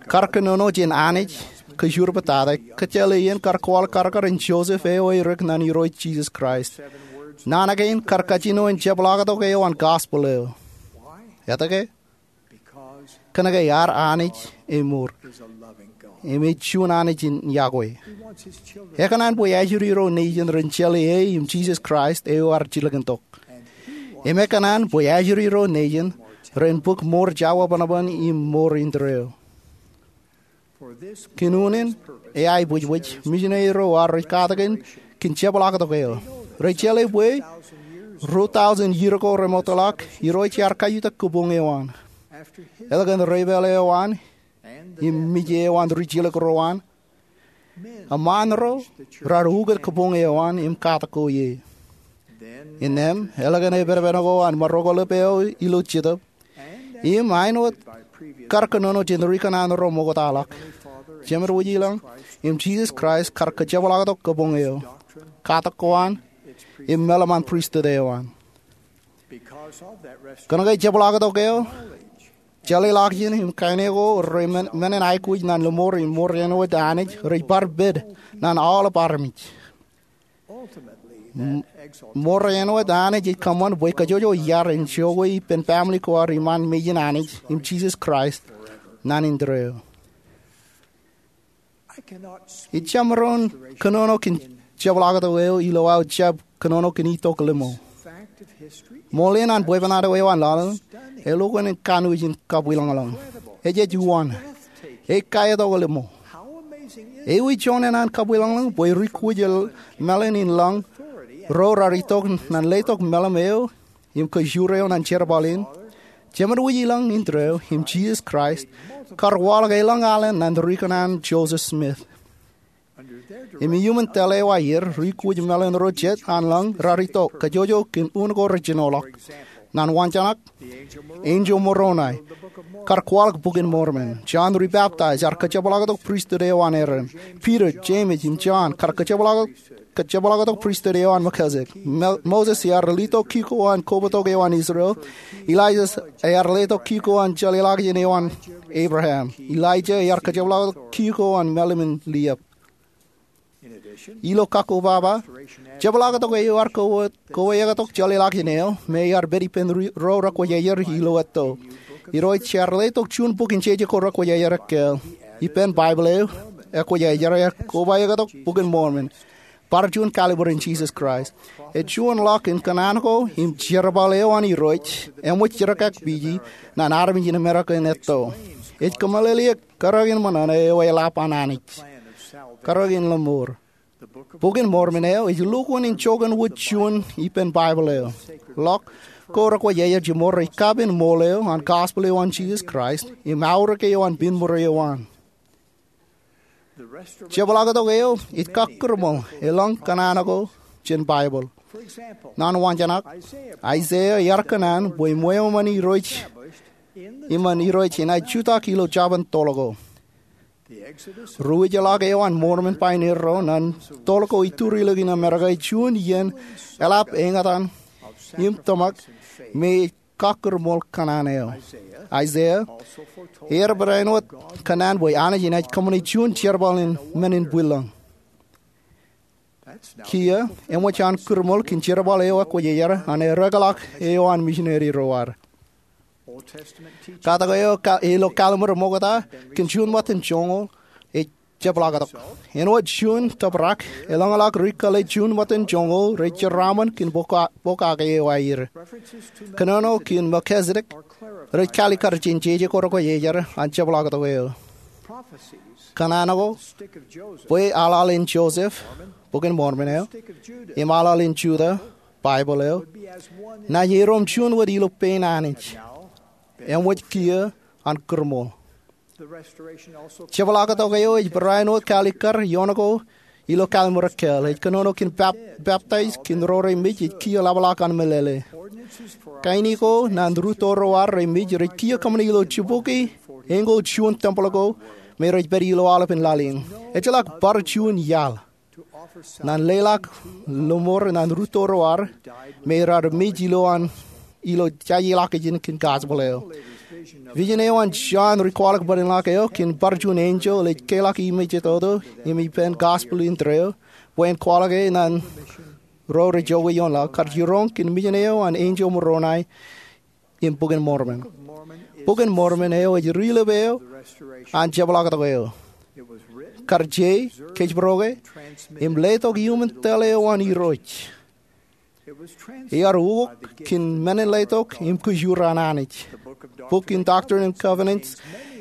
Kar kōnono jān Anij kōjur bōtata, kōjjeḷā in kar kwaḷọk karkaren Joseph eo erik ñan Irooj Jisōs Kraist. Naan kein kar kajjino in jepḷaaktok eo an gospel eo. Etke? Kōnke ad Anij emour im ej juon Anij in yokwe. Ekōṇaan bwe ajri ro nejin ren jeḷā e im Jisōs Kraist eo ear jilkintok. Im ekōṇaan bwe ajri ro nejin ren bōk mour jawebanban im mour indeeo. Kōn unin eaibwijbwij, misineri ro ear rej katakin kōn jepḷaaktok eo. Rej jeḷā bwe ruo tọujin iiō ko remootḷọk, Irooj ear kajutak kabuñ eo an. Eḷap kōn reipeeḷ eo an im mije eo an rijilōk ro an, eṃṃaan ro raar ukōt kabuñ eo an im katak ko ie. Innām, eḷap kōn epedepedik ko an marokkoḷap eo ilo Jetōb, im āinwōt kar kōnono jān ri kōṇaan ro ṃoktaḷọk, Jemed Wūjilōñ im Jisōs Kraist kar kajepḷaaktok kabuñ eo, katak ko an, im meḷeṃan pristut eo an. Kōnke jepḷaaktok eo, jeḷāḷọkjeṇ im kaine ko rej men, men in aikuj ñan lọmọọr im mour āinwōt Anij rej bar pād ñan aolep armej. M-, mour āinwōt Anij ej kōṃṃan bwe kōjwōj iar enjoy ippān family ko ad iṃaan mejān Anij im Jisōs Kraist ñan indeeo. Ij jab maroñ kōnono kōn jepḷaaktok eo ilo aō jab kōnono kōn itok limo. Ṃool in an bwebwenato eo an laḷ, elukkuun kanooj in kabwilōñlōñ. Ej, ej uwan. Ej kaetok limo. Ewi joñan an kabwilōñlōñ bwe ri kuj el mālōn in lañ ro raar itok ñan letok meḷeḷe eo im kajjioñ eo ñan jerbal in, Jemān Wūj Ilọk in Indeeo im Jisōs Kraist kar kwaḷọk elōñ alen ñan ri kōṇaan Joseph Smith. Im iuṃwin tōl eo aer, ri kwōj meḷeḷe ro jet an lōñ raar itok kōjwōjwōj kōn un ko rej jinoḷọk. Ñan wañjanak, enjeḷ Moroni kar kwaḷọk Bok in Mormon. Jon Ribaptaijer ear kōjepḷaaktok pristut eo an Aaron. Piter, Jemes im Jon kar kōjepḷaaktok, kōjepḷaaktok pristut eo an Melkisedek. Mo-, Moses ear letok kiko an kobatok eo an Israel. Elias ear letok kiko an jeḷāḷọkjeṇ eo an Abraham. Elijah ear kōjepḷaaktok kiko an mālim in liep. Ilo kakkobaba, jepḷaaktok eo ear ko-, koweetok jeḷāḷọkjeṇ eo me ear pād ippān ri-, ro rekwōjarjar ilo etto. Irooj ear letok juon bok in jeje ko rekwōjarjar ekkā. Ippān Baibōḷ eo, ekwōjarjar ear kobaikōttok Bok in Mormon, bar juon kallimur in Jisōs Kraist. Ej juon ḷọk in kōṇaan ko im jerbal eo an Irooj eṃōj jerkakpeje ñan armej in Amerika in etto. Ej kōmeḷeḷeik kōrā in ṃōṇōṇō eo eḷap an Anij, kōrā in lọmọọr. Bok in Mormon eo ej lukkuun in joñan wōt juon ippān Baibōḷ eo. Ḷọk ko rekwōjarjar jiṃor rej kapen ṃool eo an gospel eo an Jisōs Kraist im aorōk eo an piñmur eo an. Jepḷaaktok eo ej kakkūrṃool elōñ kōṇaan ko jān Baibōḷ. Ñan wañjanak, Aiseia ear kōṇaan bwe ṃweo ṃōn Irooj, iṃōn Irooj enaaj jutak ilo jabōn toḷ ko. Ruwij ḷọk eo an Mormon paioneer ro ñan toḷ ko iturilokin Amerika ej juon iien eḷap eñtaan im tōmak me ej kakkūrṃool kōṇaan eo. Aiseia ear barāinwōt kōṇaan bwe Anij enaaj kōṃṃane juon jerbal in men in bwilōñ. Kiiō, eṃōj an kūrṃool kōn jerbal eo ekwōjarjar an ereḷọk eo an misineri ro ad. Katak eo ka-, ilo kalliṃur ṃokta kōn juon ṃōttan joñoul ej jepḷaaktok. Āinwōt juon tōprak, eḷañḷọk ri kōḷḷe juon ṃōttan joñoul rej jeraaṃṃan kōn bok a-, bok ake eo aer. Kōnono kōn Melkisedek rej kaalikkar jān jeje ko rekwōjarjar an jepḷaaktok eo. Kōṇaan ko bwe aḷaḷ in Joseph, Bok in Mormon eo, im aḷaḷ in Juda, Baibōḷ eo, naaj erom juon wōt ilo pein Anij, eṃōj kiiō an kūrṃool. Jepḷaaktok eo ej barāinwōt kaalikkar ioon ko ilo kalliṃur ekkā. Ej kōnono kōn pap-, peptaij kōn ro remej ej kiiō ḷapḷọk an meḷeḷe. Kain ko ñan rūtto ro ad remej rej kiiō kōṃṃane ilo jibukwi eñko juon tempōḷ ko me rej pād ilo aolepān laḷ in. Ejjeḷọk bar juon iaḷ ñan leḷọk lọmọọr ñan rūtto ro ad me raar mej ilo an, ilo jajeḷọkjeṇ kōn gospel eo. Vision eo an John ri kwaḷọk bōd in ḷọk eo kōn bar juon enjeḷ ej keḷọk imej eo toto im ippān gospel in Indeeo bwe en kwaḷọke ñan ro rej jokwe ioon laḷ kar jiroñ kōn mission eo an enjeḷ Moroni im Bok in Mormon. Bok in Mormon eo ej ri-lep eo an jepḷaaktok eo. Kar je, kōjparok e, im letok iuṃwin tōl eo an Irooj. Ear ukok kōn men in letok im kōjur an Anij. Bok in Doctrine and Covenants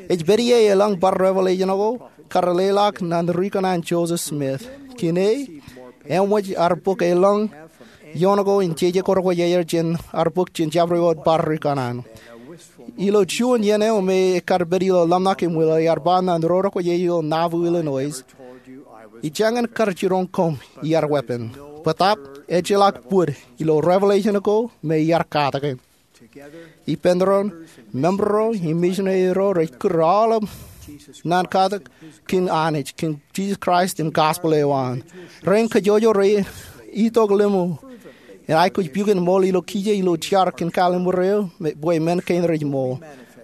ej pād ie elōñ bar revelation ko kar leḷọk ñan ri kōṇaan Joseph Smith. Kōn e, eṃōj ar bōk elōñ ioon ko in jeje ko rekwōjarjar jān ar bōk jān jabdewōt bar ri kōṇaan. Ilo juon iien eo me ekar pād ilo ḷōmṇak im wilo, ear ba ñan ro rekwōjarjar ilo Nauvoo, Illinois, "Ijeñin kar jiroñ koṃ iar weeppān. Bōtab, ejjeḷọk bōd ilo revelation ko me iar katak e." Ippān doon, member ro im misineri ro rej kūr aolep ñan katak kōn Anij, kōn Jisōs Kraist im gospel eo an. Rein kajjojo rej itok limo im aikuj pukot ṃool ilo kije ilo jar kōn kalliṃur eo, me, bwe men kein rej ṃool.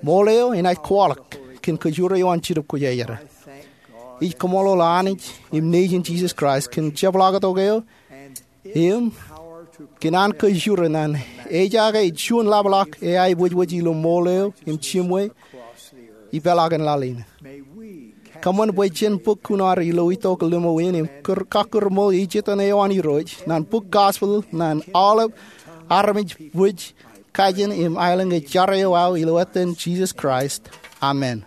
Ṃool eo enaaj kwaḷọk kōn kōjur eo an Jetōb Kwōjarjar. Ij kaṃṃoolol Anij im Nejin Jisōs Kraist kōn jepḷaaktok eo im kōn an kōjur ñan ejaake juon ḷapḷọk eaiboojoj ilo ṃool eo im jiṃwe ipeḷaakin laḷ in. Kōṃṃan bwe jen bōk kuṇaer ilo itok limo in im kūr-, kakkūrṃool ejitōñ eo an Irooj ñan bōk gospel ñan aolep armej bwij, kajin im aelōñ ej jar eo aō, ilo etan Jisōs Kraist. Amen.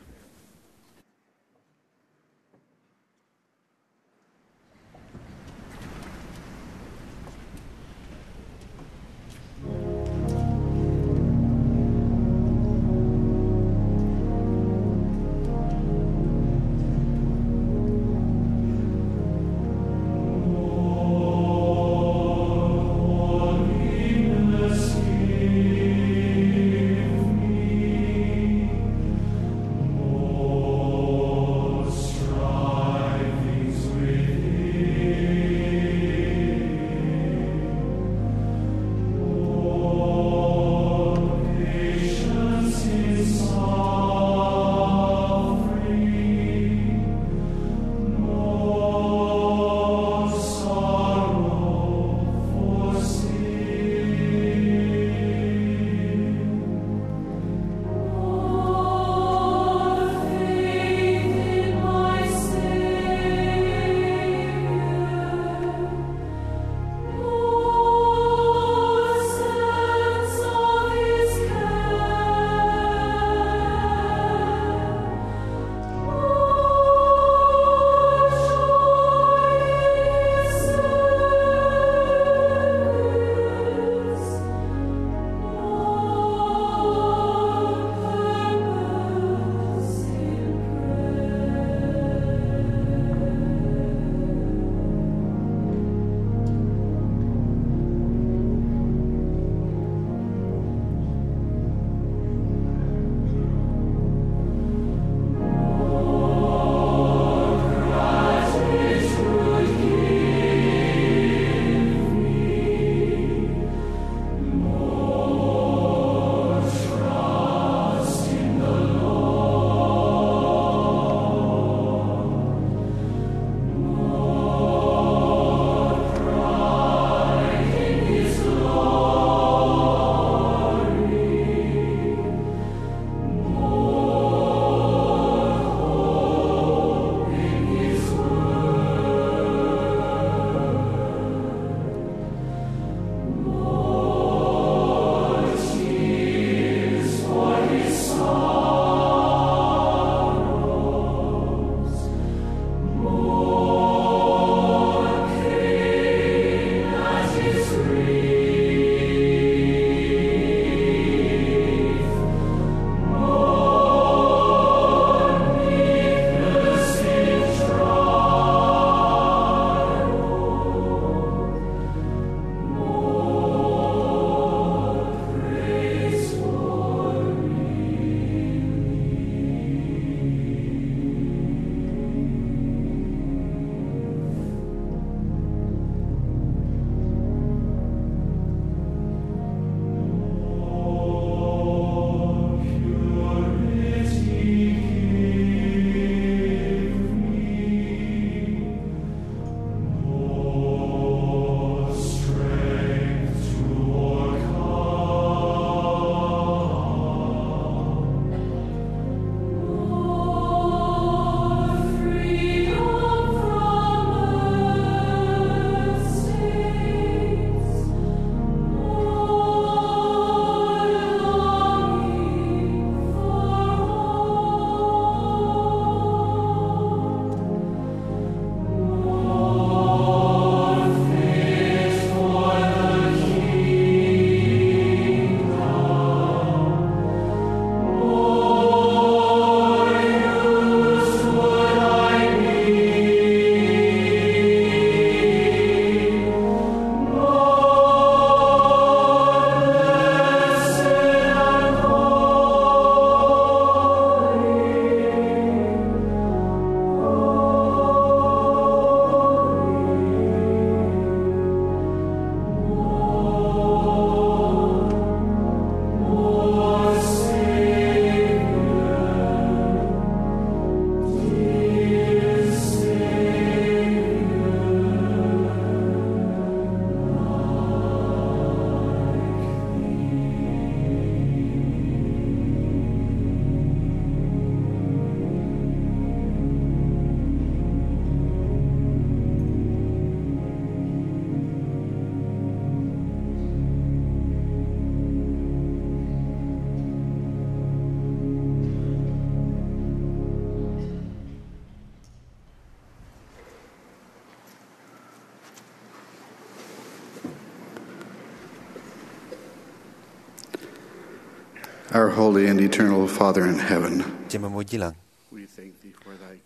Our holy and eternal Father in heaven, Jemem wōt ilañ,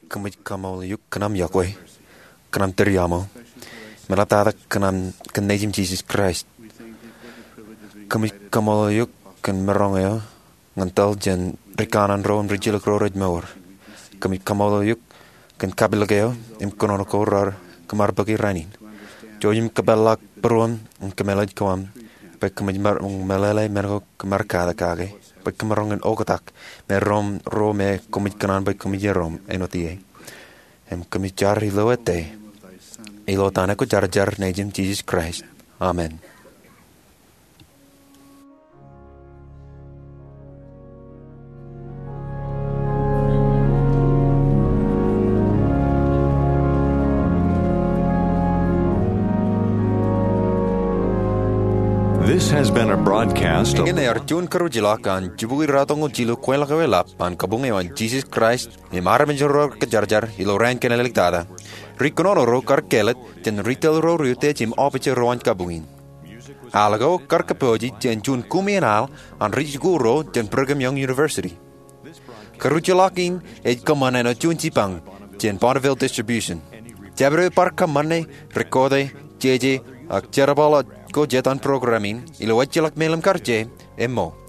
kōmij kaṃṃoolol eok kōn aṃ iọkwe, kōn aṃ tūriaṃo, im eḷaptata kōn aṃ, kōn Nejūṃ Jisōs Kraist. Kōmij kaṃṃoolol eok kōn maroñ eo ñan tōl jān ri kanaan ro im ri jilōk ro rej mour. Kōmij kaṃṃoolol eok kōn kapilōk eo im kōnono ko raar kōṃadbōki rainin. Jouj im kōpeḷḷọk būruōm im kōmālij ko aṃ bwe kōmij maroñ meḷeḷe men ko kōm ar katak kake, bwe kōm maroñ in oktak me ro, ro me kōmij kōṇaan bwe kōmij iroṃ āinwōt ie. Im kōmij jar ilo ete, ilo etan eo Kwōjarjar, Nejūṃ Jisōs Kraist. Amen. This has been a broadcast of Eñin ear juon kōrujḷọk an jibukwi ratimjuonñoul jilu kweilọk ewe lab an kabuñ eo an Jisōs Kraist im armej ro raar kwōjarjar ilo raan kaṇ āliktata. Ri kōnono ro kar kāālōt jān retail ro rej utiej im office ro an kabuñ in. Al ko kar kōpooje jān juon kumi in al an ri jikuuḷ ro jān Brigham Young University. Kōrujḷọk in ej kōṃṃan āinwōt juon jipañ jān Bonneville Distribution. Jabdewōt bar kōṃṃane, record e, jeje, ak jerbal ko jet an program in ilo ejjeḷọk mālim kar je, emmo.